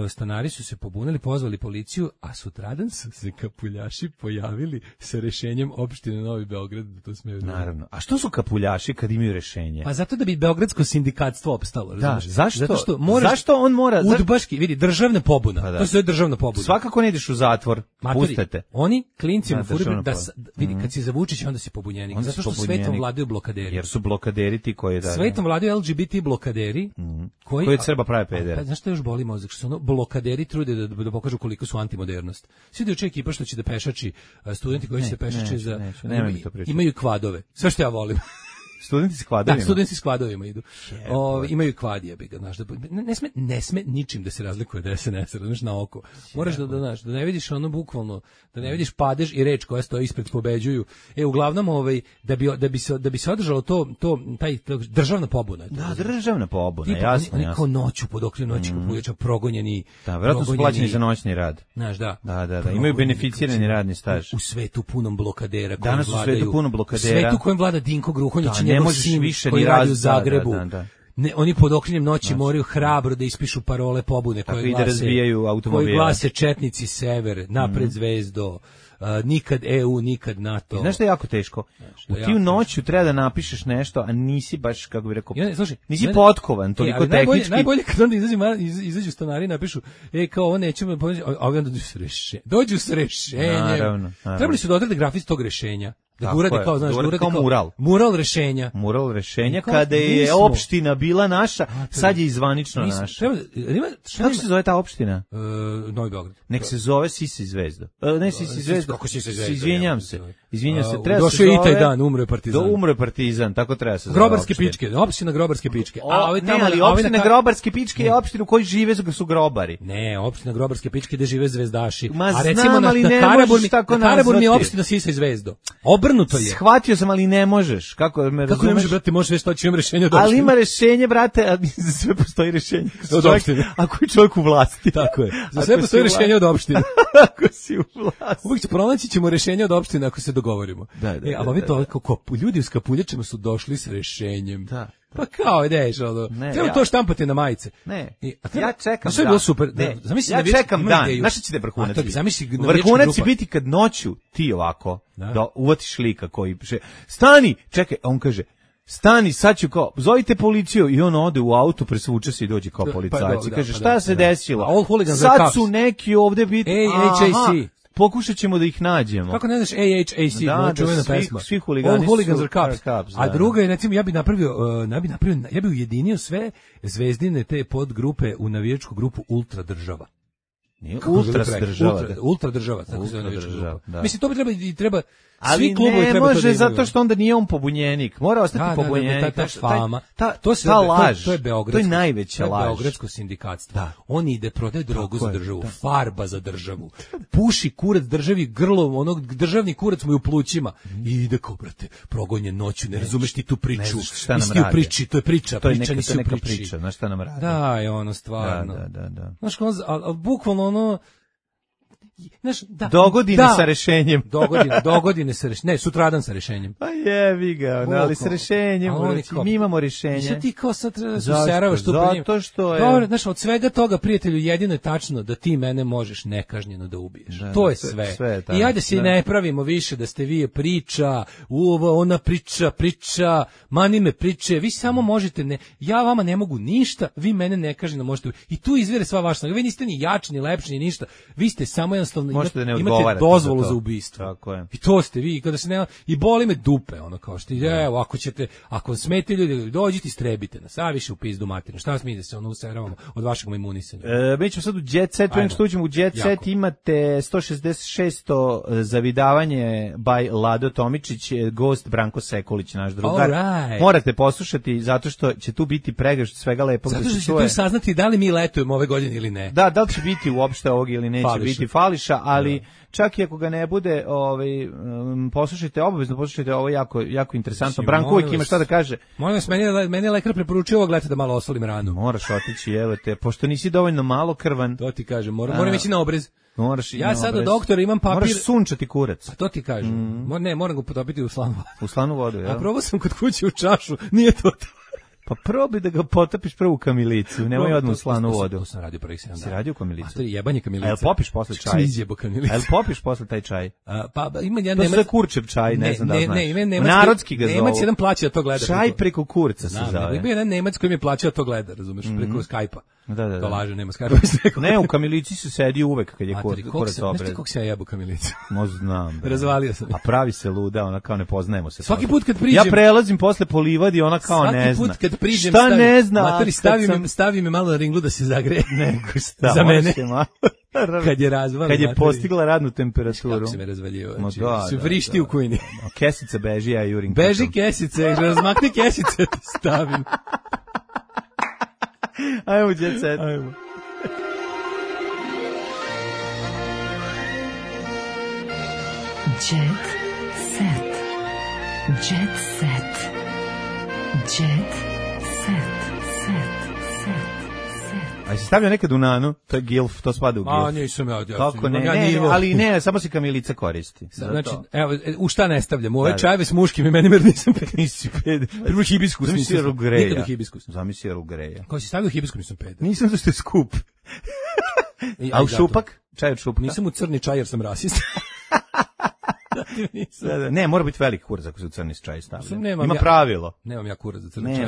stanari su se pobunili, pozvali policiju, a sutradan su se kapuljaši pojavili sa rešenjem opštine Novi Beograd da to smeju. Naravno. A što su kapuljaši kad imaju rešenje? Pa zato da bi beogradsko sindikatstvo opstalo, razumiješ? Zašto? Zato što moraš, zašto on mora udbaški, vidi, državna pobuna. Pa to je državna pobuna. Svakako ne ideš u zatvor. Pustite. Oni klinci mu furaju da vidi kad si za Vučića onda si pobunjenik. Zato što svetom vladaju blokaderi. Jer su blokaderi ti koji da. Svetom vladaju LGBT blokaderi koji od Srba prave pedere. Pa znaš što još boli mozak, što su blokaderi trude da pokažu koliko su antimodernost. Svi dođe ekipa što će da pešači, studenti koji će da pešače za imaju kvadove. Sve što ja volim. Studenti s kvadovima. Da, studenti s kvadovima idu. Imaju kvad, jebi ga, znaš, ne sme ničim da se razlikuje od SNS-a, znaš, na oko. Moraš da ne vidiš ono bukvalno, da ne vidiš padež i reč koja stoji ispred pobeđuju. Uglavnom da bi se održalo taj državna pobuna. Da, državna pobuna, jasno. Oni kao noću pod okriljem noći kapuljača progonjeni. Da, verovatno su plaćeni za noćni rad. Znaš, da. Da, imaju beneficirani radni staž. U svetu punom blokadera koji vladaju. Danas u svetu puno blokadera. U svetu kojem vlada Dinko Gruhonjić, ne možeš više koji radi u Zagrebu. Da. Ne, oni pod okriljem noći moraju hrabro da ispišu parole pobune koji glase četnici sever, napred zvezdo, nikad EU, nikad NATO. Znaš što je jako teško? Ti u noću treba da napišeš nešto, a nisi baš, kako bih rekao, nisi potkovan, toliko tehnički. Najbolje kad onda izađu stanari i napišu, kao ovo nećemo, a ovi onda dođu s rešenjem. Naravno. Trebali su da odrede grafist tog rešenja. Da uradi kao, znaš, da uradi kao mural. Mural rešenja. Mural rešenja kada je opština bila naša, sad je izvanično naša. Kako se zove ta opština? Novi Beograd. Nek se zove Sisa i Zvezda. Ne Sisa i Zvezda. Kako Sisa i Zvezda? Izvinjam se. Došao je i taj dan, umro je Partizan. Umro je Partizan, tako treba se zove. Grobarske pičke, opština Grobarske pičke. Ali opština Grobarske pičke je opština u kojoj žive su grobari. Ne, opština Grobarske pičke gde žive zvezdaši. A recimo na Karaburmi je opština Sisa i Zvezda. Obrnuto je. Shvatio sam, ali ne možeš. Kako me razumeš? Kako ne može, brate, možeš sve što imam rešenje od opštine. Ali ima rešenje, brate, a za sve postoji rešenje. Od opštine. Ako je čovjek u vlasti. Tako je. Za sve postoji rešenje od opštine. Ako si u vlasti. Uvijek pronaći ćemo rešenje od opštine ako se dogovorimo. Ali ovi to, ljudi s kapuljačima su došli s rešenjem. Da. Pa kao ideš, treba to štampati na majice. Ne, ja čekam sve je bilo super. Ja čekam dan, znaš će te vrhunac biti? Vrhunac će biti kad noću ti ovako, da uvatiš lika koji piše, stani, čekaj, a on kaže, stani, sad ću kao, zovite policiju, i on ode u auto, presvuče se i dođe kao policajac i kaže, šta se desilo? Sad su neki ovde biti, AHAC. Pokušat ćemo da ih nađemo. Kako ne znaš AHAC, čuvena pesma. Svi huligani All hooligans are cops. A druga je, recimo, ja bi ujedinio sve zvezdine te podgrupe u navijačku grupu Ultra država. Ultra država, tako se zove navijačka grupa. Mislim, to bi treba ali ne može, zato što onda nije on pobunjenik. Mora ostati pobunjenik. Ta fama. Ta laž. To je beogradsko. To je najveća laž. Beogradsko sindikatstvo. On ide, prodaje drogu za državu, farba za državu. Puši kurac državi grlom, onog državni kurac mu je u plućima. I ide kao, brate, progonjen noću, ne razumeš ti tu priču. Isti u priči, to je priča. To je neka priča, znaš šta nam radi. Da, je ono stvarno. Da. Znaš, bukvalno ono, dogodine sa rešenjem. Dogodine sa rešenjem. Ne, sutradan sa rešenjem. Pa jevi ga, ali sa rešenjem. Mi imamo rešenje. Šta ti kao sad treba da se useravaš tu po njim? Zato što je... Dobro, znaš, od svega toga, prijatelju, jedino je tačno da ti mene možeš nekažnjeno da ubiješ. To je sve. I ajde se ne pravimo više da ste vi priča, ona priča, mani me priče, vi samo možete, ja vama ne mogu ništa, vi mene nekažnjeno možete ubiješ. I tu izvire sva vaša snaga. Vi niste ni jači, ni lepši, ni ništa. Vi ste samo imate dozvolu za ubistvo. Tako je. I to ste vi, kada se i boli me dupe, ono kao što evo, ako smete ljudi, dođite i strebite nas, a više u pizdu materinu. Šta mi da se useravamo od vašeg imunisanja? Mi ćemo sad u Jet Set, prema što uđemo u Jet Set, imate 166. zavidavanje by Lado Tomičić, gost Branko Sekulić, naš drugar. Morate poslušati, zato što će tu biti pregršt svega lepog. Zato što ćete tu saznati da li mi letujemo ove godine ili ne. Da li će biti uopšte ovog ili neće biti. Fali fališa, ali čak i ako ga ne bude, poslušajte, obavezno poslušajte, ovo jako interesantno. Branko uvijek ima šta da kaže. Molim vas, meni je lekar preporučio ovo, gledajte da malo osolim ranu. Moraš otići, evo te, pošto nisi dovoljno malo krvan. To ti kažem, moram ići na obrez. Ja sad od doktora imam papir. Moraš sunčati kurac. A to ti kažem. Moram ga potopiti u slanu vodu. U slanu vodu, ja. A probao sam kod kuće u čašu, nije to. Pa probaj da ga potopiš prvo u kamilicu, nemoj odmah u slanu vodu. To sam radio prvih 7 dana. Si radio u kamilicu? A to je jebanje kamilica. A jel popiš posle čaj? Izjebo kamilica. A jel popiš posle taj čaj? Pa ima jedan Nemac. To je kurčev čaj, ne znam da znaš. Narodski ga zovu. Nemac jedan plaća da to gleda. Čaj preko kurca se zove. Ima jedan Nemac koji mi je plaćao da to gleda, razumeš, preko Skype-a. Da. To laže, nema Skype-a. Ne, u kamilici se sedi uvek kad je kurac obred. Znaš ti kako se ja jebo kamilicu? Možda znam. Razvalio sam. A pravi se luda, ona kao ne poznajemo se. Svaki put kad priđem. Ja prelazim posle po livadi, ona kao ne zna. Svaki put kad priđem. Šta ne zna? Materi, stavi me malo na ringlu da se zagreje. Nego šta? Za mene. Kad je razvala. Kad je postigla radnu temperaturu. Kako se me razvaljio. Se vrišti u kujni. Kesica beži, ja jurim. Beži kesice, razmakni kesice, stavim. Ajmo, Jet Set. Ajmo. Jet Set. Jet Set. Jet Set. A si stavio nekad u nanu? To je gilf, to spada u gilf. A, nisam ja. Kako ne, ali ne, samo se kamilica koristi. Znači, evo, u šta ne stavljam? U ove čajeve s muškim imenim, jer nisam peder. Nisi peder. Prvo hibiskus. Zamisli Earl Greya. Nikad u hibiskus. Zamisli Earl Greya. Kao si stavio hibiskus, nisam peder. Nisam zašto je skup. A u šupak? Čaj od šupaka? Nisam u crni čaj jer sam rasist. Ne, mora biti veliki kurac ako se u crni čaj stavlja. Ima pravilo. Nemam ja kurac za crni čaj.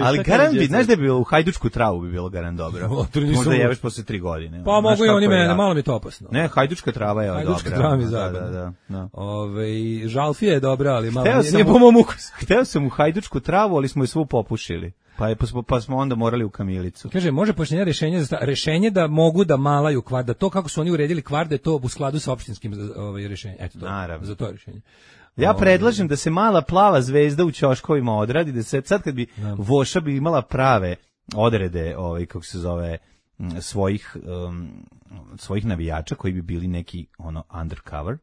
Ali garant bi, znaš da je bilo u hajdučku travu bi bilo garant dobro. Možda jeveš posle 3 godine. Pa mogu i oni mene, malo mi je to opasno. Ne, hajdučka trava je dobra. Hajdučka trava mi je zabavna. Žalfija je dobra, ali malo nije po mom ukusu. Hteo sam u hajdučku travu, ali smo je svu popušili. Pa smo onda morali u kamilicu. Kaže, može pojašnjenje rešenje da mogu da malaju kvart, da to kako su oni uredili kvart, da je to u skladu sa opštinskim rešenjem. Eto to, za to rešenje. Ja predlažem da se mala plava zvezda u ćoškovima odradi, da se sad kad bi Voša bi imala prave odrede, kako se zove, svojih navijača koji bi bili neki undercover,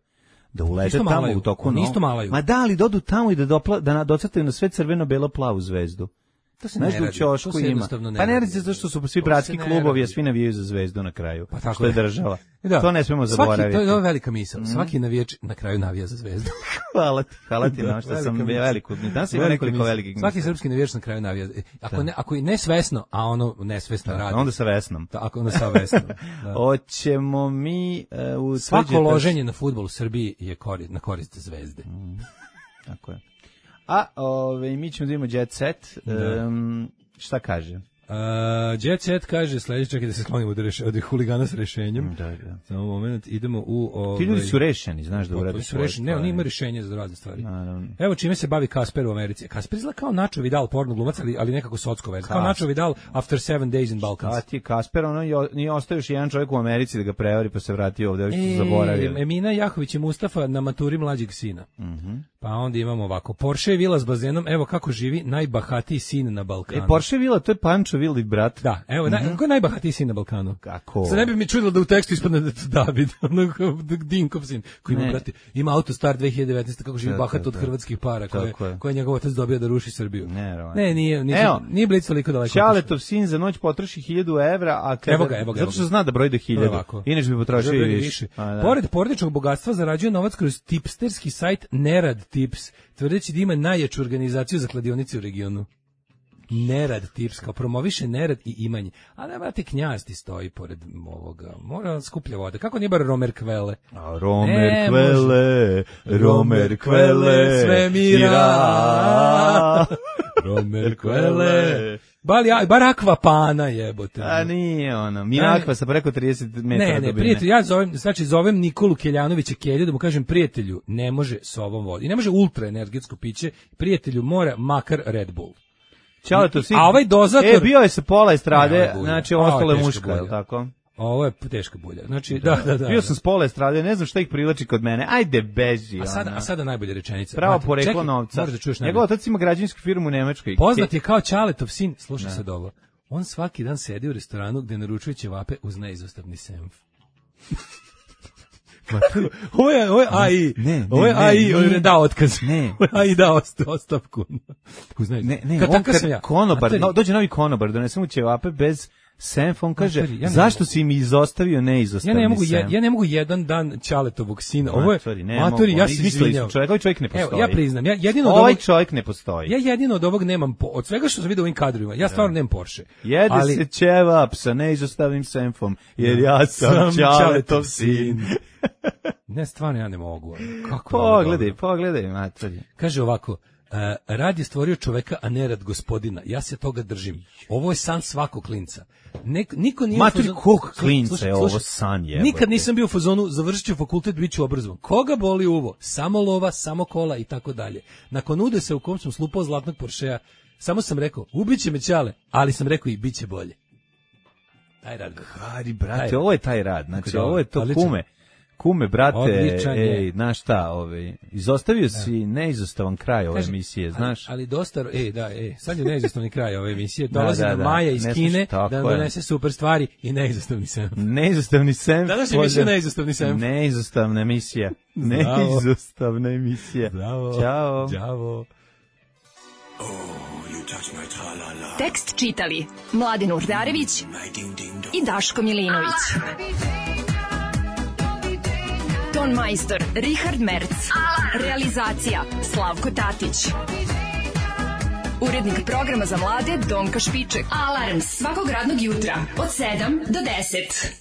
da ulete tamo u toku isto malaju. Ma da, ali dodu tamo i da docrtaju na sve crveno-belo-plavu zvezdu. To se ne radi, to se jednostavno ne radi. Pa ne radi se zato što su svi bratski klubovi, a svi navijaju za zvezdu na kraju. Pa tako što je država. To ne smemo zaboraviti. To je velika misao. Svaki navijač na kraju navija za zvezdu. Hvala ti na što sam veliku. Danas ima nekoliko velikih misla. Svaki srpski navijač na kraju navija. Ako je nesvesno, a ono nesvesno radi. Onda sa vesnom. Ako onda sa vesnom. Hoćemo mi svako loženje na fudbal u Srbiji je na korist zvezde. Tako je. A mi ćemo da imamo Jet Set. Šta kaže? Jet Set kaže sledeće, čekaj da se sklonimo od huligana s rešenjem. Da. Samo moment, idemo u... Ti ljudi su rešeni, znaš da urade svoje stvari. Ne, oni ima rešenje za razne stvari. Evo čime se bavi Kasper u Americi. Kasper izgleda kao Nacho Vidal, porno glumac, ali nekako socko vez. Kao Nacho Vidal after 7 days in Balkans. A ti Kasper, nije ostao još jedan čovjek u Americi da ga prevari pa se vratio ovde, još su zaboravili. Emina Jahović i Mustafa na maturi mlađeg sina. Pa onda imamo ovako, Porsche vila s bazenom, evo kako živi najbahatiji sin na Balkanu. Porsche vila, to je Pančo Vili brat. Da, evo, ko je najbahatiji sin na Balkanu? Kako? Sad ne bi mi čudilo da u tekstu ispadne da je to David, Dinkov sin, koji ima, brate, ima Autostar 2019, kako živi bahat od hrvatskih para, koje je njegov otac dobio da ruši Srbiju. Ne, nije Blic toliko daleko. Čaletov sin za noć potroši 1000 evra, a zato što zna da broji do 1000, inače bi potrošio i više. Pored porodičnog bogatstva zarađuje novac kroz tipsterski sajt Nerad Tips, tvrdeći da ima najjaču organizaciju za kladionice u regionu. Nerad Tips, kao promoviše nerad i imanje. A ne, brate, Knjaz ti stoji pored ovoga. Mora skuplja voda. Kako nije bar Romer Kvele? Romer Kvele, svemira. Romer Kvele. Bar Akvapana jebote. A nije ono. Minakva sa preko 30 metara dubine. Ne, prijatelj, ja zovem Nikolu Keljanovića Kelju da mu kažem, prijatelju, ne može s ovom vodom. I ne može ultra energetsko piće. Prijatelju, mora makar Red Bull. A ovaj dozator... bio je sa pola estrade, znači ostalo je muško, je li tako? Ovo je teška bulja. Znači, da. Bio sam s pola estrade, ne znam šta ih privlači kod mene. Ajde, beži. A sada najbolja rečenica. Pravo poreklo novca. Njegov otac ima građevinsku firmu u Nemačkoj. Poznat je kao Čaletov sin, slušaj sad ovo. On svaki dan sedi u restoranu gde naručuje ćevape uz neizostavni senf. Ovo je AI. Ovo je AI, on je dao otkaz. Ne. AI dao ostavku. Konobar, dođe novi konobar, donese mu ćevape bez senf, on kaže, zašto si mi izostavio neizostavni senf? Ja ne mogu jedan dan Ćaletovog sina. Ovo je, matori, ja se izvinjam. Čovjek ne postoji. Evo, ja priznam, ovaj čovjek ne postoji. Ja jedino od ovog nemam, od svega što sam vidio u ovim kadrovima, ja stvarno nemam Porsche. Jede se ćevap sa neizostavnim senfom, jer ja sam Ćaletov sin. Ne, stvarno ja ne mogu. Pogledaj, matori. Kaže ovako, rad je stvorio čoveka, a ne rad gospodina. Ja se toga držim. Ovo je san svakog klinca. Niko nije matori, kog klinca je ovo san je? Nikad nisam bio u fazonu, završit ću fakultet, bit ću obrazovan. Koga boli uvo? Samo lova, samo kola i tako dalje. Nakon udesa u kom sam slupao zlatnog Porschea, samo sam rekao, ubiće me Ćale, ali sam rekao i bit će bolje. Taj rad. Hari, brate, ovo je taj rad. Znači, ovo je to kume, brate, znaš šta, izostavio si neizostavan kraj ove emisije, znaš? Ali dosta, sad je neizostavni kraj ove emisije, dolazi nam Maja iz Kine da donese super stvari i neizostavni senf. Neizostavni senf. Danas je emisija neizostavni senf. Neizostavna emisija. Neizostavna emisija. Bravo. Ćao. Ćao. Tekst čitali Mladin Urdarević i Daško Milinović. Ton majstor Richard Merc. Realizacija Slavko Tatić. Urednik programa za mlade Donka Špiček. Alarms svakog radnog jutra od 7 do 10.